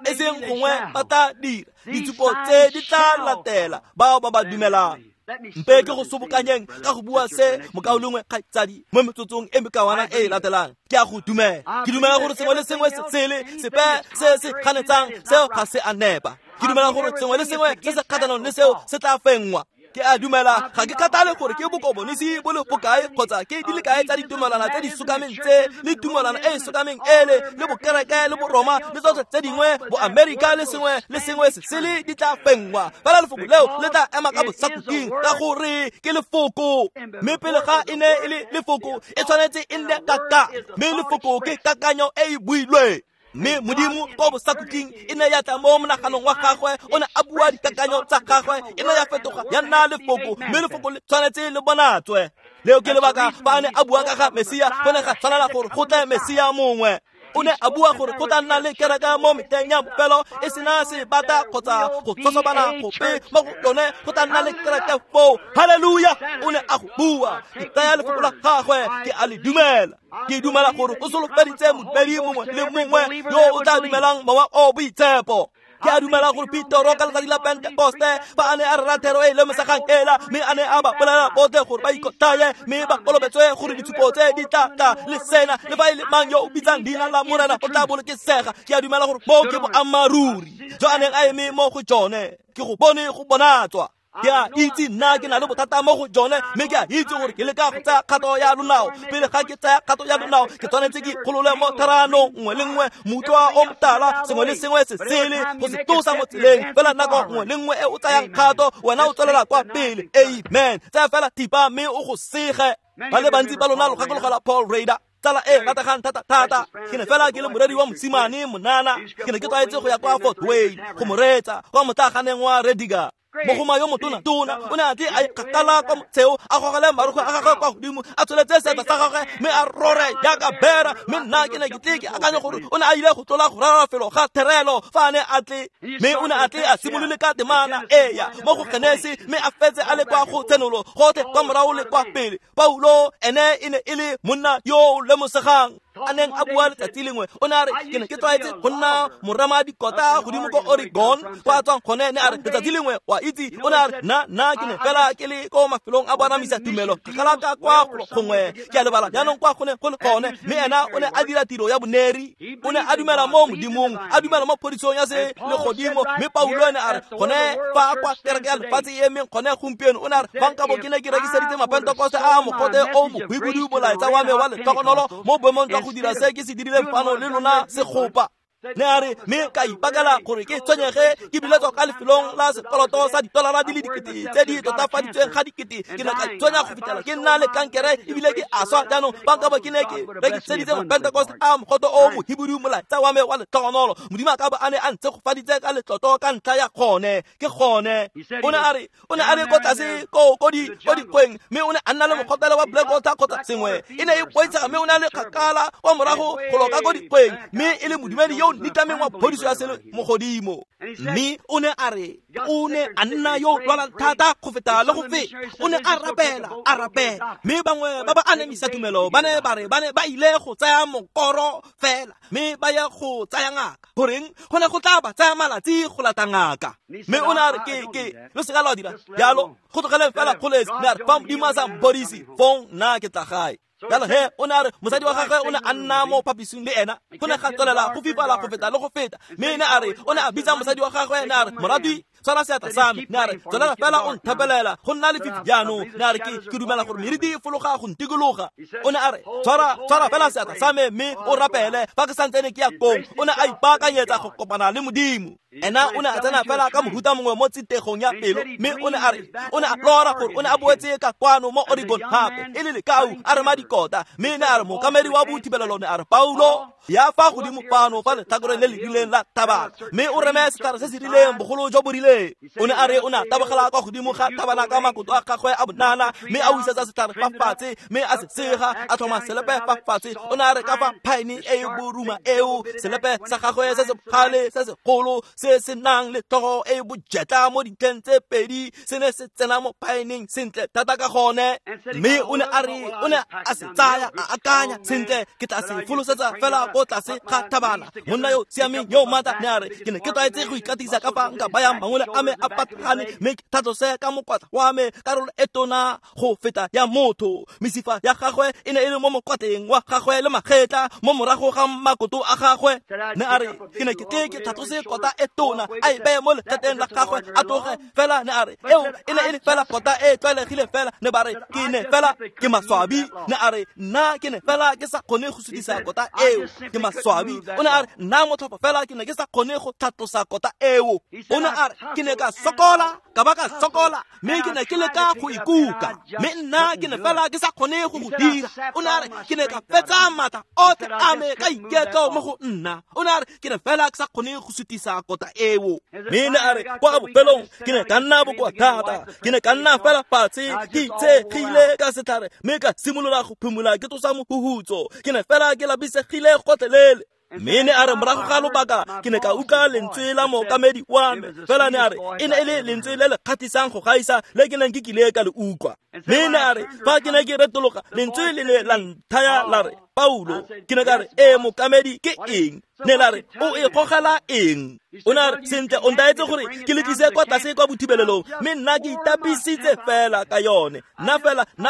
E seng gongwe ba tla dira. Ditshupo tse di tla latela bao ba ba dumelang. Mpe ke go sobokanyeng ka go bua se mokaulengwe kgaitsadi mo metsotsong e mekawana e e latelang. Ke a go dumela. Ke dumela gore sengwe le sengwe se sele, sepe se se ganetsang seo ga se a nepa. Ke dumela gore sengwe le sengwe se se kgatlhanong le seo se tla fenngwa. Ke a dumela ga ke kgathale gore ke bokomonisi bo le bokae kgotsa ke di le kae tsa ditumelwana tse di sokameng tse le tumelwana e e sokameng ele le bokereke le boroma le tsotlhe tse dingwe boamerika le sengwe le sengwe se sele di tla fenngwa. Fela lefoko leo le tla ema ka bosakhutleng ka gore ke lefoko. Mme pele ga e ne e le lefoko e tshwanetse e nne kakanyo, mme lefoko ke kakanyo e e builweng. Mme Modimo ko bosakhutleng e ne ya tla mo monaganong wa gagwe, o ne a bua dikakanyo tsa gagwe, e ne ya fetoga ya nna lefoko, mme lefoko le tshwanetse le bonatswe. Leo ke lebaka fa a ne a bua ka ga Mesia, go ne ga tshwanela gore go tle Mesia mongwe. O ne a bua gore go tla nna le kereke mo metlheng ya bofelo e sena sebata kgotsa go tshosobana gope mo go yone, go tla nna le kereke foo. Haleluya! O ne a go bua. Ke tsaya lefoko la gagwe, ke a le dumela. Ke dumela gore o solofeditse modumedi mongwe le mongwe yo o tla dumelang Mowa o Boitshepo. Ke a dumela gore Petoro ka letsatsi la Pentekoste fa a ne a rera thero e e lemosegang ela, mme a ne a ba bolela botlhe gore ba ikotlhaye mme ba kolobetswe gore ditshupo tse di tla tla le sena, le fa e le mang yo o bitsang leina la Morena o tla bolokesega. Ke a dumela gore moo ke boammaaruri jo a neng a eme mo go jone. Ke go bone go bonatswa. Ke a itse nna ke na le bothata mo go jone, mme ke a itse gore ke leka go tsaya kgato ya lonao. Pele ga ke tsaya kgato ya lonao, ke tshwanetse ke ikgolole mo tharanong nngwe le nngwe, moutlwa o motala, sengwe le sengwe se sele, go se tlosa mo tseleng. Fela nako nngwe le nngwe e o tsayang kgato, wena o tswelela kwa pele. Amen. Tsaya fela thipa mme o go sege. Ba le bantsi ba lona lo gakologelwa Paul Rader, tsala e rategang thata thata. Ke ne fela ke le moreri wa mosimane monana, ke ne ke tlwaetse go ya kwa Fort Wayne go mo reetsa kwa motlaganeng wa Rediger. Mogoma yo motona tona o ne a tle a ikgakala kwa motsheo, a gogele marukgwe a gagwe kwa godimo, a tsholetse seatla sa gagwe mme a rore jaaka bera. Mme nna ke ne ke tle ke akanye gore o ne a ile go tlola go rera felo ga therelo fa a ne a tle, mme o ne a tle a simolole ka temana eya mo go Genesi mme a fetse a le kwa go Tshenolo, gotlhe kwa morago le kwa pele. Paulo ene e ne e le monna yo o lemosegang a neng a bua letsatsi lengwe. O ne a re, ke ne ke tlwaetse go nna morema dikota godimo ko Oregon kwa a tswang gone. Ne a re letsatsi lengwe, wa itse, o ne a re nna ke ne fela ke le ko mafelong a bonamisa tumelo kgakala ka kwa gongwe, ke a lebala jaanong kwa go ne go le gone. Mme ena o ne a dira tiro ya boneri, o ne a dumela mo Modimong, a dumela mo phodisong ya se legodimo. Mme Paulo ene a re gone fa kwa kereke ya lefatshe e emeng gone gompieno, o ne a re fa nkabo ke ne ke rekiseditse mapentekoste a mogote o mohwibidu molaetsa wa me wa letlhogonolo mo boemong jwa go dira se ke se dirileng fano le lona segopa. Ne a re mme ka ipakela gore ke tshwenyege ke biletswa ka lefelong la sekoloto sa ditolara di le dikete tse di totafaditsweng ga dikete. Ke ne ka tshwenya go fitlhela ke nna le kankere ebile ke a swa. Jaanong fa nkabo ke ne ke rekiseditse mapentekoste a mogote o mohibidu molaetsa wa me wa letlhogonolo, Modimo a ka bo a ne a ntshegofaditse ka letlotlo ka ntlha ya gone. Ke gone. O ne a re o ne a le ko tlase ko dikgweng, mme o ne a nna le mogotelo wa Blackwater kgotsa sengwe, e ne e boitshega, mme o ne a le kgakala kwa morago go loka ko dikgweng, mme e le modumedi yo o nitlameng wa phodiso ya sele mogodimo. Mme o ne a re o ne a nna yo o lwalang thata go feta le go feta. O ne a rapela, a rapela, mme bangwe ba ba anamisa tumelo ba ne ba re ba ne ba ile go tsaya mokoro fela mme ba ye go tsaya ngaka. Goreng go ne go tla ba tsaya malatsi go lata ngaka? Mme o ne a re ke lo seka lwa dira jalo, go tlogeleng fela kgolesi. Mme a re fa Modimo a sa mphodise fong nna ke tla gae. Jalo he o ne a re mosadi wa gagwe o ne a nna mo phaposing le ena, go ne ga tswelela go fifala go feta le go feta. Mme ne a re o ne a bitsa mosadi wa gagwe, ne a re moratwi tshwara seatla sa me, ne a re tswelela fela o nthapelela go nna lefifi jaanong. Ne a re ke dumela gore meriti e fologa go ntikologa. O ne a re tshwara fela seatla sa me mme o rapele fa ke santsene ke ya kong. O ne a ipaakanyetsa go kopana le Modimo. Ena o ne a tsena fela ka mohuta mongwe mo tsitegong ya pelo, mme o ne a re o ne a lora gore o ne a boetse ka kwano mo Oregon gape e le lekau a rema dikota. Mme ne a re mookamedi wa bothibelelo ne a re Paulo ya fa godimo fano fa letlhakoreng le le rileng la thabana mme o reme setlhare se se rileng bogolo jo bo rileng. O ne a re o ne a tabogela kwa godimo ga thabana ka makoto a gagwe a bonana mme a wisetsa setlhare fa fatshe mme a se sega, a tlhoma selepe fa fatshe. O ne a re ka fa phaene e e boruma eo, selepe sa gagwe se se bogale se segolo se se nang le tlhogo e e bojetla mo dintlheng tse pedi se ne se tsena mo phaeneng sentle thata ka gone. Mme o ne a re o ne a se tsaya a akanya sentle, ke tla se folosetsa fela ko tlase ga thabana. Monna yo siameng yo maatla ne a re ke ne ke tlwaetse go ikatisa ka fa nka bayang mangwele Matsele a me a patagane mme ke tlhatlose ka mokwatla wa me karolo e tona go feta ya motho. Mesifa ya gagwe e ne e le mo mokwatleng wa gagwe le magetla mo morago ga makoto a gagwe. Ne a re ke ne ke tle ke tlhatlose kota e tona a e beye mo legeteng la gagwe a tloge fela. Ne a re eo e ne e le fela kota e tlwaelegile fela. Ne ba re ke ne fela ke maswabi. Ne a re nna ke ne fela ke sa kgone go sutisa kota eo, ke maswabi. O ne a re nna motlhopho fela ke ne ke sa kgone go tlhatlosa kota eo. O ne a re ke ne ka sokola ka ba ka sokola mme ke ne ke leka go ikuka mme nna ke ne fela ke sa kgone go go dira. O ne a re ke ne ka fetsa maatla otlhe a me ka iketlo mo go nna. O ne a re ke ne fela ke sa kgone go sutisa kota eo. Mme ne a re kwa bopelong ke ne ka nna bokoa thata, ke ne ka nna fela fatshe ke itshegile ka setlhare mme ka simolola go phimola ke tlosa mohuhutso. Ke ne fela ke lapisegile gotlhelele. Mme ne a re morago ga lobaka ke ne ka utlwa lentswe la mookamedi wa me fela. Ne a re e ne e le lentswe le le kgathisang go gaisa le ke neng ke kile ka le utlwa. Mme ne a re fa ke ne ke retologa lentswe le ne la nthaya la re Paulo. Ke ne ka re ee mookamedi ke eng? Ne la re o e gogela eng? O ne a re sentle o ntaetse gore ke le tlise kwa tlase kwa bothibelelong mme nna ke itapisitse fela ka yone. Nna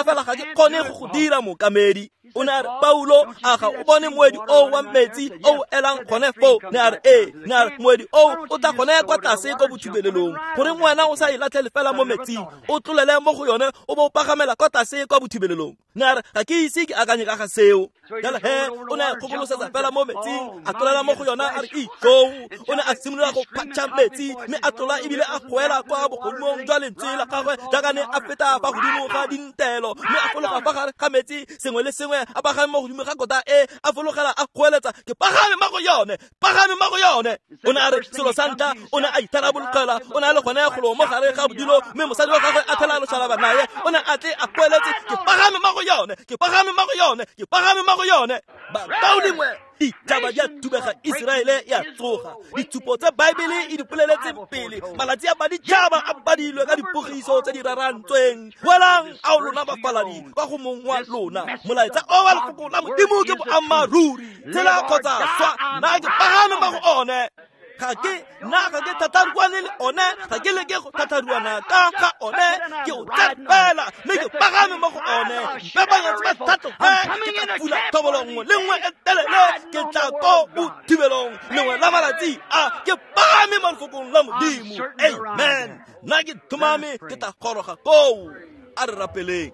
fela ga ke kgone go go dira mookamedi. O ne a re Paulo a ga o bone moedi o wa metsi o elang gone foo? Ne a re ee. Ne a re moedi o o tla gone kwa tlase kwa bothibelelong, goreng wena o sa e latlhele fela mo metsing o tlolele mo go yone o bo o pagamela kwa tlase kwa bothibelelong? Ne a re ga ke ise ke akanye ka ga seo. Jalo he o ne a kgokolosetsa fela mo metsing a tlolela mo go yona a re ijoo. O ne a simolola go phatša metsi mme a tlola ebile a goela kwa bogodimong jwa lentswe la gagwe jaaka ne a feta fa godimo ga dintelo mme a fologa fa gare ga metsi sengwe le sengwe a pagame mo godimo ga kota e a fologela a goeletsa ke pagame mo go yone, pagame mo go yone. O ne a re selo sa ntlha o ne a itharabologela, o ne a le gone golo mo gare ga bodilo mme mosadi wa gagwe a thela loshalaba naye. O ne a tle a goeletse ke pagame mo go yone, ke pagame mo go yone, ke pagame mo go yone. Bakaulengwe, ditšhaba di a thubega, Iseraele e a tsoga. Ditshupo tse Baebele e di boleletseng pele, malatsi a baditšhaba a badilwe ka dipogiso tse di rarantsweng. Boelang ao lona bafaladi kwa go mong wa lona, molaetsa o wa lefoko la Modimo ke boammaaruri. Tshela kgotsa swa, nna ke pagame mo go one. Ga ke nna ga ke thatharuane le one, ga ke leke go thatharuana ka ga one, ke o tsepela mme ke pagame mo go one. Mpepanyetse ba tlhatloge, ke tla fula thobolo nngwe le nngwe e telele, ke tla ko bothibelong lengwe la malatsi a ke pagame mo lefokong la Modimo. Amen. Nna ke tlhomame ke tla goroga koo. A re rapeleng.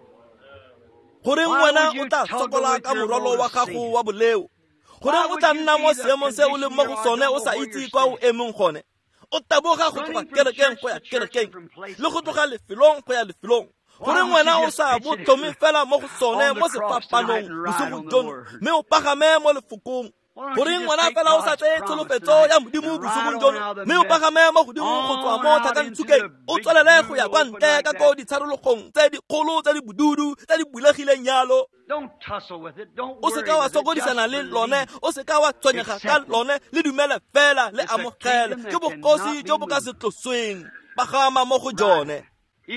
Goreng wena o tla sokola ka morwalo wa gago wa boleo? Goreng o tla nna mo seemong se o leng mo go sone o sa itse kwa o emeng gone? O taboga go tloga kerekeng go ya kerekeng le go tloga lefelong go ya lefelong. Goreng wena o sa bo tlhome fela mo go sone mo sefapanong bosigo jono mme o pagame mo lefokong? Goreng wena fela o sa tseye tsholofetso ya Modimo bosigong jono mme o pagame mo godimo go tswa mo tlhakantsukeng o tswelele go ya kwa ntle ka ko ditsharologong tse dikgolo tse di bodudu tse di bulegileng yalo? O seka wa sokodisana le lone, o seka wa tshwenyega ka lone, le dumele fela le amogele. Ke bogosi jo bo ka se tlosweng, pagama mo go jone.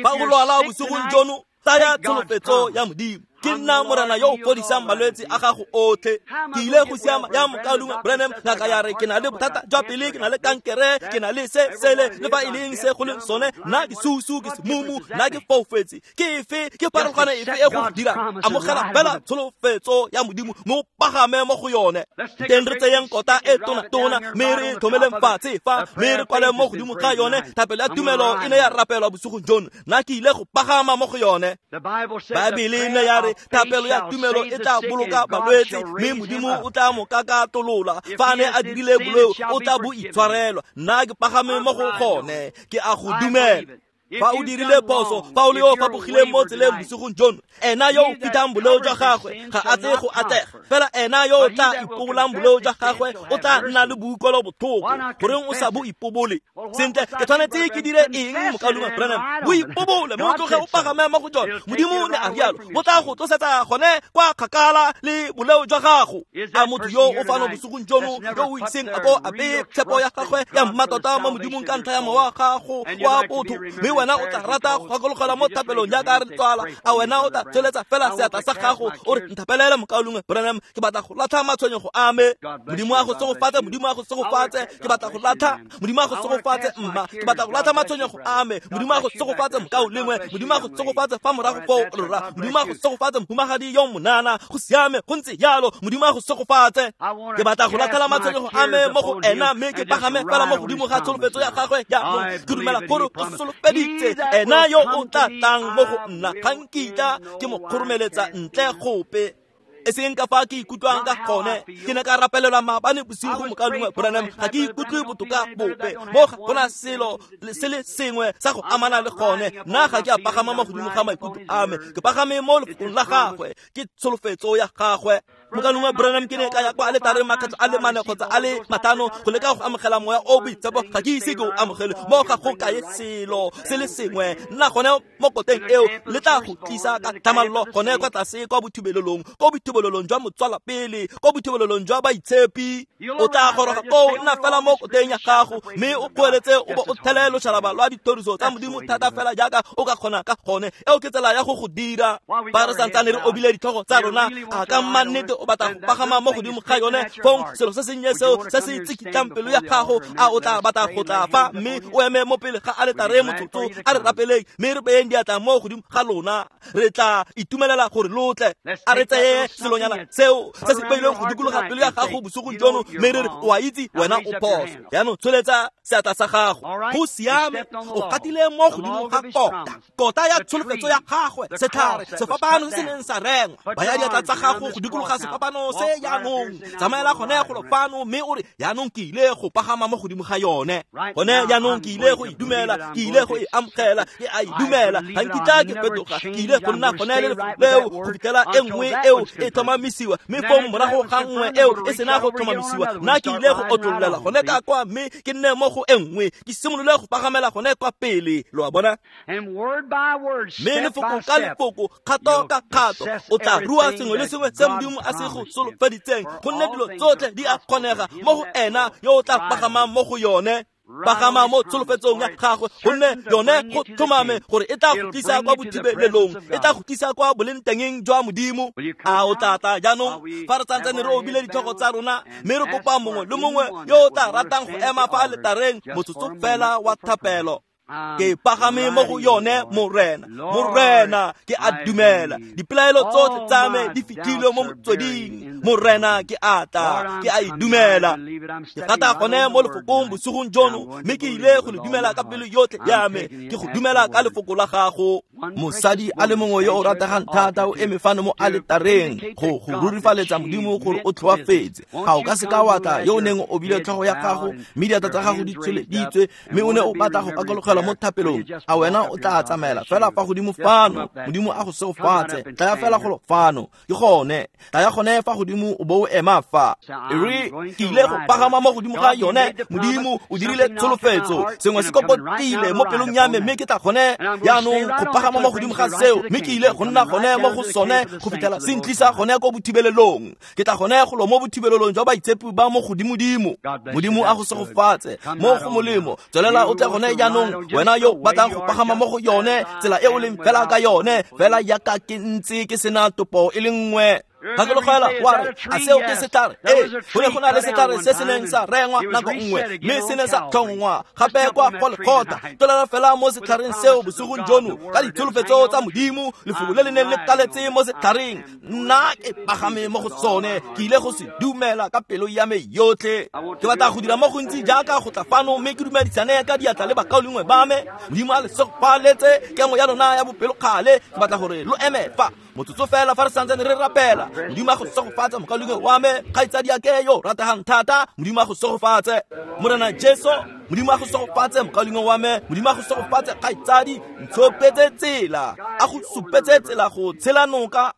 Fa o lwala bosigong jono, tsaya tsholofetso ya Modimo. Ke nna Morena yo o fodisang malwetse a gago otlhe. Ke ile go siama ya mokaulengwe Branham, ngaka ya re ke na le bothata jwa pele, ke na le kankere, ke na le se sele le fa e leng se go leng sone, nna ke susu, ke semumu, nna ke foufetse. Ke efe, ke pharologano efe e go dirang? Amogela fela tsholofetso ya Modimo mme o pagame mo go yone. Teng re tseyeng kota e tona-tona mme re e tlhomeleng fatshe fa mme re kwale mo godimo ga yone. Thapelo ya tumelo e ne ya rapelwa bosigong jono, nna ke ile go pagama mo go yone. Baebele e ne ya re thapelo ya tumelo e tla boloka balwetse mme Modimo o tla mo kakatolola. Fa a ne a dirile boleo o tla bo itshwarelwa. Nna ke pagame mo go gone, ke a go dumela. Fa o dirile phoso, fa o le yo o fapogileng mo tseleng bosigong jono, ena yo o fitlhang boleo jwa gagwe ga a tle go atlega. Fela ena yo o tla ipobolang boleo jwa gagwe o tla nna le boikuelo botlhoko. Goreng o sa bo ipobole? Sentle, ke tshwanetse ke dire eng mokaulengwe Branham? Bo ipobole mme o tloge o pagame mo go jone. Modimo ne a rialo, bo tla go tlosetsa gone kwa kgakala le boleo jwa gago. A motho yo o fano bosigong jono yo o iseng a ko a beye tshepo ya gagwe ya mmatota mo Modimong ka ntlha ya mowa gago wa botho, mme wena o tla rata go gakologelwa mo thapelong jaaka re tswala, a wena o tla tsweletsa fela seatla sa gago o re nthapelele mokaulengwe Branham, ke batla go latlha matshwenyego a me. Modimo a go segofatse, Modimo a go segofatse, ke batla go latlha. Modimo a go segofatse mma, ke batla go latlha matshwenyego a me. Modimo a go segofatse mokaulengwe, Modimo a go segofatse fa morago foo rra. Modimo a go segofatse mohumagadi yo monana, go siame go ntse jalo. Modimo a go segofatse. Ke batla go latlhela matshwenyego a me mo go ena mme ke pagame fela mo godimo ga tsholofetso ya gagwe jaanong. Ke dumela gore o solofeditse ena yo o tla tlang mo go nna, ga nkitla ke mo kgoromeletsa ntle gope. E seng ka fa ke ikutlwang ka gone. Ke ne ka rapelelwa maabane bosigo mokaulengwe Branham, ga ke ikutlwe botoka bope. Mo ga gona selo se le sengwe sa go amana le gone. Nna ga ke a pagama mo godimo ga maikutlo a me, ke pagame mo lefokong la gagwe, ke tsholofetso ya gagwe. Mokaulengwe Branham, ke ne ka ya kwa aletareng makgetlho a le mane kgotsa a le matlhano go leka go amogela moya o boitshepo, ga ke ise ke o amogele. Mo ga go kae selo se le sengwe. Nna gone mo koteng eo le tla go tlisa ka tlhamallo gone kwa tlase kwa bothibelelong, ko bothibelelong jwa motswala pele, ko bothibelelong jwa baitshepi. O tla goroga koo, nna fela mo koteng ya gago mme o goeletse o bo o thele loshalaba lwa dithoriso tsa Modimo thata fela jaaka o ka kgona ka gone. Eo ke tsela ya go go dira. Fa re santsane re obile ditlhogo tsa rona, a ka mannete o batla go pagama mo godimo ga yone, fong selo se sennye seo se se tsikitlang pelo ya gago, a o tla batla go tla fa mme o eme mo pele ga aletare motsotso? A re rapeleng mme re beyeng diatla mo godimo ga lona. Re tla itumelela gore lo tle. A re tseye selonyana seo se se beilweng go dikologa pelo ya gago bosigong jono mme re re o a itse wena o phoso. Jaanong tsholetsa seatla sa gago. Go siame, o gatile mo godimo ga kota, kota ya tsholofetso ya gagwe, setlhare sefapano se se neng sa rengwa. Baya diatla tsa gago go dikologa sefapano se jaanong. Tsamaela gone golo fano mme o re jaanong ke ile go pagama mo godimo ga yone. Gone jaanong ke ile go e dumela, ke ile go e amogela, ke a e dumela, ga nkitla ke fetoga, ke ile go nna gone le lefoko leo go fitlhela e nngwe eo e tlhomamisiwa. Mme fong morago ga nngwe eo e sena go tlhomamisiwa, nna ke ile go otlololela gone ka kwa mme ke nne mo go e nngwe, ke simolole go pagamela gone kwa pele. Lo a bona? Mme lefoko ka lefoko, kgato ka kgato, o tla rua sengwe le sengwe se Modimo a se go solofeditseng, gonne dilo tsotlhe di a kgonega mo go ena yo o tla pagamang mo go yone. Pagama mo tsholofetsong ya gagwe, gonne yone go tlhomame gore e tla go tlisa kwa bothibelelong, e tla go tlisa kwa bolengtengeng jwa Modimo. A o tla tla jaanong fa re santsane re obile ditlhogo tsa rona mme re kopa mongwe le mongwe yo o tla ratang go ema fa aletareng motsotso fela wa thapelo. Ke pagame mo go yone, Morena. Morena, ke a dumela. Dipelaelo tsotlhe tsa me di fitlhilwe mo motsweding. Morena, ke a tla, ke a e dumela. Ke gata gone mo lefokong bosigong jono mme ke ile go le dumela ka pelo yotlhe ya me. Ke go dumela ka lefoko la gago. Mosadi a le mongwe yo o rategang thata o eme fano mo aletareng go go rurifaletsa Modimo gore o tlhoafetse. Ga o ka seka wa tla yo o neng o obile tlhogo ya gago mme diatla tsa gago di tsholeditswe mme o ne o batla go gakologelwa mo thapelong, a wena o tla tsamaela fela fa godimo fano? Modimo a go segofatse. Tlaya fela golo fano. Ke gone, tlaya gone fa godimo o bo o ema fa. E re ke ile go pagama mo godimo ga yone. Modimo o dirile tsholofetso, sengwe se kokotile mo pelong ya me mme ke tla gone jaanong go pagama mo godimo ga seo, mme ke ile go nna gone mo go sone go fitlhela se ntlisa gone ko bothibelelong. Ke tla gone golo mo bothibelelong jwa baitshepi ba mo godimodimo. Modimo a go segofatse mo go molemo. Tswelela o tle gone jaanong, wena yo batlang go pagama mo go yone tsela e o leng fela ka yone, fela jaaka ke ntse ke sena topo e le nngwe. Gakologelwa wa re, a seo ke setlhare? Ee, go ne go na le setlhare se se neng sa rengwa nako nngwe mme se ne sa tlhongwa gape kwa Golgotha. Tlolela fela mo setlhareng seo bosigong jono ka ditsholofetso tsa Modimo, lefoko le le neng le kaletse mo setlhareng. Nna ke pagame mo go sone, ke ile go se dumela ka pelo ya me yotlhe. Ke batla go dira mo gontsi jaaka go tla fano mme ke dumedisane ka diatla le bakaulengwe ba me. Modimo a le segofaletse kemo ya lona ya bopelokgale. Ke batla gore lo eme fa motsotso fela fa re santsane re rapela. Modimo a go segofatse mokaulengwe wa me, kgaitsadi ya ke yo rategang thata. Modimo a go segofatse. Morena Jesu, Modimo a go segofatse mokaulengwe wa me. Modimo a go segofatse kgaitsadi. Ntshopetse tsela, a go supetse tsela go tshela noka.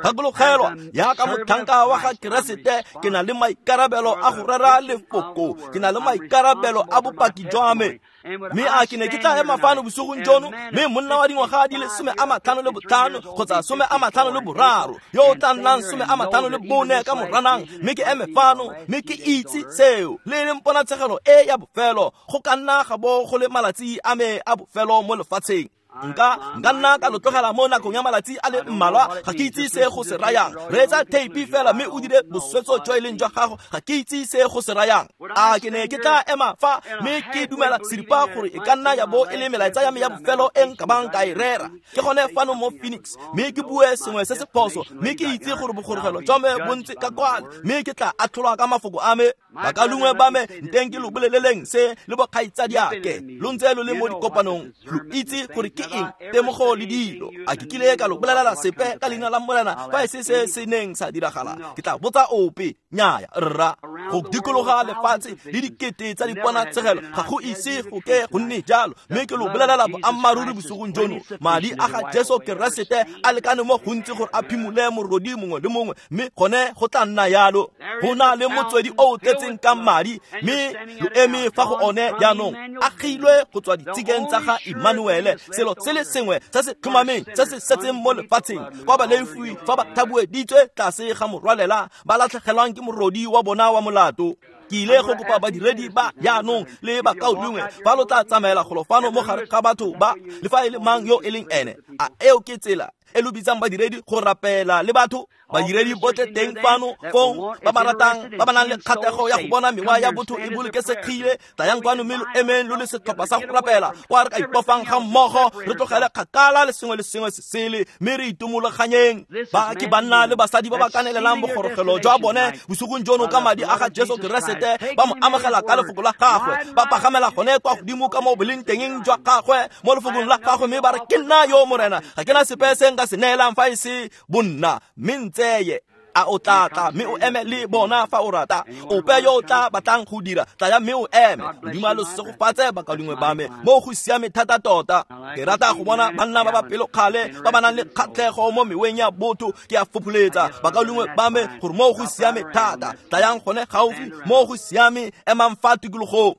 Gakologelwa, jaaka motlhanka wa ga Keresete, ke na le maikarabelo a go rera lefoko, ke na le maikarabelo a bopaki jwa me. Mme a ke ne ke tla ema fano bosigong jono mme monna wa dingwaga di le 55 kgotsa 53 yo o tla nnang 54 ka Moranang, mme ke eme fano mme ke itse seo le leng ponatshegelo e ya bofelo. go ka nna ga bo go le malatsi a me a bofelo mo lefatsheng. Nka nna ka lo tlogela mo nakong ya malatsi a le mmalwa, ga ke itse se go se rayang. Reetsa theipi fela mme o dire boswetso jo e leng jwa gago, ga ke itse se go se rayang. A ke ne ke tla ema fa mme ke dumela seripa gore e ka nna ya bo e le melaetsa ya me ya bofelo e nka bang ka e rera. Ke gone fano mo Phoenix mme ke bue sengwe se se phoso, mme ke itse gore bogorogelo jwa me bo ntse ka kwale, mme ke tla atlholwa ka mafoko a me. Bakalungwe ba me, nteng ke lo boleleleng se le bokgaitsadiake, lo ntse lo le mo dikopanong, lo itse gore ke eng temogo le dilo. A ke kile ka lo bolelela sepe ka leina la Morena fa e se se se neng sa diragala? Ke tla botsa ope, nnyaya rra. Go dikologa lefatshe le dikete tsa diponatshegelo ga go ise go ke go nne jalo, mme ke lo bolelela boammaaruri bosigong jono, madi a ga Jesu Keresete a lekane mo gontsi gore a phimole morodi mongwe le mongwe, mme gone go tla nna yalo. Go na le motswedi o o tletseng ka madi, mme lo eme fa go one jaanong, agilwe go tswa ditshikeng tsa ga Emmanuele, selo se le sengwe se se tlhomameng se se setseng mo lefatsheng, kwa balefi fa ba thabueditswe tlase ga morwalela ba latlhegelwang ke morodi wa bona wa molato. Ke ile go kopa badiredi ba jaanong le bakaulengwe fa lo tla tsamaela golo fano mo gare ga batho ba, le fa e le mang yo e leng ene. A eo ke tsela e lo bitsang badiredi go rapela le batho? Badiredi botlhe teng fano fong ba ba ratang, ba ba nang le kgatlhego ya go bona mewa ya botho e bolokesegile, tlayang kwano mme lo emeng lo le setlhopha sa go rapela, kwa re ka ipofang ga mmogo, re tlogele kgakala le sengwe le sengwe se sele, mme re itumologanyeng. Ba ke banna le basadi ba ba kanelelang bogorogelo jwa bone bosigong jono ka madi a ga Jesu Keresete, ba mo amogela ka lefoko la gagwe, ba pagamela gone kwa godimo ka mo boleng tengeng jwa gagwe mo lefokong la gagwe, mme ba re, ke nna yo Morena, ga ke na sepe se nka se neelang fa e se bonna, mme ntseye. A o tla tla mme o eme le bona fa o rata. Ope yo o tla batlang go dira, tlaya mme o eme. Modimo a lo segofatse bakaulengwe ba me, mo go siame thata tota. Ke rata go bona banna ba ba pelokgale ba ba nang le kgatlhego mo meweng ya botho. Ke a fopholetsa bakaulengwe ba me gore mo go siame thata. Tlayang gone gaufi, mo go siame, emang fa tikologong.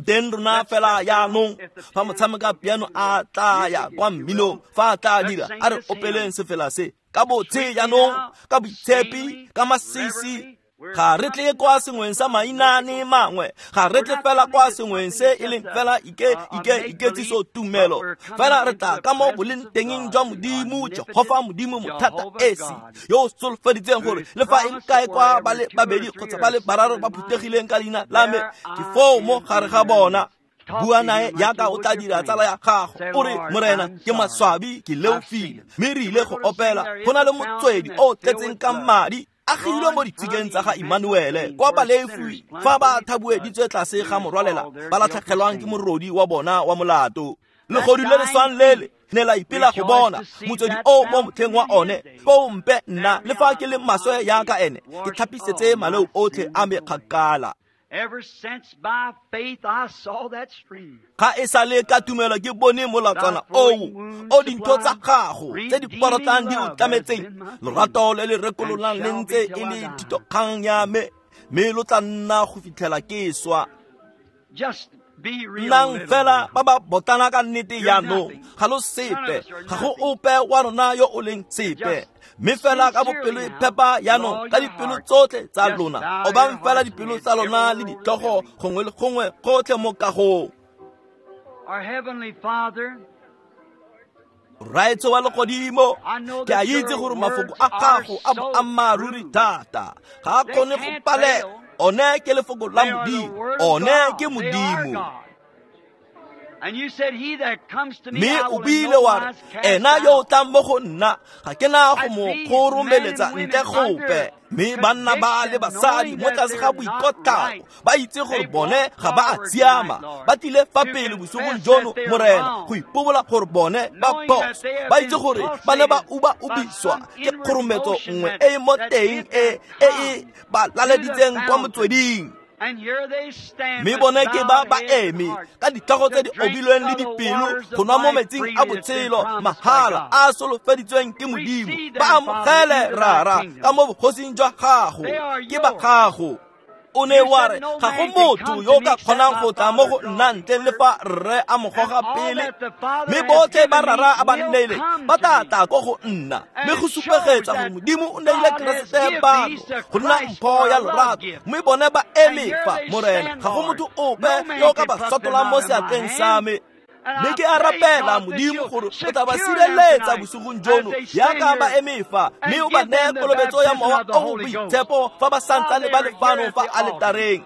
Teng rona fela jaanong, fa motshameka piano a tla ya kwa mminong, fa a tla dira, a re opeleng sefela se ka botse jaanong, ka boitshepi, ka masisi. Ga re tle kwa sengweng sa mainane mangwe, ga re tle fela kwa sengweng se e leng fela iketsiso tumelo, fela re tla ka mo boleng tengeng jwa Modimo, Jehofa Modimo mothata esi, yo o solofeditseng gore le fa e kae kwa ba le babedi kgotsa ba le bararo ba phuthegileng ka leina la me, ke foo mo gare ga bona. Bua nae jaaka o tla dira tsala ya gago, o re, Morena, ke maswabi, ke leofile, mme re ile go opela. Go na le motswedi o o tletseng ka madi, agilwe mo ditshikeng tsa ga Emmanuele, kwa balefi fa ba thabueditswe tlase ga morwalela ba latlhegelwang ke morodi wa bona wa molato. Legodu le le swang lele ne la ipela go bona motswedi o mo motlheng wa one, foo mpe nna le fa ke le maswe jaaka ene, ke tlhapisetse maleo otlhe a me kgakala. Ever since by faith I saw that stream. Ga e sa le ka tumelo ke bone molatswana oo o dintho tsa gago tse di porotlang di o tlametseng, lorato le le rekololang le ntse e le thitokgang ya me, mme lo tla nna go fitlhela ke swa. Just be real. Nnang fela ba ba botlana ka nnete jaanong, ga lo sepe, ga go ope wa rona yo o leng sepe, mme fela ka bopelo e phepa jaanong, ka dipelo tsotlhe tsa lona, obang fela dipelo tsa lona le ditlhogo gongwe le gongwe gotlhe mo kagong. Our Heavenly Father, Rraetsho wa legodimo, ke a itse gore mafoko a gago a boammaaruri thata, ga a kgone go palela. One ke lefoko la Modimo, one ke Modimo. Mme o buile wa re, ena yo o tlang mo go nna, ga ke na go mo kgoromeletsa ntle gope. Mme banna ba le basadi mo tlase ga boikotlao, ba itse gore bone ga ba a siama, ba tlile fa pele bosigong jono, Morena, go ipobola gore bone ba phoso. Ba itse gore ba ne ba uba-ubiswa ke kgorometso nngwe e e mo teng e e ba laleditseng kwa motsweding. Mme bone ke ba ba eme ka ditlhogo tse di obilweng le dipelo go nwa mo metsing a botshelo mahala a solofeditsweng ke Modimo. Ba amogele, Rara, ka mo bogosing jwa gago, ke ba gago. O ne wa re ga go motho yo ka kgonang go tla mo go nna ntle le fa rre a mo goga pele, mme botlhe ba rara a ba nneile ba tla tla ko go nna. Mme go supegetsa gore Modimo o neile Keresete bano go nna mpho ya lorato, mme bone ba eme fa, Morena, ga go motho ope yo ka ba sotolang mo seatleng sa me. Mme ke a rapela Modimo gore o tla ba sireletsa bosigong jono jaaka ba eme fa, mme o ba neye kolobetso ya Mowa o o Boitshepo fa ba santsane ba le fano fa aletareng.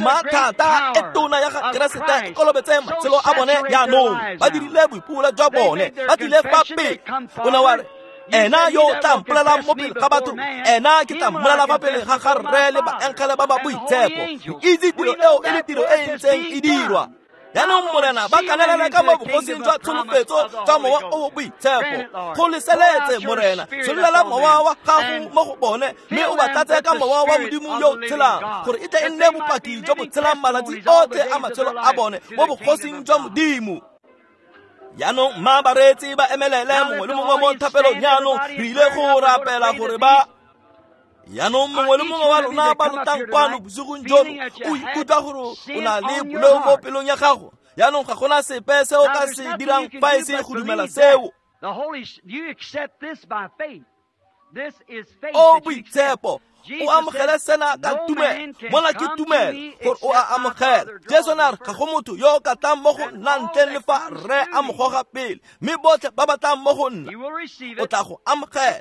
Mathata e tona ya ga Keresete e kolobetse matshelo a bone jaanong. Ba dirile boipobolo jwa bone, ba tlile fa pele. O ne wa re, ena yo o tla mpolelang mo pele ga batho, ena ke tla mmolela fa pele ga ga Rre le baengele ba ba boitshepo. Re itse tiro eo e le tiro e e ntseng e dirwa. Jaanong Morena, ba kanelela ka mo bogosing jwa tsholofetso jwa Mowa o o Boitshepo. Go leseletse, Morena, tsholela Mowa wa gago mo go bone, mme o ba tlatse ka Mowa wa Modimo yo o tshelang, gore e tle e nne bopaki jo bo tshelang malatsi otlhe a matshelo a bone mo bogosing jwa Modimo. Jaanong mma bareetsi ba emelele mongwe le mongwe mo thapelong. Jaanong re ile go rapela gore ba jaanong mongwe le mongwe wa lona ba lotang kwano bosigong jono o ikutlwa gore o na le boleo mo pelong ya gago. Jaanong ga gona sepe se o ka se dirang fa e se go dumela seo. O Boitshepo, o amogele sena ka tumelo. Mona ke tumelo gore o a amogela. Jesu ne a re ga go motho yo o ka tlang mo go nna ntleng le fa Rre a mo goga pele, mme botlhe ba ba tlang mo go nna o tla go amogela.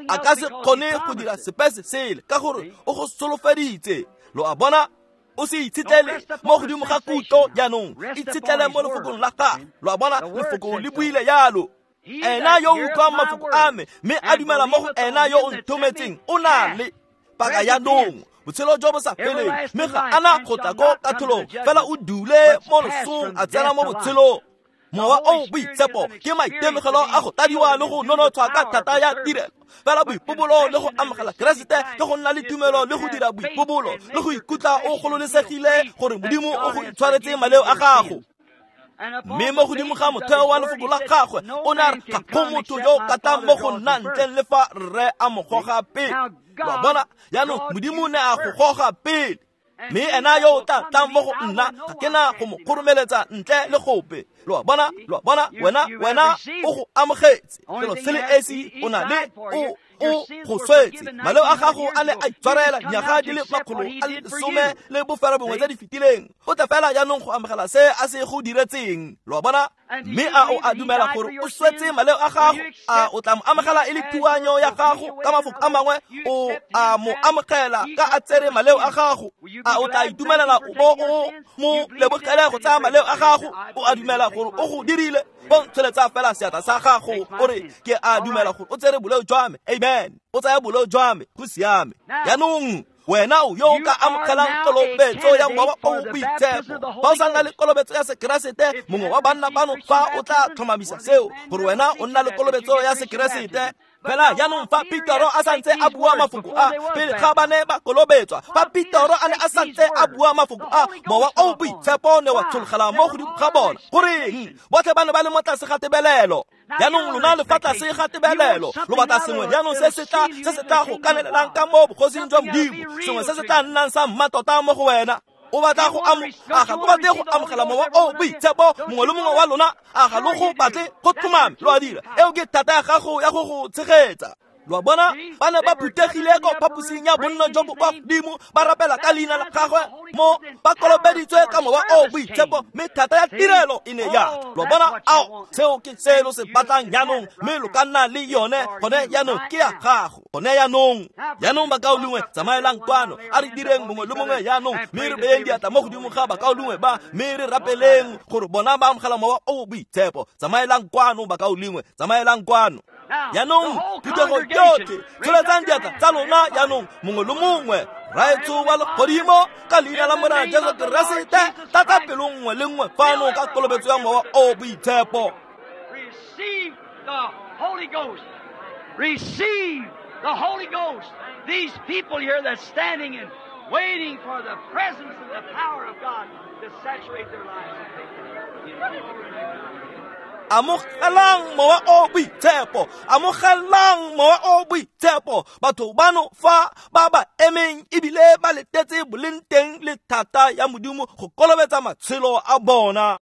A ka se kgone go dira sepe se sele ka gore o go solofeditse. Lo a bona? O se itshetlele mo godimo ga kutlo jaanong, itshetlele mo lefokong la gagwe. Lo a bona? Lefoko le buile jalo. Ena yo o utlwang mafoko a me mme a dumela mo go ena yo o nthometseng o na le paka jaanong botshelo jo bo sa feleng, mme ga ana go tla ko katlholong, fela o dule mo losong a tsena mo botshelong. Mowa o Boitshepo ke maitemogelo a go tadiwa le go nonotshwa ka thata ya tirelo. Fela boipobolo le go amogela Keresete ke go nna le tumelo le go dira boipobolo le go ikutlwa o gololesegile gore Modimo o go itshwaretse maleo a gago. Mme mo godimo ga motheo wa lefoko la gagwe o ne a re ga go motho yo o ka tlang mo go nna ntleng le fa Rre a mo goga pele. Lo a bona? Jaanong Modimo ne a go goga pele, mme ena yo o tla tlang mo go nna ga ke na go mo kgoromeletsa ntle le gope. Lo a bona? Lo a bona? Wena o go amogetse. Selo se le esi o na le o go swetse. Maleo a gago a ne a itshwarela dinyaga di le 119 tse di fetileng. O tla fela jaanong go amogela se a se go diretseng. Lo a bona? Mme a o a dumela gore o swetse maleo a gago? A o tla mo amogela e le thuanyo ya gago? Ka mafoko a mangwe, o a mo amogela ka a tsere maleo a gago? A o tla itumelela o bo o mo lebogele go tsaya maleo a gago? O a dumela gore o go dirile? Bontsholetsa fela seatla sa gago o re, ke a dumela gore o tsere boleo jwa me. Amen. O tsaya boleo jwa me, go siame. Jaanong wena o yo o ka amogelang kolobetso ya Mowa o o Boitshepo. Fa o sa nna le kolobetso ya Sekeresete, mongwe wa banna bano fa o tla tlhomamisa seo gore wena o nna le kolobetso ya Sekeresete. Fela jaanong fa Petero a santse a bua mafoko a, pele ga ba ne ba kolobetswa, fa Petero a ne a santse a bua mafoko a, Mowa o o Boitshepo ne wa tshologela mo godimo ga bona. Goreng? Botlhe ba ne ba le mo tlase ga tebelelo. Jaanong lona le fa tlase ga tebelelo, lo batla sengwe jaanong se se tla go kanelelang ka mo bogosing jwa Modimo, sengwe se se tla nnang sa mmatota mo go wena. O batla go a ga go batle go amogela Mowa o o Boitshepo mongwe le mongwe wa lona? A ga lo go batle go tlhomame? Lo a dira. Eo ke thata ya gago ya go go tshegetsa. Lo a bona? Ba ne ba phuthegile ko phaposing ya bonno jo bo kwa godimo, ba rapela ka leina la gagwe mo ba kolobeditswe ka Mowa o o Boitshepo, mme thata ya tirelo e ne ya. Lo a bona? Ao, seo ke se lo se batlang jaanong, mme lo ka nna le yone gone jaanong. Ke ya gago gone jaanong. Jaanong bakaulengwe, tsamaelang kwano, a re direng mongwe le mongwe jaanong, mme re beyeng diatla mo godimo ga bakaulengwe ba, mme re rapeleng gore bona ba amogela Mowa o o Boitshepo. Tsamaelang kwano bakaulengwe, tsamaelang kwano. Jaanong phuthego yotlhe, tsholetsang diatla tsa lona jaanong, mongwe le mongwe. Raetsho wa legodimo, ka leina la Morena Jesu Keresete, tlatsa pelo nngwe le nngwe fano ka kolobetso ya Mowa o o Boitshepo. Receive the Holy Ghost. Receive the Holy Ghost. These people here that's standing and waiting for the presence and the power of God to saturate their lives. Amogelang Mowa o Boitshepo, amogelang Mowa o Boitshepo. Batho bano fa ba ba emeng ebile ba letetse boleng teng le thata ya Modimo go kolobetsa matshelo a bona.